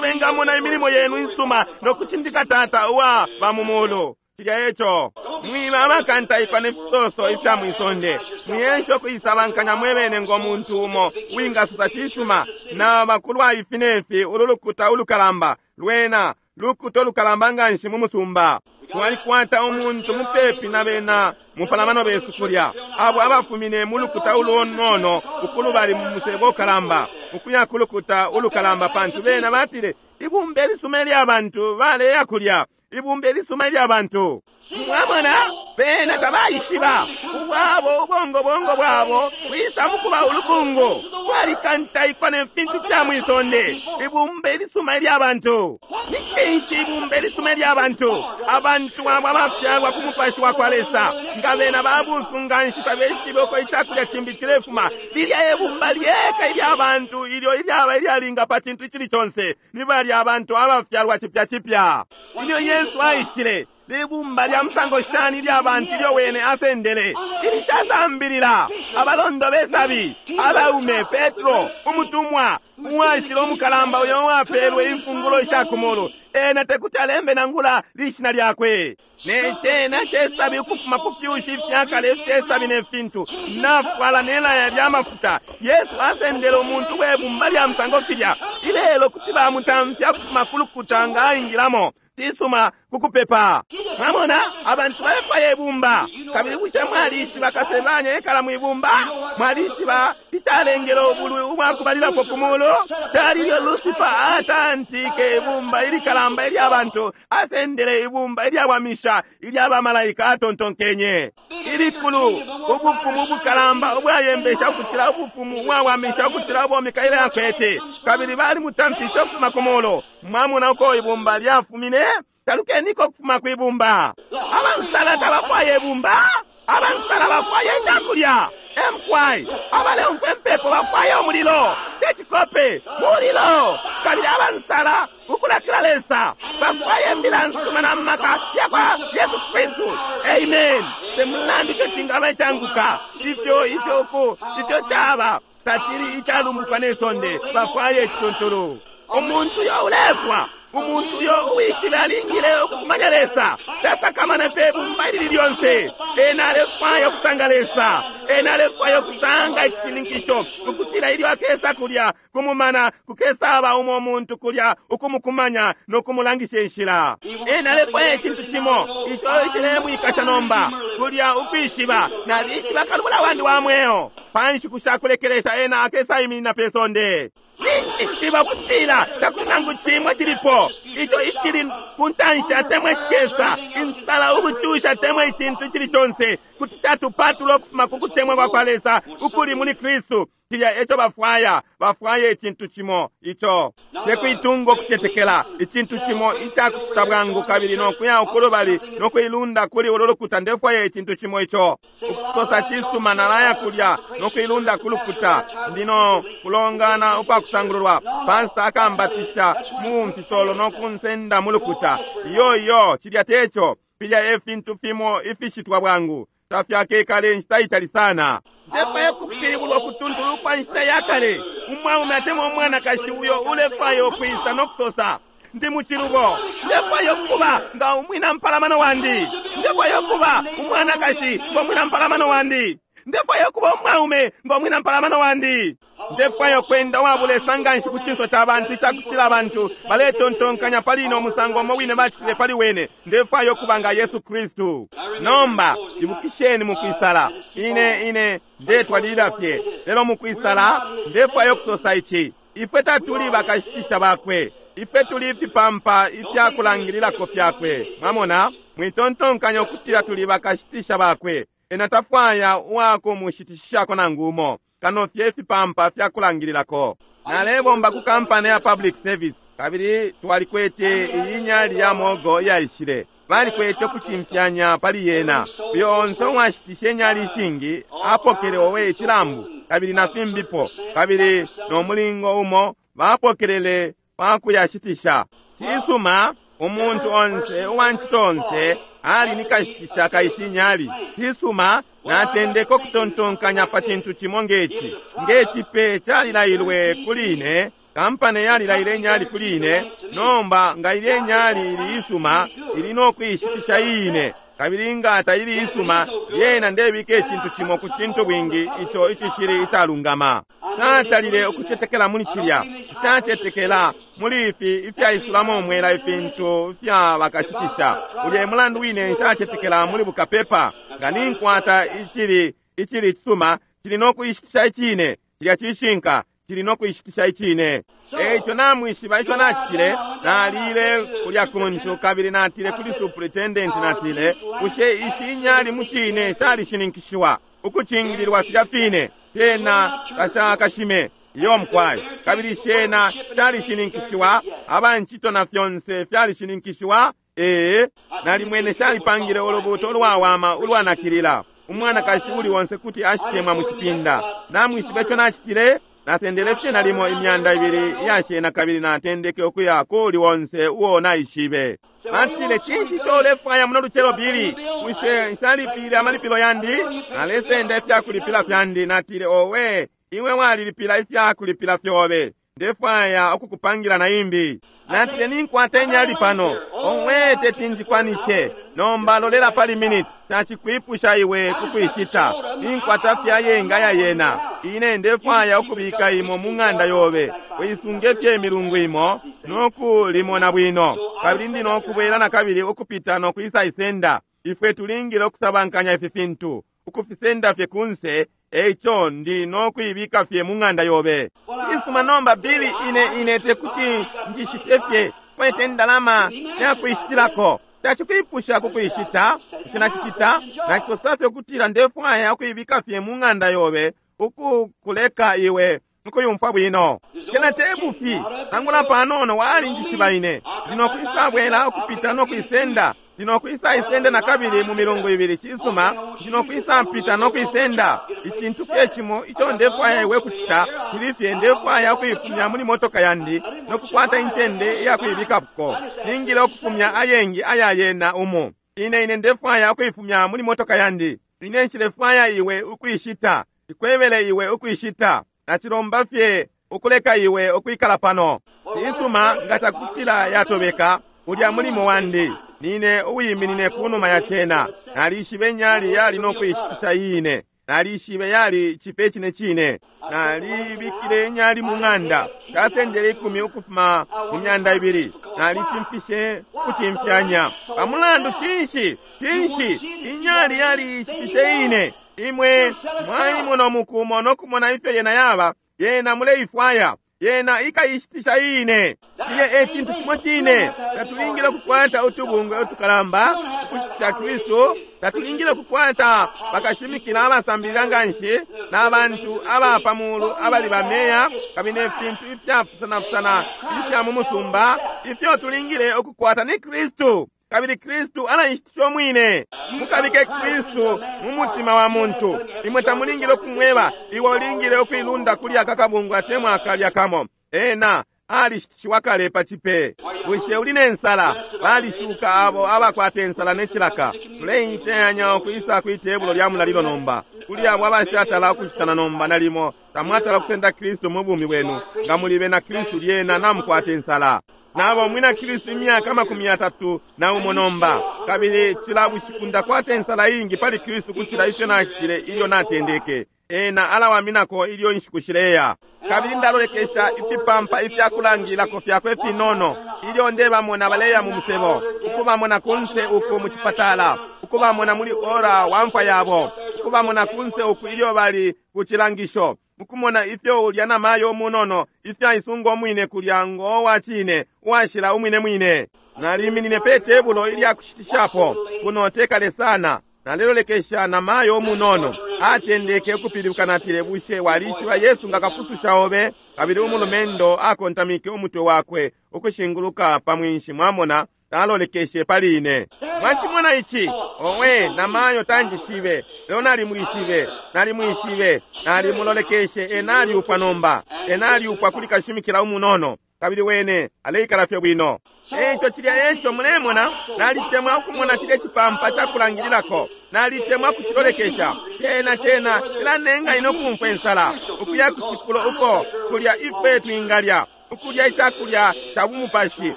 bengamona imilimo yenu insuma no kucindika Tata uwa ba mu mulu. Cilya eco mwiba abakantaikwa ne fisoso ifya mwisonde, mwiyesha ukuisabankanya mwebene ngo muntu umo wingasusa cisuma na bakulwa ifi nefi. Ulu lukuta ulukalamba lwena lukuta ulukalamba nganshi mu musumba. Twalikwata umuntu mupepi na bena mupalamano besu kulya, abo abafumine mu lukuta ulunono ukulubali mu musebo ukalamba ukuya ku lukuta ulukalamba, pantu bena batile ibumba elisuma ilya bantu baleya kulya, ibumba elisuma ilya bantu. Mwamona, bena tabaishiba ubwabo ubongobongo bwabo bwisa mukuba ulukungu, bwalikantaikwa ne fintu fya mwisonde. Ibumba elisuma ilya bantu. Ni cinshi ibumba elisuma ilya bantu? Abantu abo abafyalwa ku mupashi wa kwa Lesa, nga bena babusu nganshi tabeshibe uko icakulya cimbi cilefuma. Lilya ibumba lyeka ilya bantu ilyo ilyaba ilyalinga pa cintu icili conse, ni balya abantu abafyalwa cipya cipya. Ilyo Yesu aishile, libumba lya musango shani lya bantu ilyo wene asendele, ilishasambilila, abalondo besabi, abaume, Petro umutumwa uwashila umukalamba uyo wapelwe imfungulo isha kumulu, ena tekuti alembe nangula lishina lyakwe. Ne cena cesabi ukufuma ku fyushi ifyakale ifyesabi ne fintu, nafwala nelaya lya mafuta. Yesu asendele umuntu webumba lya musango filya. Ilelo kuti bamutamfya kufuma ku lukuta nga aingilamo tisuma kukupepa. Mwamona, abantu balefwaya ibumba. Kabili bushe mwalishiba kasebanya ekala mwibumba? Mwalishiba icalengele ubulwi ubwakubalilapo ku mulu? Cali ilyo Lucifer atantike ibumba ilikalamba ilya bantu, asendele ibumba ilyawamisha ilya bamalaika atontonkenye. Ilikulu ubufumu ubukalamba ubwayembesha ukucila ubufumu ubwawamisha ukucila ubo Mikaele akwete, kabili balimutamfishe ukufuma ku mulu. Mwamona uko ibumba lyafumine? Talukeniko kufuma kwibumba. Abansala tabafwaya ibumba, Abansala bafwaya icakulya. Emkwai abaleumfwa impepo bafwaya umulilo, tecikope mulilo. Kabili abansala ukulakila Lesa bafwaya imbila nsuma na maka yakwa Yesu Kristu. Amen. Temulandu ico cingaba icanguka, ifyo ifyo uku ifyo caba tacili icalumbuka ne sonde, bafwaya icituntulu. Umuntu uyo ulefwa, umuntu uyo uwishile alingile ukukumanya Lesa, tasakamana pe bumba ilili lyonse. Ena alefwaya ukusanga Lesa, ena alefwaya ukusanga icishininkisho ukutila ilyo akesa kulya kumumana kukesaba umo muntu kulya ukumukumanya no kumulangisha inshila. Ena alefwaya icintu cimo ico icilemwikasha nomba kulya ukwishiba, nalishiba kalubula wandi wa mweo. Pa nshiku shakulekelesha ena akesa iminina pe sonde. Ninjishiba kutila takuli nangu cimwe cilipo ico icili ku ntanshi atemwa icikesa, insala, ubucusha atemwa icintu icili conse kuti catupatula ukufuma ku kutemwa kwa kwa Lesa ukuli muli Kristu. Cilya eco bafwaya, bafwaya icintu cimo ico tekuitunga ukucetekela, icintu cimo icakucita bwangu kabili nokuya ukulubali nokuilunda kuli ulu lukuta. Ndefwaya icintu cimo ico ukusosa cisuma, nalaya kulya nokuilunda ku lukuta, ndino kulongana ukwakusangululwa, pasita akambatisha mu mfisolo nokunsenda mu lukuta. Iyo iyo, cilya teco. Filya e fintu fimo ifishitwa bwangu, tafyakekale inshita itali sana. Ndefwaya kupilibulwa kutuntulu kwa nshita ya kale, umwaume atemwa umwanakashi uyo ulefwaya ukwisa nokusosa ndi muchilubo. Ndefwaya ukuba nga umwina mpalamano wandi, ndefwaya ukuba umwanakashi nga umwina mpalamano wandi, ndefwaya ukuba umwaume nga umwina mpalamano wandi. Ndefwaya ukwenda uwabulesa nganshi ku cinso ca bantu icakutila abantu baletontonkanya pali ino musango umo wine bacitile pali wene. Ndefwaya ukuba nga Yesu Kristu. Nomba ibukisheni mukwisala, ine ine ndetwalilila fye, lelo mukwisala ndefwaya ukusosa ici: ifwe tatuli bakashitisha bakwe, ifwe tuli ifipampa ifyakulangililako fyakwe. Mwamona, mwitontonkanya ukutila tuli bakashitisha bakwe. Ena tafwaya uwakumushitishisha nangu umo, kano fye ifipampa fyakulangililako. Nalebomba ku kampani ya public service, kabili twalikwete iyi nyali ya mogo iyaishile. Balikwete ukucimfyanya pali yena. Uyo onse uwashitishe inyali ishingi apokele owe icilambu, kabili na fimbipo, kabili no mulingo umo bapokelele pakuyashitisha. Cisuma, umuntu onse uwancito onse ali nikashitisha kaishi inyali. Cisuma, natendeka ukutontonkanya pa cintu cimo ngeci. Ngecipe calilailwe kuli ine, kampani yalilaile inyali kuli ine. Nomba nga ilye inyali ili isuma, ili nokuishitisha iine, kabili nga taili isuma, lyena ndebika icintu cimo ku cintu bwingi ico icishili icalungama. Natalile ukucetekela muli cilya, nshacetekela muli ifi ifyaisulamo umwela ifintu fya bakashitisha. Ulya e mulandu wine nshacetekela muli bukapepa. Nga ninkwata icili icili cisuma, cili nokuishitisha icine. Cilya cishinka, cili nokuishitisha icine. Eico namwishiba ico nacitile, nalile kulya kuntu kabili natile kuli superintendent, natile, bushe ishi inyali mu cine shalishininkishiwa ukucingililwa filya fine shena kashakashime? Iyo mkwai. Kabili shena shalishininkishiwa, abancito na fyonse fyalishininkishiwa. Ee, nalimwene shalipangile ulubuto ulwawama ulwanakilila. Umwanakashi uli onse kuti ashitemwa mu cipinda. Namwishiba ico nacitile, nasendele fye nalimo imyanda ibili iyashena kabili natendeke ukuya kuli onse uo naishibe. Batile, cinshi ico ulefwaya muno lucelo, Bili? Bushe nshalipile amalipilo yandi? Nalesenda ifyakulipila fyandi. Natile, owe, iwe walilipila ifyakulipila fyobe, ndefwaya ukukupangila na imbi. Natile, ninkwata inyali pano. Owe, teti njikwanishe. Nomba lolela pali minute, tacikwipusha iwe kukwishita. Ninkwata fye ayenga ya yena. Ine ndefwaya ukubika imo mu ng'anda yobe, uisunge fye imilungu imo nokulimona bwino, kabili ndi nokubwela na kabili ukupita nokwisa isenda. Ifwe tulingile ukusabankanya ifi fintu, ukufisenda fye kunse. Eico ndi nokuibika fye mu ng'anda yobe. Isuma nomba, Bili, ine ine tekuti njishite fye, kwete ndalama yakuishitilako. Tacikwipusha kukuishita. Bushe nacicita? Nacisosa fye ukutila ndefwaya ukuibika fye mu ng'anda yobe, ukukuleka iwe ukuyumfwa bwino. Cena tebufi nangula panono walinjishiba ine. Ndi nokuisabwela ukupita nokuisenda. Ndinokwisa isenda nakabili mu milungu ibili. Cisuma, ndinokwisa mpita nokuisenda. Icintu fye cimo ico ndefwaya iwe kucita cili fye ndefwaya ukuifumya muli motoka yandi nokukwata incende iyakuibikako. Ningile ukufumya ayengi aya yena umu. Ine ine ndefwaya ukuifumya muli motoka yandi. Ine nshilefwaya iwe ukuishita. Ikwebele iwe ukuishita. Nacilomba fye ukuleka iwe ukwikala pano. Cisuma, nga cakutila yatobeka ulya mulimo wandi. Nine uwiminine kunuma ya cena. Nalishibe nyali yali nokuishitisha iine. Nalishibe yali chipe chine chine. Nalibikile nyali mu ng'anda. Casendele ikumi ukufuma mu myanda ibili. Nalichimfishe kuchimfyanya. Pamulandu cinshi? Cinshi? Inyali yali ishitishe iine. Imwe mwaimona mukumo nokumona ifyo yena yaba. Yena muleifwaya. Yena ikaishitisha iine. Cilya e cintu cimo cine. Tatulingile kukwata utubungwe utukalamba ukushitisha Kristu. Tatulingile kukwata bakashimikila abasambilila nganshi na bantu aba pa mulu abali bameya kabili ne fintu ifyapusanapusana ifya mu musumba. Ifyo tulingile ukukwata ni Kristu. Kabili Kristu alaishitisha umwine. Mukabike Kristu mu mutima wa muntu. Imwe tamulingile ukumweba iwe ulingile ukuilunda kuli aka kabungwe atemwa akalya kamo. Ena alishitishiwa kale pa chipe. Bushe uli ne nsala? Balishuka abo abakwata ensala ne cilaka. Tuleiteyanya ukwisa kwi tebulo lya mulalilo nomba. Kuli abo abashatala ukushitana nomba nalimo tamwatala kusenda Kristu mu bumi bwenu. Nga mulibe na Kristu lyena namukwata ensala. Nabo mwina Kristu imyaka makumi yatatu na umo nomba. Kabili cila bushiku ndakwata ensala ingi pali Kristu kucila ifyo nacitile ilyo natendeke. Ena alawaminako ilyo inshiku shileya. Kabili ndalolekesha ifipampa ifyakulangilako fyakwe finono ilyo ndebamona baleya mu musebo, ukubamona kunse uku mu cipatala, ukubamona muli ora wa mfwa yabo, ukubamona kunse uku ilyo bali ku cilangisho, mukumona ifyo ulya namayo umunono ifyo aisunga umwine kulya ngo wa cine uwashila umwine mwine. Naliminine pe tebulo ilyakushitishapo kuno tekale sana. Nalelolekesha namayo umunono atendeke ukupilibuka. Natile, bushe walishiba Yesu nga kapususha obe? Kabili umulumendo akontamike umutwe wakwe ukushinguluka pa mwinshi. Mwamona, talolekeshe pali ine. Mwachimona ichi? Owe, namayo tanjishibe, lelo nalimwishibe, nalimwishibe, nalimulolekeshe. Ena aliupwa nomba, ena aliupwa kuli kashimikila umunono, kabili wene aleikala fye bwino. Eco cilya eco mulemona. Nalitemwa ukumona cilya cipampa cakulangililako. Nalitemwa kucilolekesha. Cena cena cilanenga ine ukumfwa ensala ukuya ku cifulo uko kulya ifwe twingalya ukulya icakulya ca bumupashi,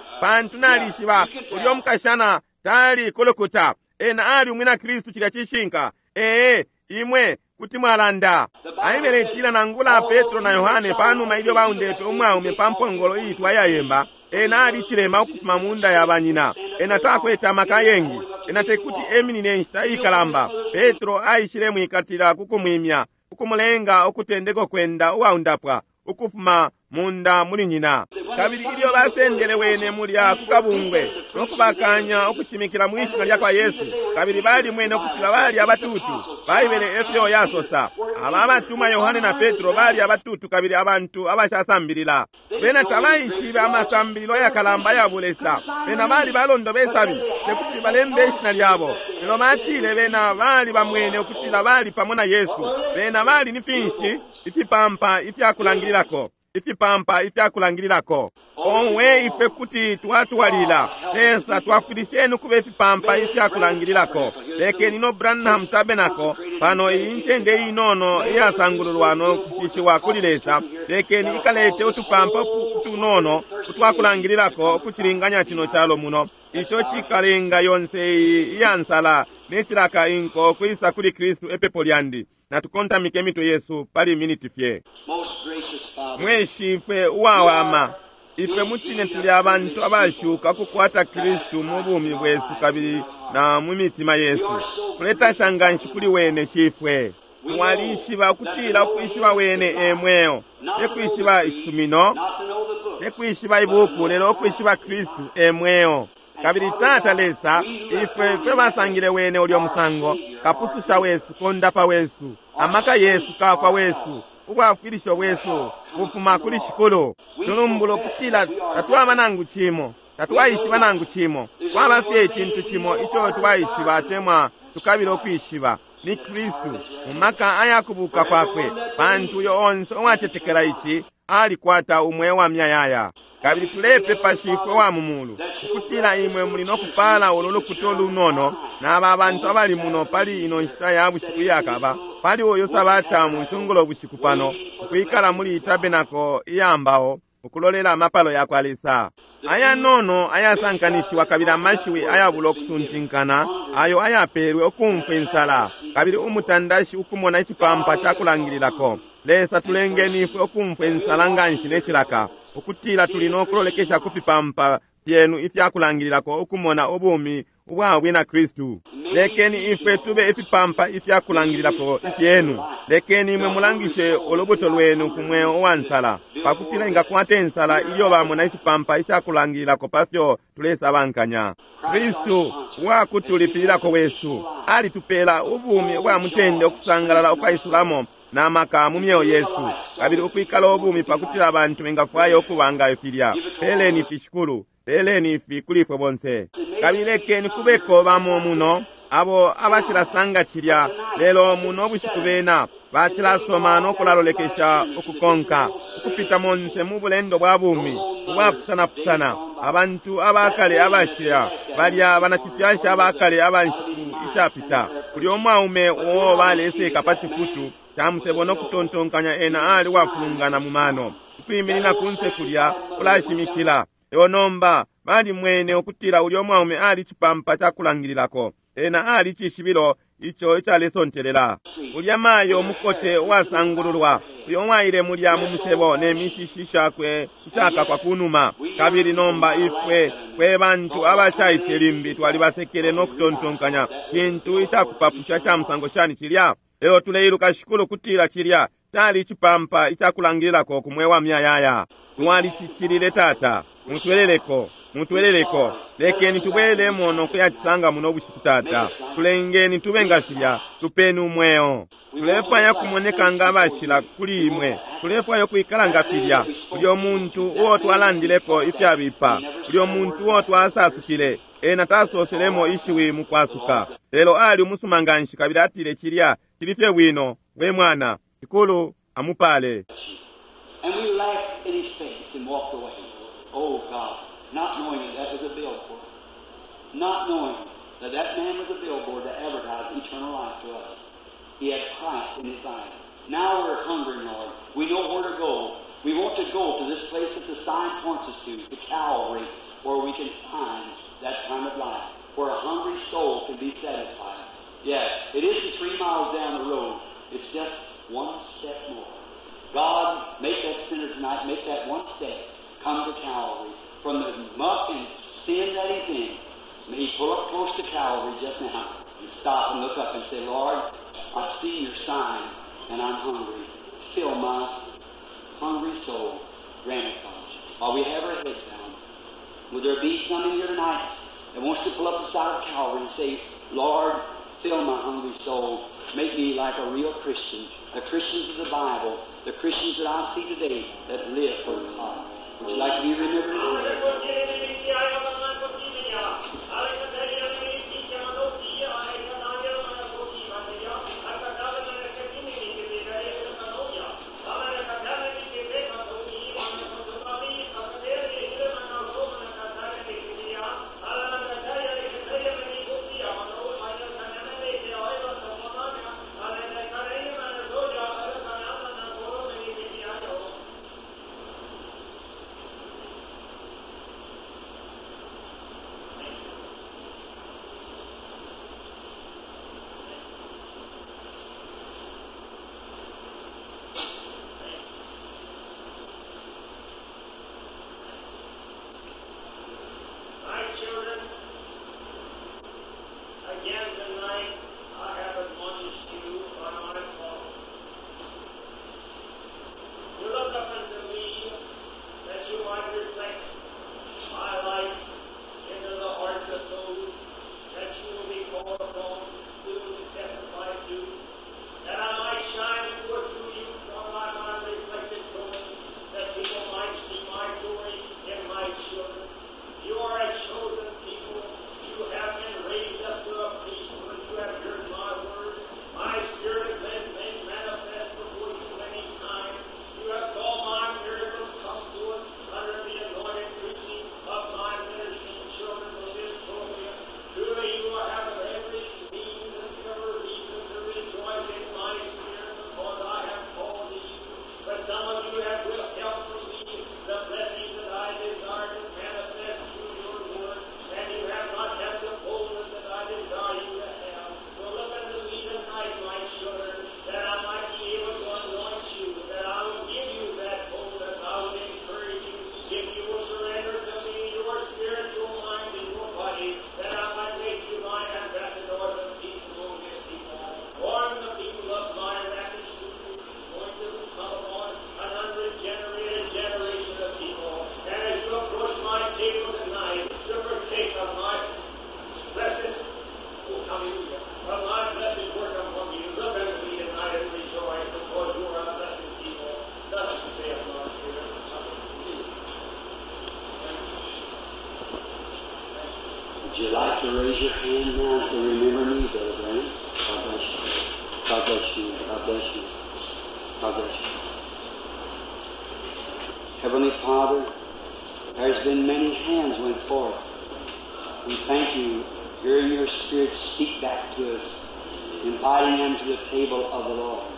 pantu nalishiba ulya umukashana tali kulukuta. Ena ali umwina Kristu. Cilya cishinka. Ee, imwe kuti mwalanda. Aibele itila nangula Petro na Yohane panuma ilyo baundepe umwaume pa mpongolo iitwa yayemba, ena ali cilema ukufuma mu nda ya banyina. Ena takwete amaka ayengi. Ena tekuti eminine inshita ikalamba. Petro aishile mwikatila kukumwimya, ukumulenga ukutendeka kwenda uwaundapwa ukufuma munda muli nyina. Kabili ilyo basendele wene mulya ku kabungwe nokubakanya ukushimikila mwi shina lya kwa Yesu, kabili balimwene ukutila bali abatutu. Baibele efyo yasosa. Aba abatumwa Yohane na Petro bali abatutu kabili abantu abashasambilila. Bena tabaishibe amasambililo ayakalamba ya bulesa. Bena bali balondo besabi, tekuti balembe ishina lyabo. Lelo batile bena bali bamwene ukutila bali pamo na Yesu. Bena bali ni finshi? Ifipampa ifyakulangililako. Ifipampa ifyakulangililako. Owe, ife kuti twatwalila. Lesa twafwilisheni ukuba ifipampa ifyakulangililako. Lekeni no Branham Tabernacle pano iyi ncende inono iyasangululwa no kushishiwa kuli Lesa, lekeni ikalete utupampa utunono utwakulangililako ukucilinganya cino calo muno, ico cikalenga yonse iyi iyansala ne cilaka inko kwisa kuli Kristu. Epepo lyandi. Natukontamike imitwe yesu pali miniti fye. Most gracious Father, Mwe Shifwe uwawama, ifwe mucine tuli abantu abashuka kukwata Kristu mu bumi bwesu kabili na mu mitima yesu. Tuletasha nganshi kuli wene. Shifwe, mwalishiba ukutila ukwishiba wene e mweo, te kwishiba isumino, not to know the book, te kwishiba ibuku, lelo ukwishiba Kristu e mweo. Kabili Tata Lesa, ifwe fwe basangile wene ulyo musango, kapususha wesu, kondapa wesu, amaka yesu, kafwa wesu, ubwafwilisho bwesu bufuma kuli Shikulu. Tulumbula ukutila tatwaba nangu cimo. Tatwaishiba nangu cimo. Kwaba fye icintu cimo ico twaishiba atemwa tukabila ukwishiba ni Kristu mu maka ayakubuka kwakwe, pantu uyo onse uwacetekela ici alikwata umweo wa myayaya. Kabili tulepepa Shifwe wa mu mulu ukutila imwe muli no kupala ulu lukuta lunono n'aba bantu abali muno pali ino nshita ya bushiku iyakaba pali uyu sabata mu cungulo bushiku pano ukwikala muli tabenako iyambao ukulolela amapalo ya kwa Lesa ayanono ayasankanishiwa kabili amashiwi ayabula okusuntinkana ayo ayapeelwe ukumfwa insala kabili umutandashi ukumona icipampa cakulangililako. Lesa tulengeni ifwe ukumfwa insala nganshi necilaka ukutila tuli nokulolekesha ku fipampa fyenu ifyakulangililako ukumona ubumi ubwa bwina Kristu. Lekeni ifwe tube ifipampa ifyakulangililako ifyenu. Lekeni imwe mulangishe ulubuto lwenu ku mweo uwa nsala pakutila ingakwata insala ilyo bamona icipampa icakulangililako pafyo tulesabankanya. Kristu uwakutulipililako wesu alitupela ubumi ubwa mutende ukusangalala ukwaisulamo na maka mu myeo yesu kabili ukwikala ubumi pakutila abantu bengafwaya ukubanga ifilya. Peleni ifi Shikulu, peleni ifi kuli ifwe bonse. Kabili lekeni kubeko bamo muno abo abashilasanga cilya lelo muno bushiku bena bacilasoma nokulalolekesha ukukonka ukupita monse mu bulendo bwa bumi ubwapusanapusana. Abantu abakale abashila balya banacifyasha abakale abanshiku ishapita kulya umwaume uo baleseka pa cifutu camusebo nokutontonkanya ena ali wafulungana mu mano ukwiminina kunse kulya kulashimikila. Lelo nomba balimwene ukutila ulya umwaume ali cipampa cakulangililako, ena ali cishibilo ico icalesontelela. Ulya mayo umukote uwasangululwa uyo mwaile mulya mu musebo ne mishishi shakwe ishakakwa kunuma. Kabili nomba ifwe fwe bantu abacaice limbi twalibasekele nokutontonkanya cintu icakupapusha ca musango shani cilya. Lelo tuleiluka Shikulu kutila cilya cali icipampa icakulangililako ku mweo wa myayaya. Twalicicilile Tata, mutweleleko, mutweleleko. Lekeni tubwelemo nokuyacisanga muno bushiku Tata. Tulengeni tube nga filya, tupeni umweo. Tulefwaya kumoneka nga abashila kuli imwe. Tulefwaya ukwikala nga filya. Ulyo muntu uo twalandileko ifyabipa, ulyo muntu uo twasasukile, ena tasoselemo ishiwi mu kwasuka. Lelo ali umusuma nganshi kabili atile cilya cili fye bwino, we mwana. Shikulu amupale. And we laughed in his face and walked away. Oh God, not knowing that that was a billboard. Not knowing that that man was a billboard to advertise eternal life to us. He had Christ in his life. Now we're hungry, Lord. We know where to go. We want to go to this place that the sign points us to, to Calvary, where we can find that kind of life, where a hungry soul can be satisfied. Yeah, it isn't three miles down the road. It's just one step more. God, make that sinner tonight, make that one step, come to Calvary. From the muck and sin that he's in, may he pull up close to Calvary just now and stop and look up and say, Lord, I've seen your sign and I'm hungry. Fill my hungry soul. Grant it, God. While we have our heads down, will there be some in here tonight that wants to pull up the side of Calvary and say, Lord, fill my hungry soul. Make me like a real Christian, the Christians of the Bible, the Christians that I see today that live for God. Would you like to be remembered in prayer? like to raise your hand now and say, remember me, Brother Branham. God bless you. God bless you. God bless you. God bless you. Heavenly Father, there's been many hands went forth. We thank you, hearing your Spirit speak back to us, inviting them to the table of the Lord.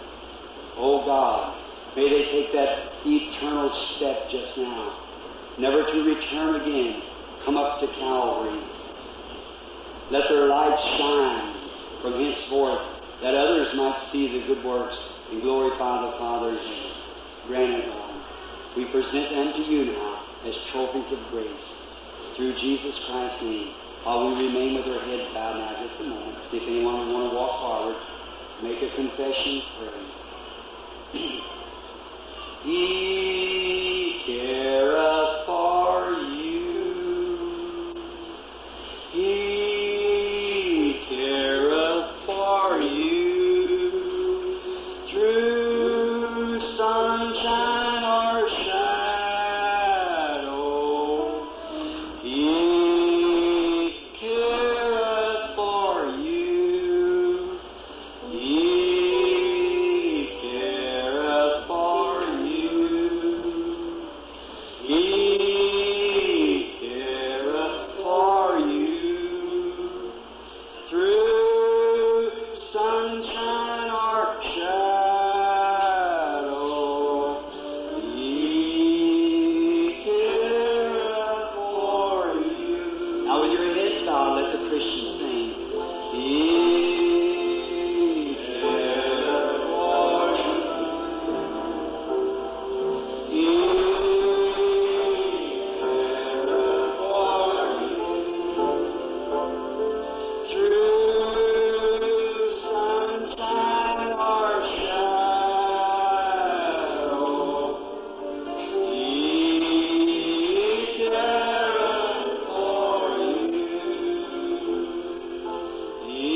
Oh God, may they take that eternal step just now, never to return again, come up to Calvary. Let their light shine from henceforth, that others might see the good works and glorify the Father in heaven. Grant it, Lord. We present them to you now as trophies of grace. Through Jesus Christ's name, while we remain with our heads bowed now just a moment, see if anyone would want to walk forward, make a confession, pray. He careth for you. He careth for you. Through sunshine or shadow, He careth for you. He careth for you. He careth for you. Through sunshine or shadow, He careth for you. Now with your heads bowed, let the Christian sing. He careth for you. He careth for you. Through sunshine or shadow, He careth for you. He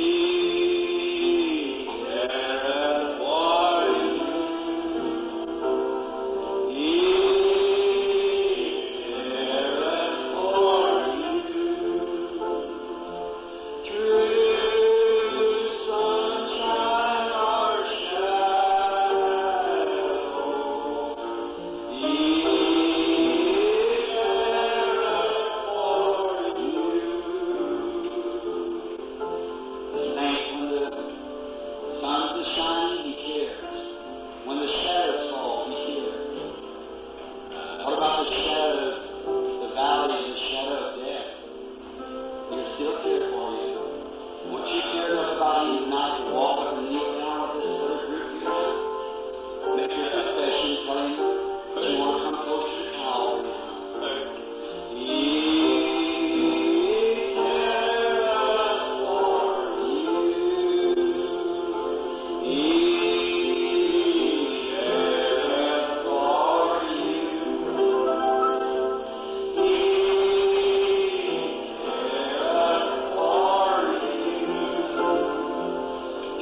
careth for you. He careth for you. Through sunshine or shadow, He careth for you. Thank when the sun is shining, He cares. When the shadows fall, He cares. What about the shadows, the valley of the shadow of death? He'll still care for you. Won't you care enough about him tonight to walk up and kneel down with this other group here? Make your confession, tell him that you want to come closer to Calvary. He careth for you. He careth for you. He careth for you.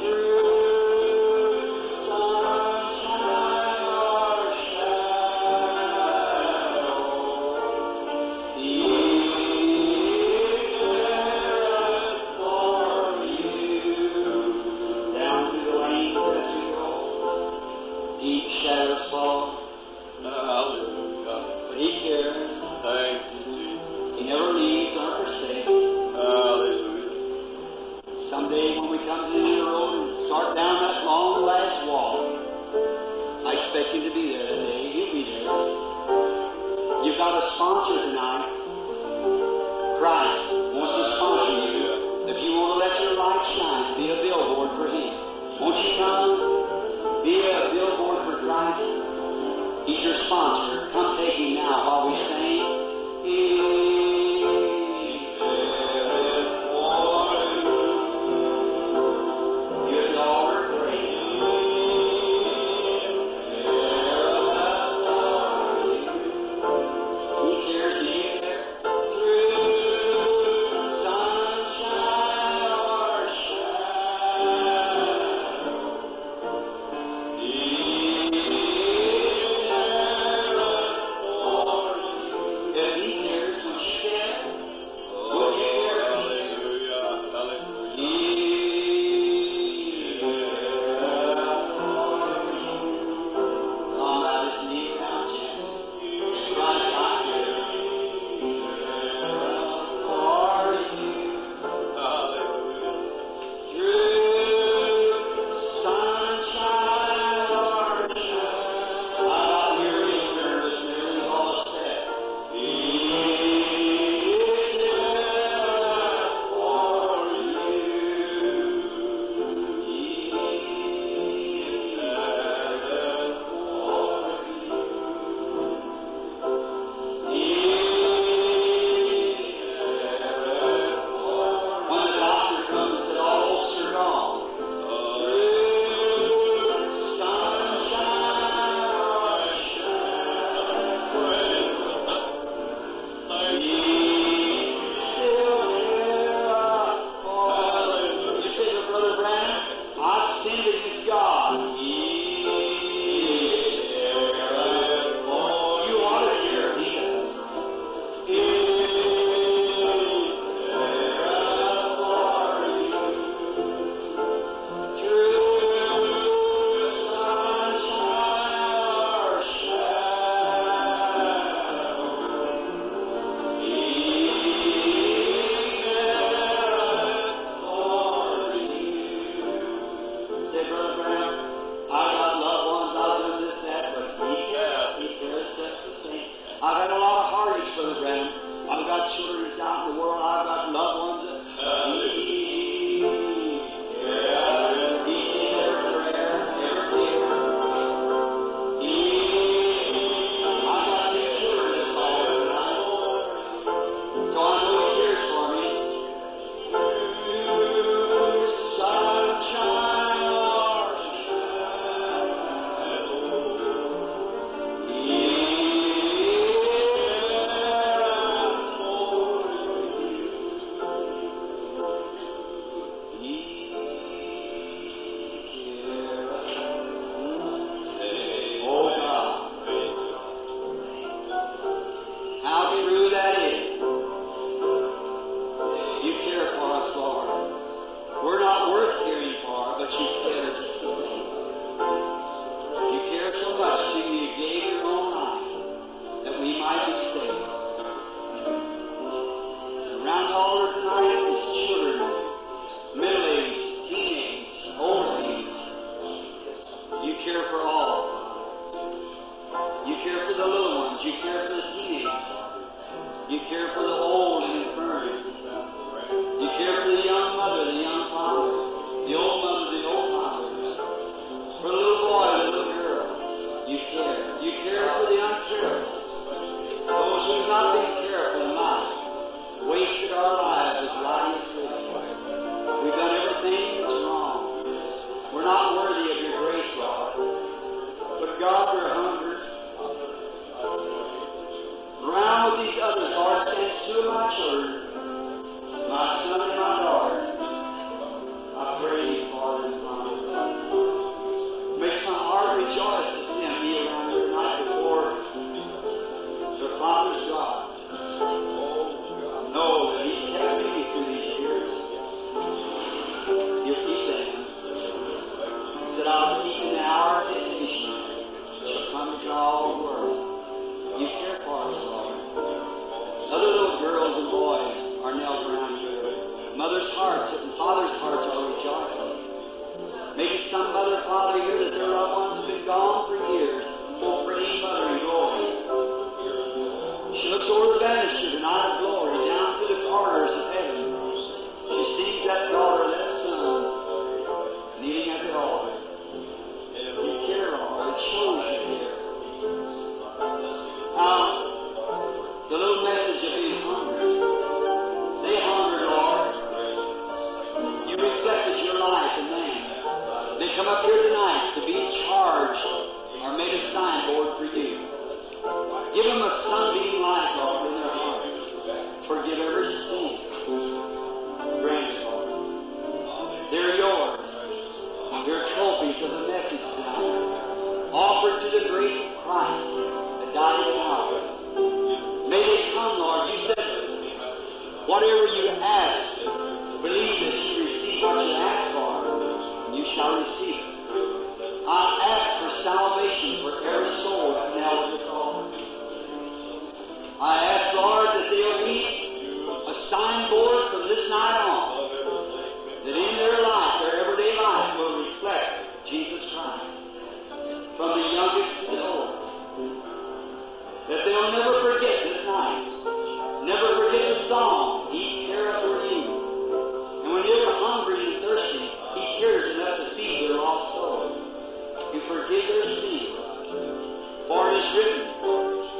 Through sunshine or shadow, He careth for you. Down through the lanes as you go, deep shadows fall, Hallelujah. but He cares. Thank you, Jesus. He never leaves nor forsakes. Hallelujah. Someday when we come to the end of the road and start down that long last walk, I expect him to be there that day. He'll be there. You've got a sponsor tonight. Christ wants to sponsor you. If you want to let your light shine, be a billboard for him. Won't you come? Be a billboard for Christ. He's your sponsor. Come take him now while we sing. He careth for you. Here at the altar, pray. He cares, do you care? Through sunshine or shadow, He careth for I've had a lot of heartaches, Brother Branham. I've got children that's out in the world. I've got loved ones. That, he, he sees every prayer, every tear. He, I've got two children that's all tonight. So I know he cares for me. Sunshine or Oh God, how true that is. You care for us, Lord. We're not worth caring for, but you care just the same. You care so much till you gave your own life that we might be saved. Around the altar tonight is children, middle age, teenage, old age. You care for all. You care for the little ones. You care for the teenagers. You care for the old and infirm. You care for the young mother, the young father, the old mother, the old father, for the little boy, the little girl. You care. You care for the uncareful. Those who've not been careful in life, wasted our lives with riotous living. We've done everything that's wrong. We're not worthy of your grace, Lord. But God, we're hungry. Around with these others, Lord, stands two of my children, my son and my daughter. I pray for them, Father. Makes my heart rejoice to see them be around here tonight before their father's God. Know that He's kept me through these years. He'll keep them. He said, I'll keep in the hour of temptation shall come to all the world. You care for us, Lord. Other little girls and boys are knelt around here. Mothers' hearts and fathers' hearts are rejoicing. Maybe some mother, father here that their loved ones have been gone for years. Oh, praying mother in glory. She looks over the banister tonight of glory, down through the corridors of heaven. She sees that daughter, that son, kneeling at the altar. You care, Lord. It shows you care. Now, the little message of being hungry. They hungered, Lord. You reflected your life in them. They come up here tonight to be charged or made a signboard for you. Give them a sunbeam light, Lord, in their heart. Forgive every sin. Grant it, Lord. They're yours. They're trophies of the message tonight. Offered to the great Christ that died at Calvary. May they come, Lord. You said, whatever you ask, believe that you receive what you ask for, and you shall receive it. I ask for salvation for every soul that's now at this altar. I ask, Lord, that they'll be a signboard from this night on, that in their life, their everyday life, will reflect Jesus Christ, from the youngest to the oldest. That they'll never forget this night, never forget the song, He careth for you. And when they're hungry and thirsty, He cares enough to feed their lost soul, to forgive their sins. For it is written,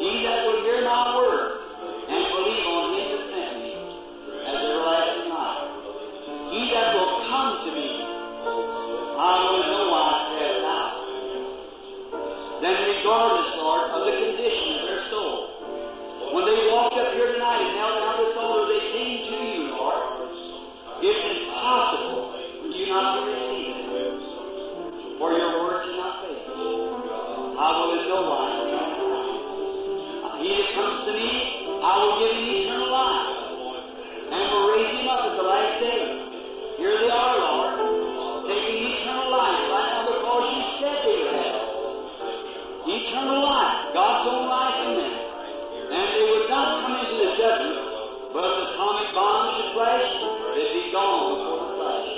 He that will hear my word and believe on him that sent me has everlasting life. He that will come to me, I will in no wise cast out. Then regardless, Lord, of the condition of their soul, when they walked up here tonight and knelt down this altar, they came to you, Lord. It's impossible for you not to receive it, for your word cannot fail. I will in no wise cast out. He that comes to me, I will give him eternal life, and will raise him up at the last day. Here they are, Lord, taking eternal life right now because you said they would have it. Eternal life, God's own life in them. And they would not come into the judgment, but if the atomic bomb should flash, they'd be gone before the flash.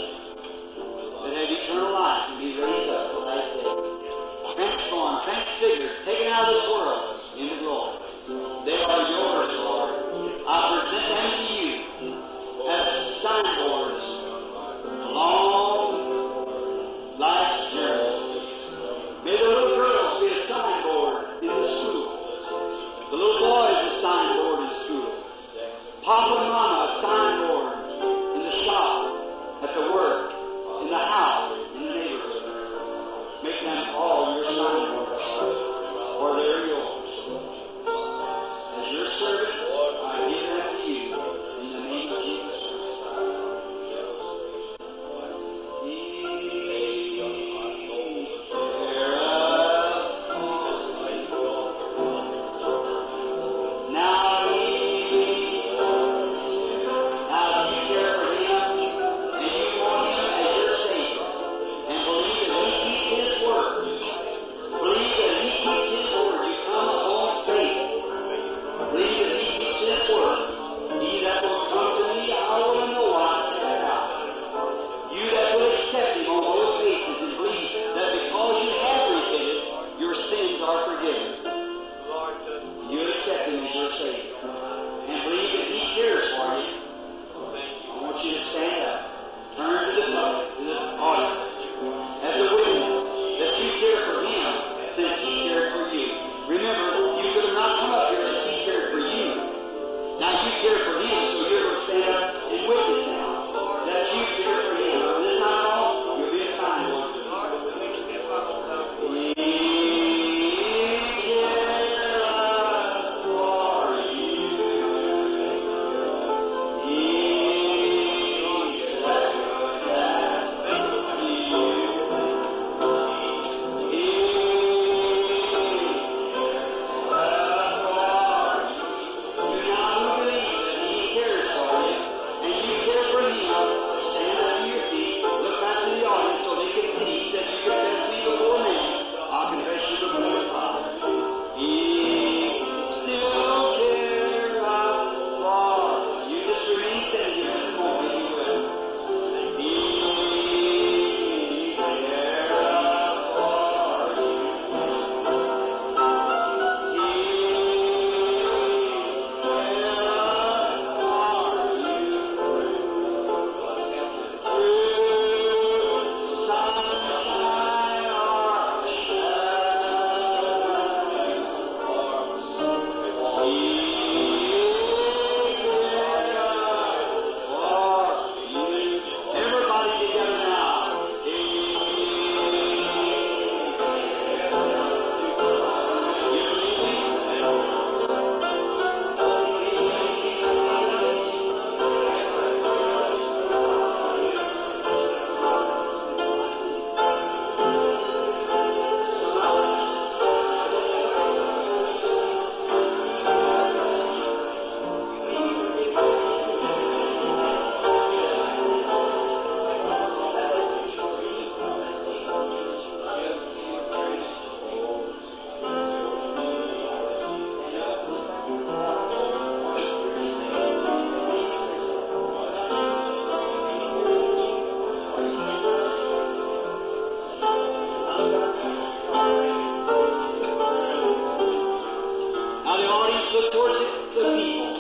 They'd have eternal life and be raised up the last day. Transformed, transfigured, taken out of this world into glory. The little boy is a signboard in school. Papa and Mama, a signboard in the shop, at the work, in the house, in the neighborhood. Make them all your signboards, for they're yours. As your servant, I give them to you in the name of Jesus Christ. Now he, now you care for him, and you want him as your Savior, and believe that he keeps his word. Believe that he keeps his word. You come upon faith. Believe that he keeps his word. He that will come to me, I will in no wise cast out. You that will accept him on those bases and believe that because you have repented, your sins are forgiven. You accept him as your Savior. And believe that he cares for you. I want you to stand up. Turn to the public, to the audience, as a witness that you care for him since he cared for you. Remember, you could have not come up here unless he cared for you. Now you care for him, so you're going to stand up and witness now that you care for him. From this time on, you'll be a signboard. He cares for you. He Everybody together now. Now the audience look towards the, the people.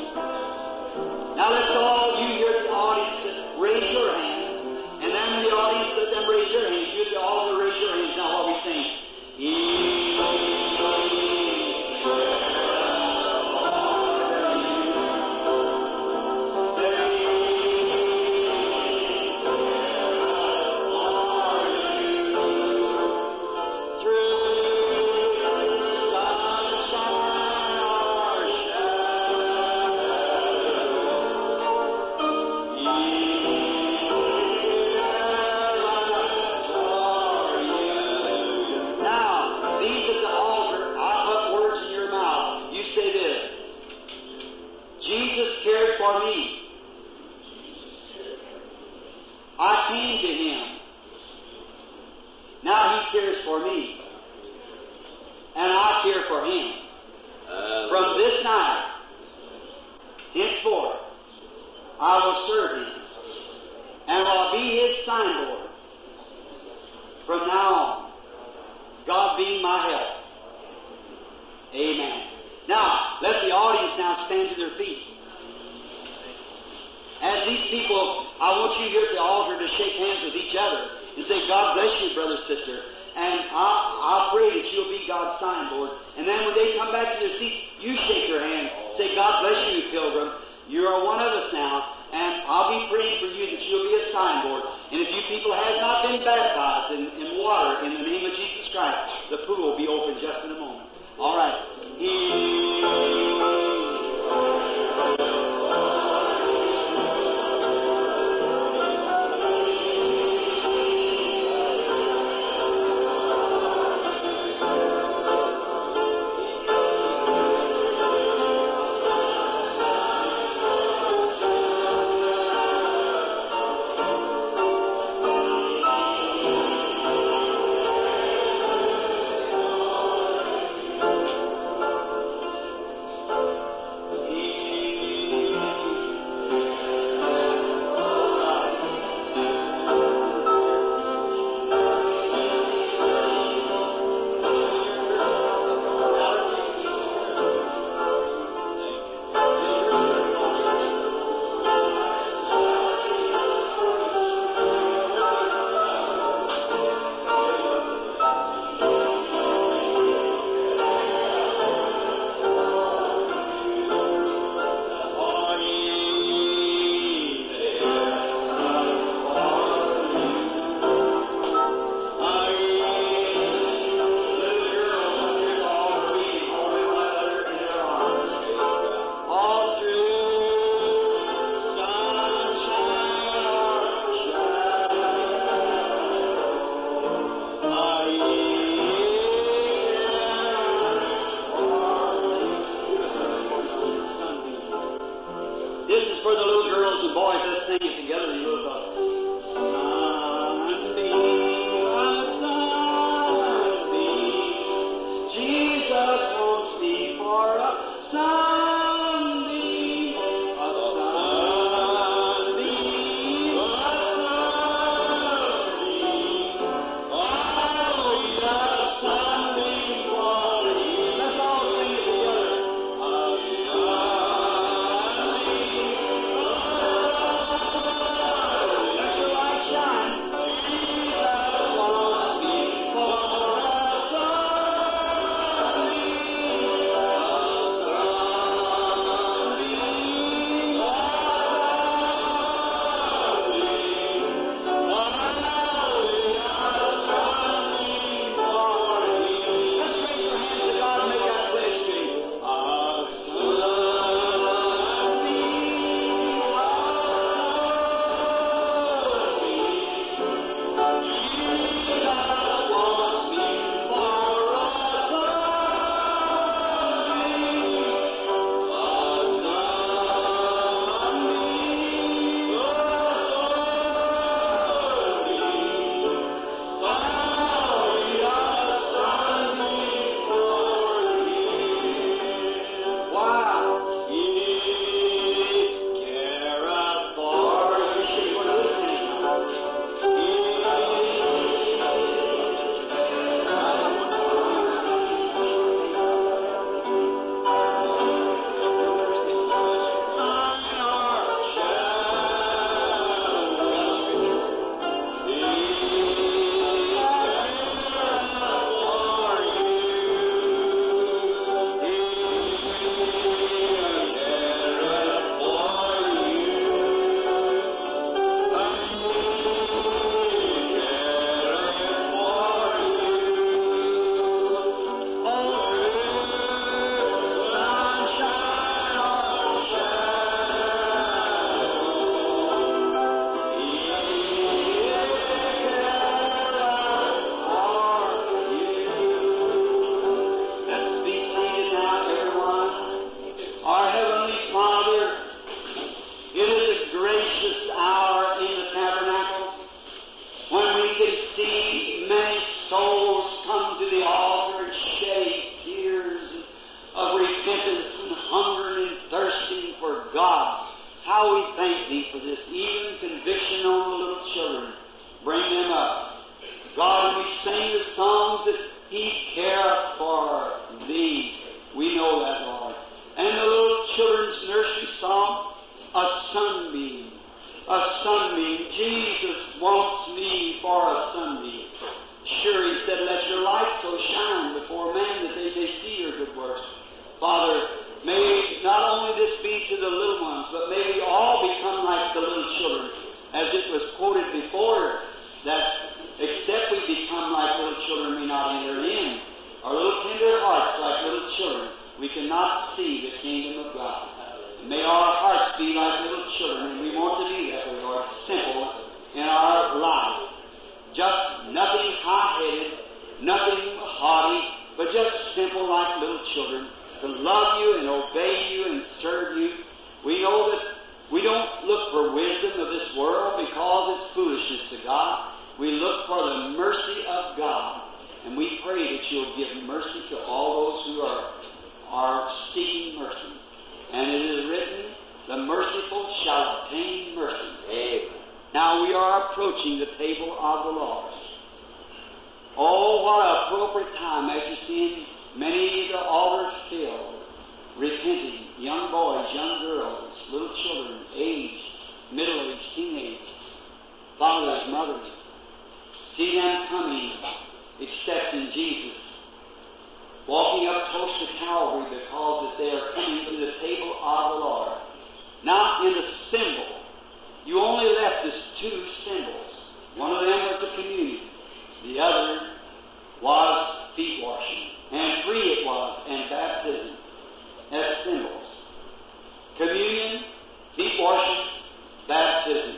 Now let's all, you here at the audience, raise your hands. And then the audience, let them raise their hands. You at the altar, raise your hands now while we sing. Now, these at the altar, I put words in your mouth. You say this. Jesus cared for me. I came to him. Now he cares for me. And I care for him. From this night, henceforth, I will serve him and will be his signboard from now on. God being my help. Amen. Now, let the audience now stand to their feet. As these people, I want you here at the altar to shake hands with each other and say, God bless you, brother, sister. And I, I pray that you'll be God's signboard. And then when they come back to their seats, you shake their hand. Say, God bless you, pilgrim. You are one of us now. And I'll be praying for you that you'll be a signboard. And if you people have not been baptized in, in water in the name of Jesus Christ, the pool will be open just in a moment. All right. He... This is for the little girls and boys. Let's sing it together. You know, Sunbeam, a sunbeam, Jesus wants me for a sunbeam, a sunbeam, a sunbeam. Oh, a sunbeam for me. Let's all sing it together. A sunbeam. Let your light shine. Jesus wants me for a sunbeam, a sunbeam, a sunbeam for me. Let's raise your hands to God and make that pledge to Him. A sunbeam, Jesus wants me for a sunbeam, a sunbeam, a sunbeam. Oh, a sunbeam for me. Wow. He careth for you. Should go to this Let's be seated now, everyone. Our Heavenly Father, it is a gracious hour in the tabernacle when we can see many souls come to the altar and shedding tears of repentance and hungering and thirsting for God. How we thank Thee for this, even conviction on the little children. Bring them up. God, when we sing the songs that He careth for thee, we know that, Lord. And the little children's nursery song, a sunbeam, a sunbeam. Jesus wants me for a sunbeam. Sure, He said, let your light so shine before men that they may see your good works. Father, may not only this be to the little ones, but may we all become like the little children, as it was quoted before, that except we become like little children, we not enter in. Our little tender hearts, like little children, we cannot see the kingdom of God. And may our hearts be like little children, and we want to be that way, Lord, simple in our life. Just nothing high-headed, nothing haughty, but just simple like little children, to love you and obey you and serve you. We know that we don't look for wisdom of this world because it's foolishness to God. We look for the mercy of God, and we pray that you'll give mercy to all those who are, are seeking mercy. And it is written, the merciful shall obtain mercy. Amen. Now we are approaching the table of the Lord. Oh, what an appropriate time as you see many of the altars filled, repenting, young boys, young girls, little children, aged, middle-aged, teenage, fathers, mothers. See them coming, accepting Jesus, walking up close to Calvary because that they are coming to the table of the Lord. Not in the symbol. You only left us two symbols. One of them was the communion. The other was feet washing. And three it was, and baptism as symbols. Communion, feet washing, baptism.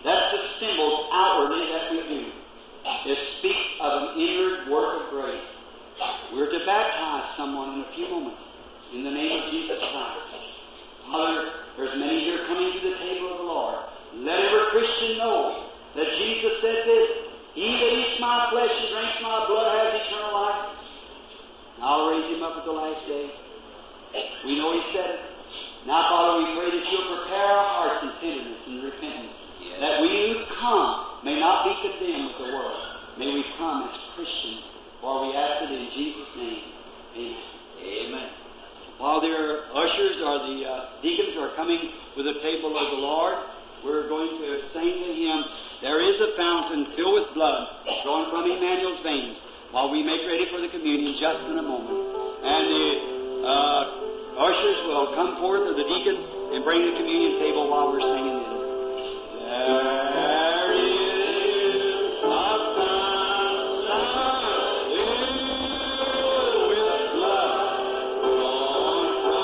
That's the symbols outwardly that we do. It speaks of an inward work of grace. We're to baptize someone in a few moments in the name of Jesus Christ. Father, there's many here coming to the table of the Lord. Let every Christian know that Jesus said this, he that eats my flesh and drinks my blood has eternal life. And I'll raise him up at the last day. We know he said it. Now, Father, we pray that you'll prepare our hearts in tenderness and repentance, yes, that we who come may not be condemned with the world. May we come as Christians, for we ask it in Jesus' name. Amen. Amen. While their ushers or the uh, deacons are coming with the table of the Lord, we're going to sing the hymn, There is a Fountain Filled with Blood, flowing from Emmanuel's veins, while we make ready for the communion just in a moment. And the uh, ushers will come forth, or the deacons, and bring the communion table while we're singing this. There is a fountain filled with blood, flowing from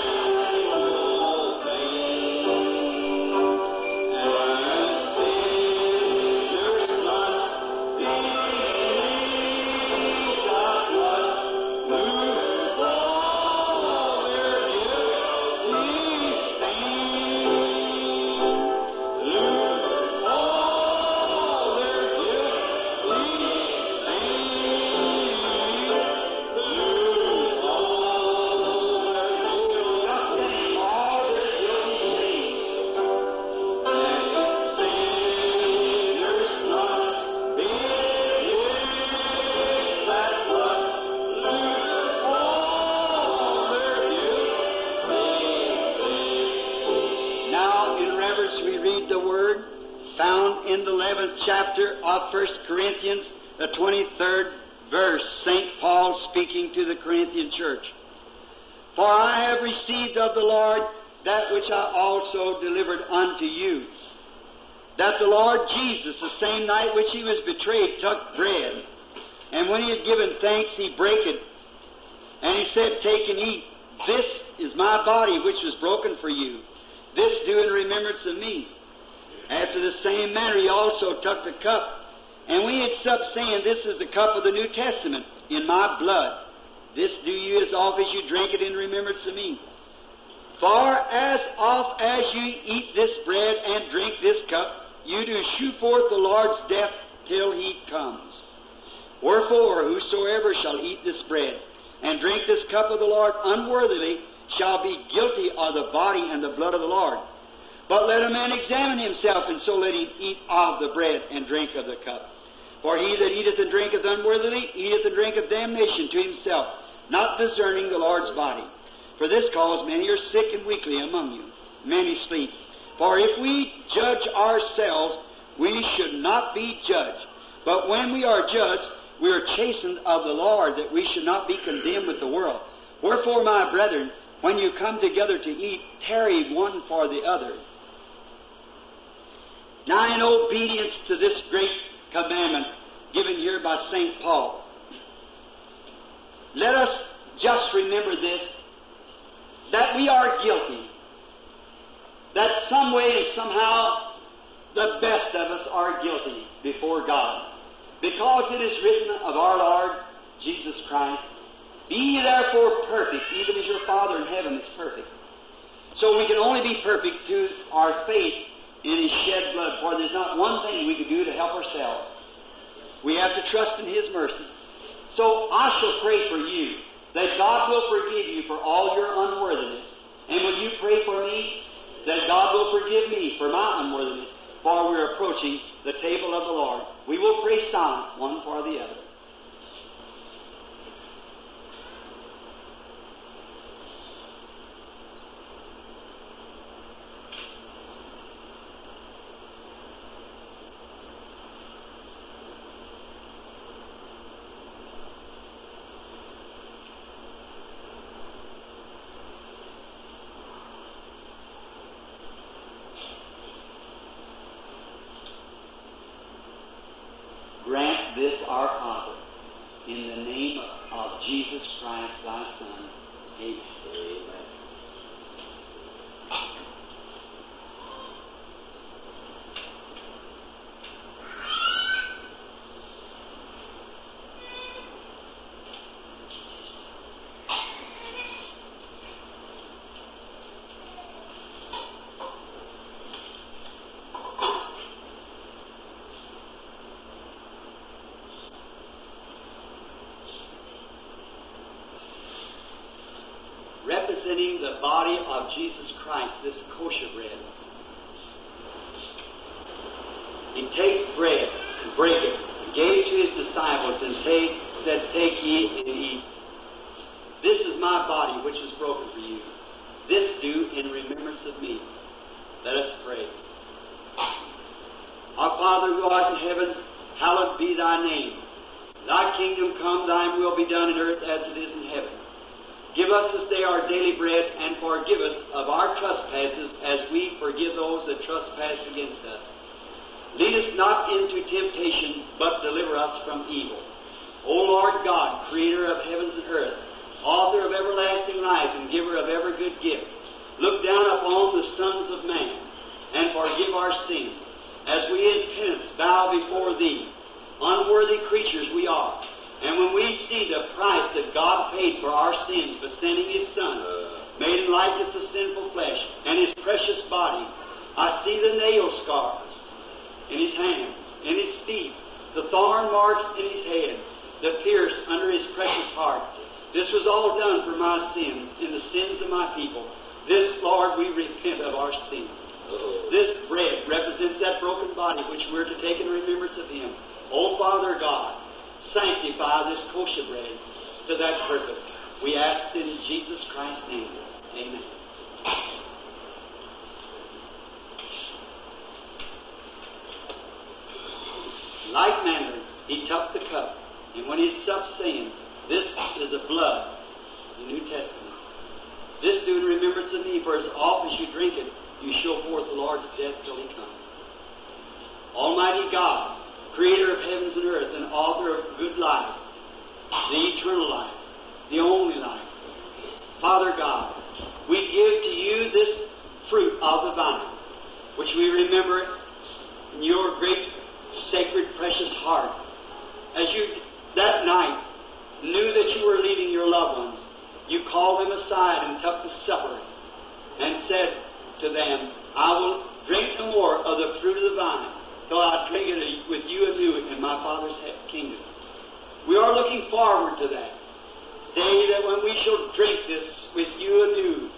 Emmanuel's veins, and sinners' blood beneath the flood, lose all their guilty stain. Lose all their guilty stain. Lose all their guilty, all their guilty stain. And sinners' blood beneath that flood, lose all their guilty stain. Now, in reverence, we read the word found in the eleventh chapter of First Corinthians, the twenty-third verse, Saint Paul speaking to the Corinthian church. For I have received of the Lord that which I also delivered unto you, that the Lord Jesus, the same night which he was betrayed, took bread. And when he had given thanks, he brake it. And he said, Take and eat. This is my body, which was broken for you. This do in remembrance of me. After the same manner he also took the cup. And when he had supped, saying, This is the cup of the New Testament in my blood. This do you as oft as you drink it in remembrance of me. For as oft as you eat this bread and drink this cup, you do shew forth the Lord's death till he comes. Wherefore, whosoever shall eat this bread and drink this cup of the Lord unworthily shall be guilty of the body and the blood of the Lord. But let a man examine himself, and so let him eat of the bread and drink of the cup. For he that eateth and drinketh unworthily eateth and drinketh damnation to himself, not discerning the Lord's body. For this cause many are sick and weakly among you, many sleep. For if we judge ourselves, we should not be judged. But when we are judged, we are chastened of the Lord, that we should not be condemned with the world. Wherefore, my brethren, when you come together to eat, tarry one for the other. Now, in obedience to this great commandment given here by Saint Paul, let us just remember this, that we are guilty, that some way and somehow the best of us are guilty before God, because it is written of our Lord Jesus Christ, "Be ye therefore perfect, even as your Father in heaven is perfect." So we can only be perfect through our faith in His shed blood, for there's not one thing we can do to help ourselves. We have to trust in His mercy. So I shall pray for you, that God will forgive you for all your unworthiness. And will you pray for me, that God will forgive me for my unworthiness, for we are approaching the table of the Lord. We will pray silent one for the other. Grant this our Father, in the name of Jesus Christ, thy Son. Amen. Amen. Representing the body of Jesus Christ, this kosher bread. He take bread and break it, and gave it to his disciples, and take, said, "Take ye and eat. This is my body which is broken for you. This do in remembrance of me." Let us pray. Our Father who art in heaven, hallowed be thy name. Thy kingdom come, thine will be done in earth as it is in heaven. Give us this day our daily bread, and forgive us of our trespasses as we forgive those that trespass against us. Lead us not into temptation, but deliver us from evil. O Lord God, creator of heavens and earth, author of everlasting life and giver of every good gift, look down upon the sons of man and forgive our sins, as we in penance bow before thee. Unworthy creatures we are. And when we see the price that God paid for our sins by sending His Son, made in likeness of sinful flesh, and His precious body, I see the nail scars in His hands, in His feet, the thorn marks in His head, the pierce under His precious heart. This was all done for my sins and the sins of my people. This, Lord, we repent of our sins. This bread represents that broken body which we're to take in remembrance of Him. O Father God, sanctify this kosher bread to that purpose. We ask in Jesus Christ's name. Amen. In like manner, he took the cup, and when he supped, saying, "This is the blood of the New Testament. This do in remembrance of me, for as oft as you drink it, you show forth the Lord's death till he comes." Almighty God, creator of heavens and earth and author of good life, the eternal life, the only life, Father God, we give to you this fruit of the vine, which we remember in your great, sacred, precious heart. As you, that night, knew that you were leaving your loved ones, you called them aside and took the supper and said to them, "I will drink no more of the fruit of the vine till I drink it with you anew in my Father's kingdom." We are looking forward to that day that when we shall drink this with you anew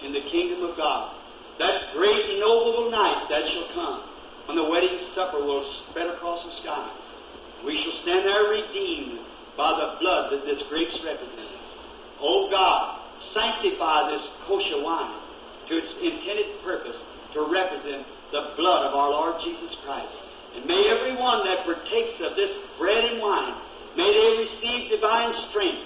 in the kingdom of God, that great noble night that shall come when the wedding supper will spread across the skies. We shall stand there redeemed by the blood that this grapes represents. O God, sanctify this kosher wine to its intended purpose, to represent the blood of our Lord Jesus Christ. And may every one that partakes of this bread and wine, may they receive divine strength,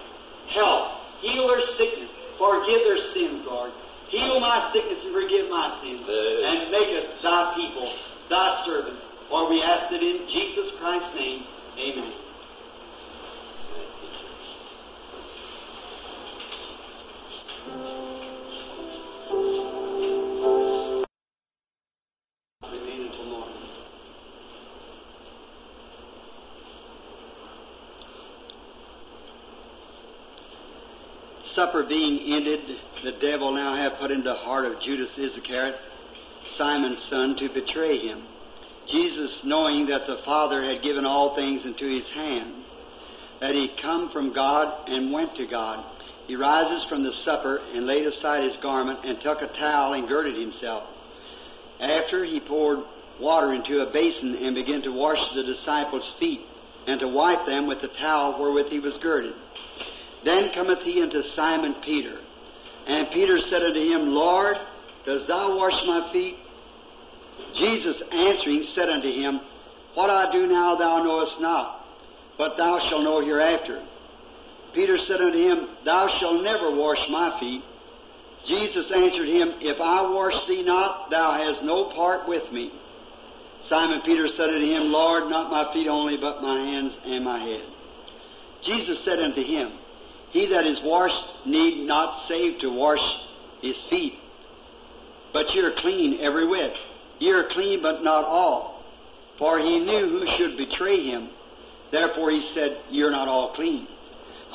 health, heal their sickness, forgive their sins, Lord. Heal my sickness and forgive my sins. And make us thy people, thy servants. For we ask it in Jesus Christ's name. Amen. Remain until morning. Supper being ended, the devil now hath put into the heart of Judas Iscariot, Simon's son, to betray him. Jesus, knowing that the Father had given all things into his hand, that he come from God and went to God, he rises from the supper and laid aside his garment and took a towel and girded himself. After he poured water into a basin and began to wash the disciples' feet and to wipe them with the towel wherewith he was girded. Then cometh he unto Simon Peter. And Peter said unto him, Lord, dost thou wash my feet? Jesus answering said unto him, What I do now thou knowest not, but thou shalt know hereafter. Peter said unto him, Thou shalt never wash my feet. Jesus answered him, If I wash thee not, thou hast no part with me. Simon Peter said unto him, Lord, not my feet only, but my hands and my head. Jesus said unto him, He that is washed need not save to wash his feet, but ye are clean every whit. Ye are clean, but not all. For he knew who should betray him. Therefore he said, Ye are not all clean.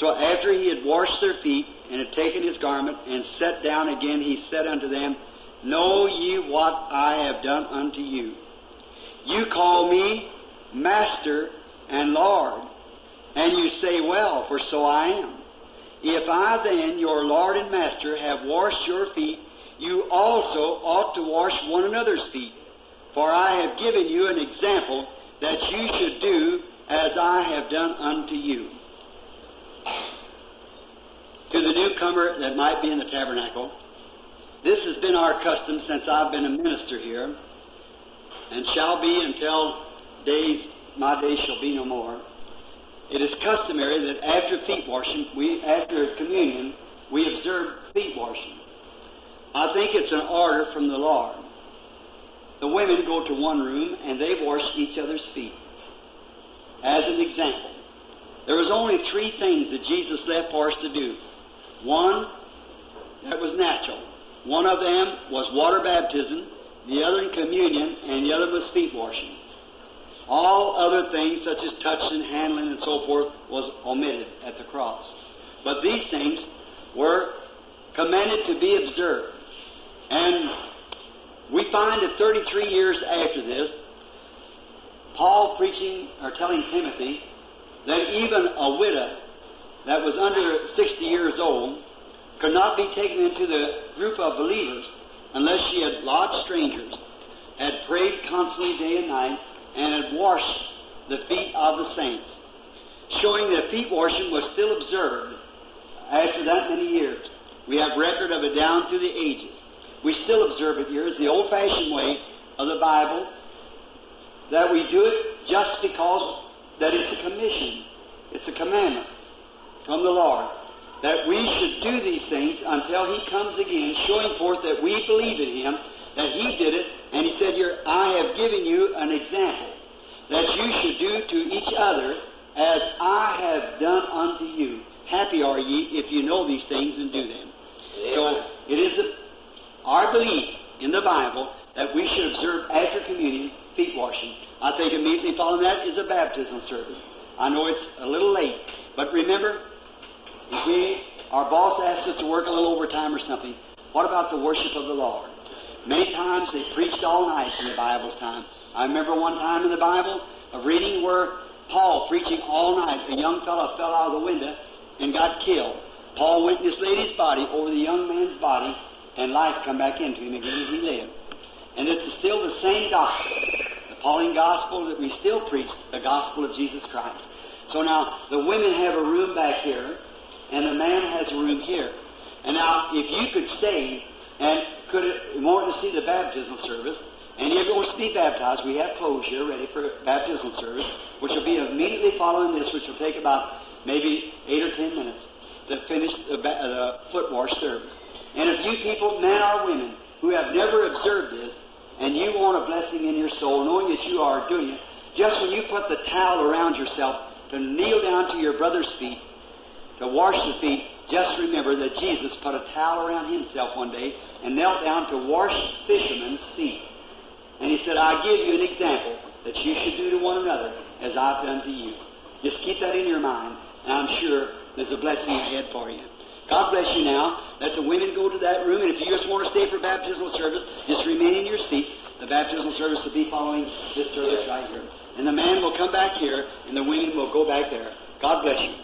So after he had washed their feet, and had taken his garment, and sat down again, he said unto them, Know ye what I have done unto you? You call me Master and Lord, and you say, Well, for so I am. If I then, your Lord and Master, have washed your feet, you also ought to wash one another's feet. For I have given you an example that you should do as I have done unto you. To the newcomer that might be in the tabernacle, this has been our custom since I've been a minister here, and shall be until days my days shall be no more. It is customary that after feet washing, we after communion, we observe feet washing. I think it's an order from the Lord. The women go to one room and they wash each other's feet. As an example, there was only three things that Jesus left for us to do. One, that was natural. One of them was water baptism, the other communion, and the other was feet washing. All other things, such as touching, handling, and so forth, was omitted at the cross. But these things were commanded to be observed. And we find that thirty-three years after this, Paul preaching or telling Timothy that even a widow that was under sixty years old could not be taken into the group of believers unless she had lodged strangers, had prayed constantly day and night, and had washed the feet of the saints, showing that feet washing was still observed after that many years. We have record of it down through the ages. We still observe it here. It's the old-fashioned way of the Bible that we do it just because that it's a commission. It's a commandment from the Lord that we should do these things until He comes again, showing forth that we believe in Him, that He did it, and He said here, I have given you an example that you should do to each other as I have done unto you. Happy are ye if you know these things and do them. Amen. So it is a, our belief in the Bible that we should observe after communion feet washing. I think immediately following that is a baptismal service. I know it's a little late, but remember, if we, our boss asks us to work a little overtime or something, what about the worship of the Lord? Many times they preached all night in the Bible's time. I remember one time in the Bible of reading where Paul preaching all night, a young fellow fell out of the window and got killed. Paul went and just laid his body over the young man's body, and life come back into him again, and he lived. And it's still the same gospel, the Pauline gospel that we still preach, the gospel of Jesus Christ. So now, the women have a room back here, and the man has a room here. And now, if you could stay and could want to see the baptismal service, Any of you wants to be baptized, we have clothes here ready for baptismal service, which will be immediately following this, which will take about maybe eight or ten minutes to finish the, ba- uh, the foot wash service. And if you people, men or women, who have never observed this, and you want a blessing in your soul, knowing that you are doing it, just when you put the towel around yourself to kneel down to your brother's feet, to wash the feet, just remember that Jesus put a towel around himself one day and knelt down to wash fishermen's feet. And he said, I give you an example that you should do to one another as I've done to you. Just keep that in your mind, and I'm sure there's a blessing ahead for you. God bless you now. Let the women go to that room, and if you just want to stay for baptismal service, just remain in your seat. The baptismal service will be following this service right here. And the man will come back here, and the women will go back there. God bless you.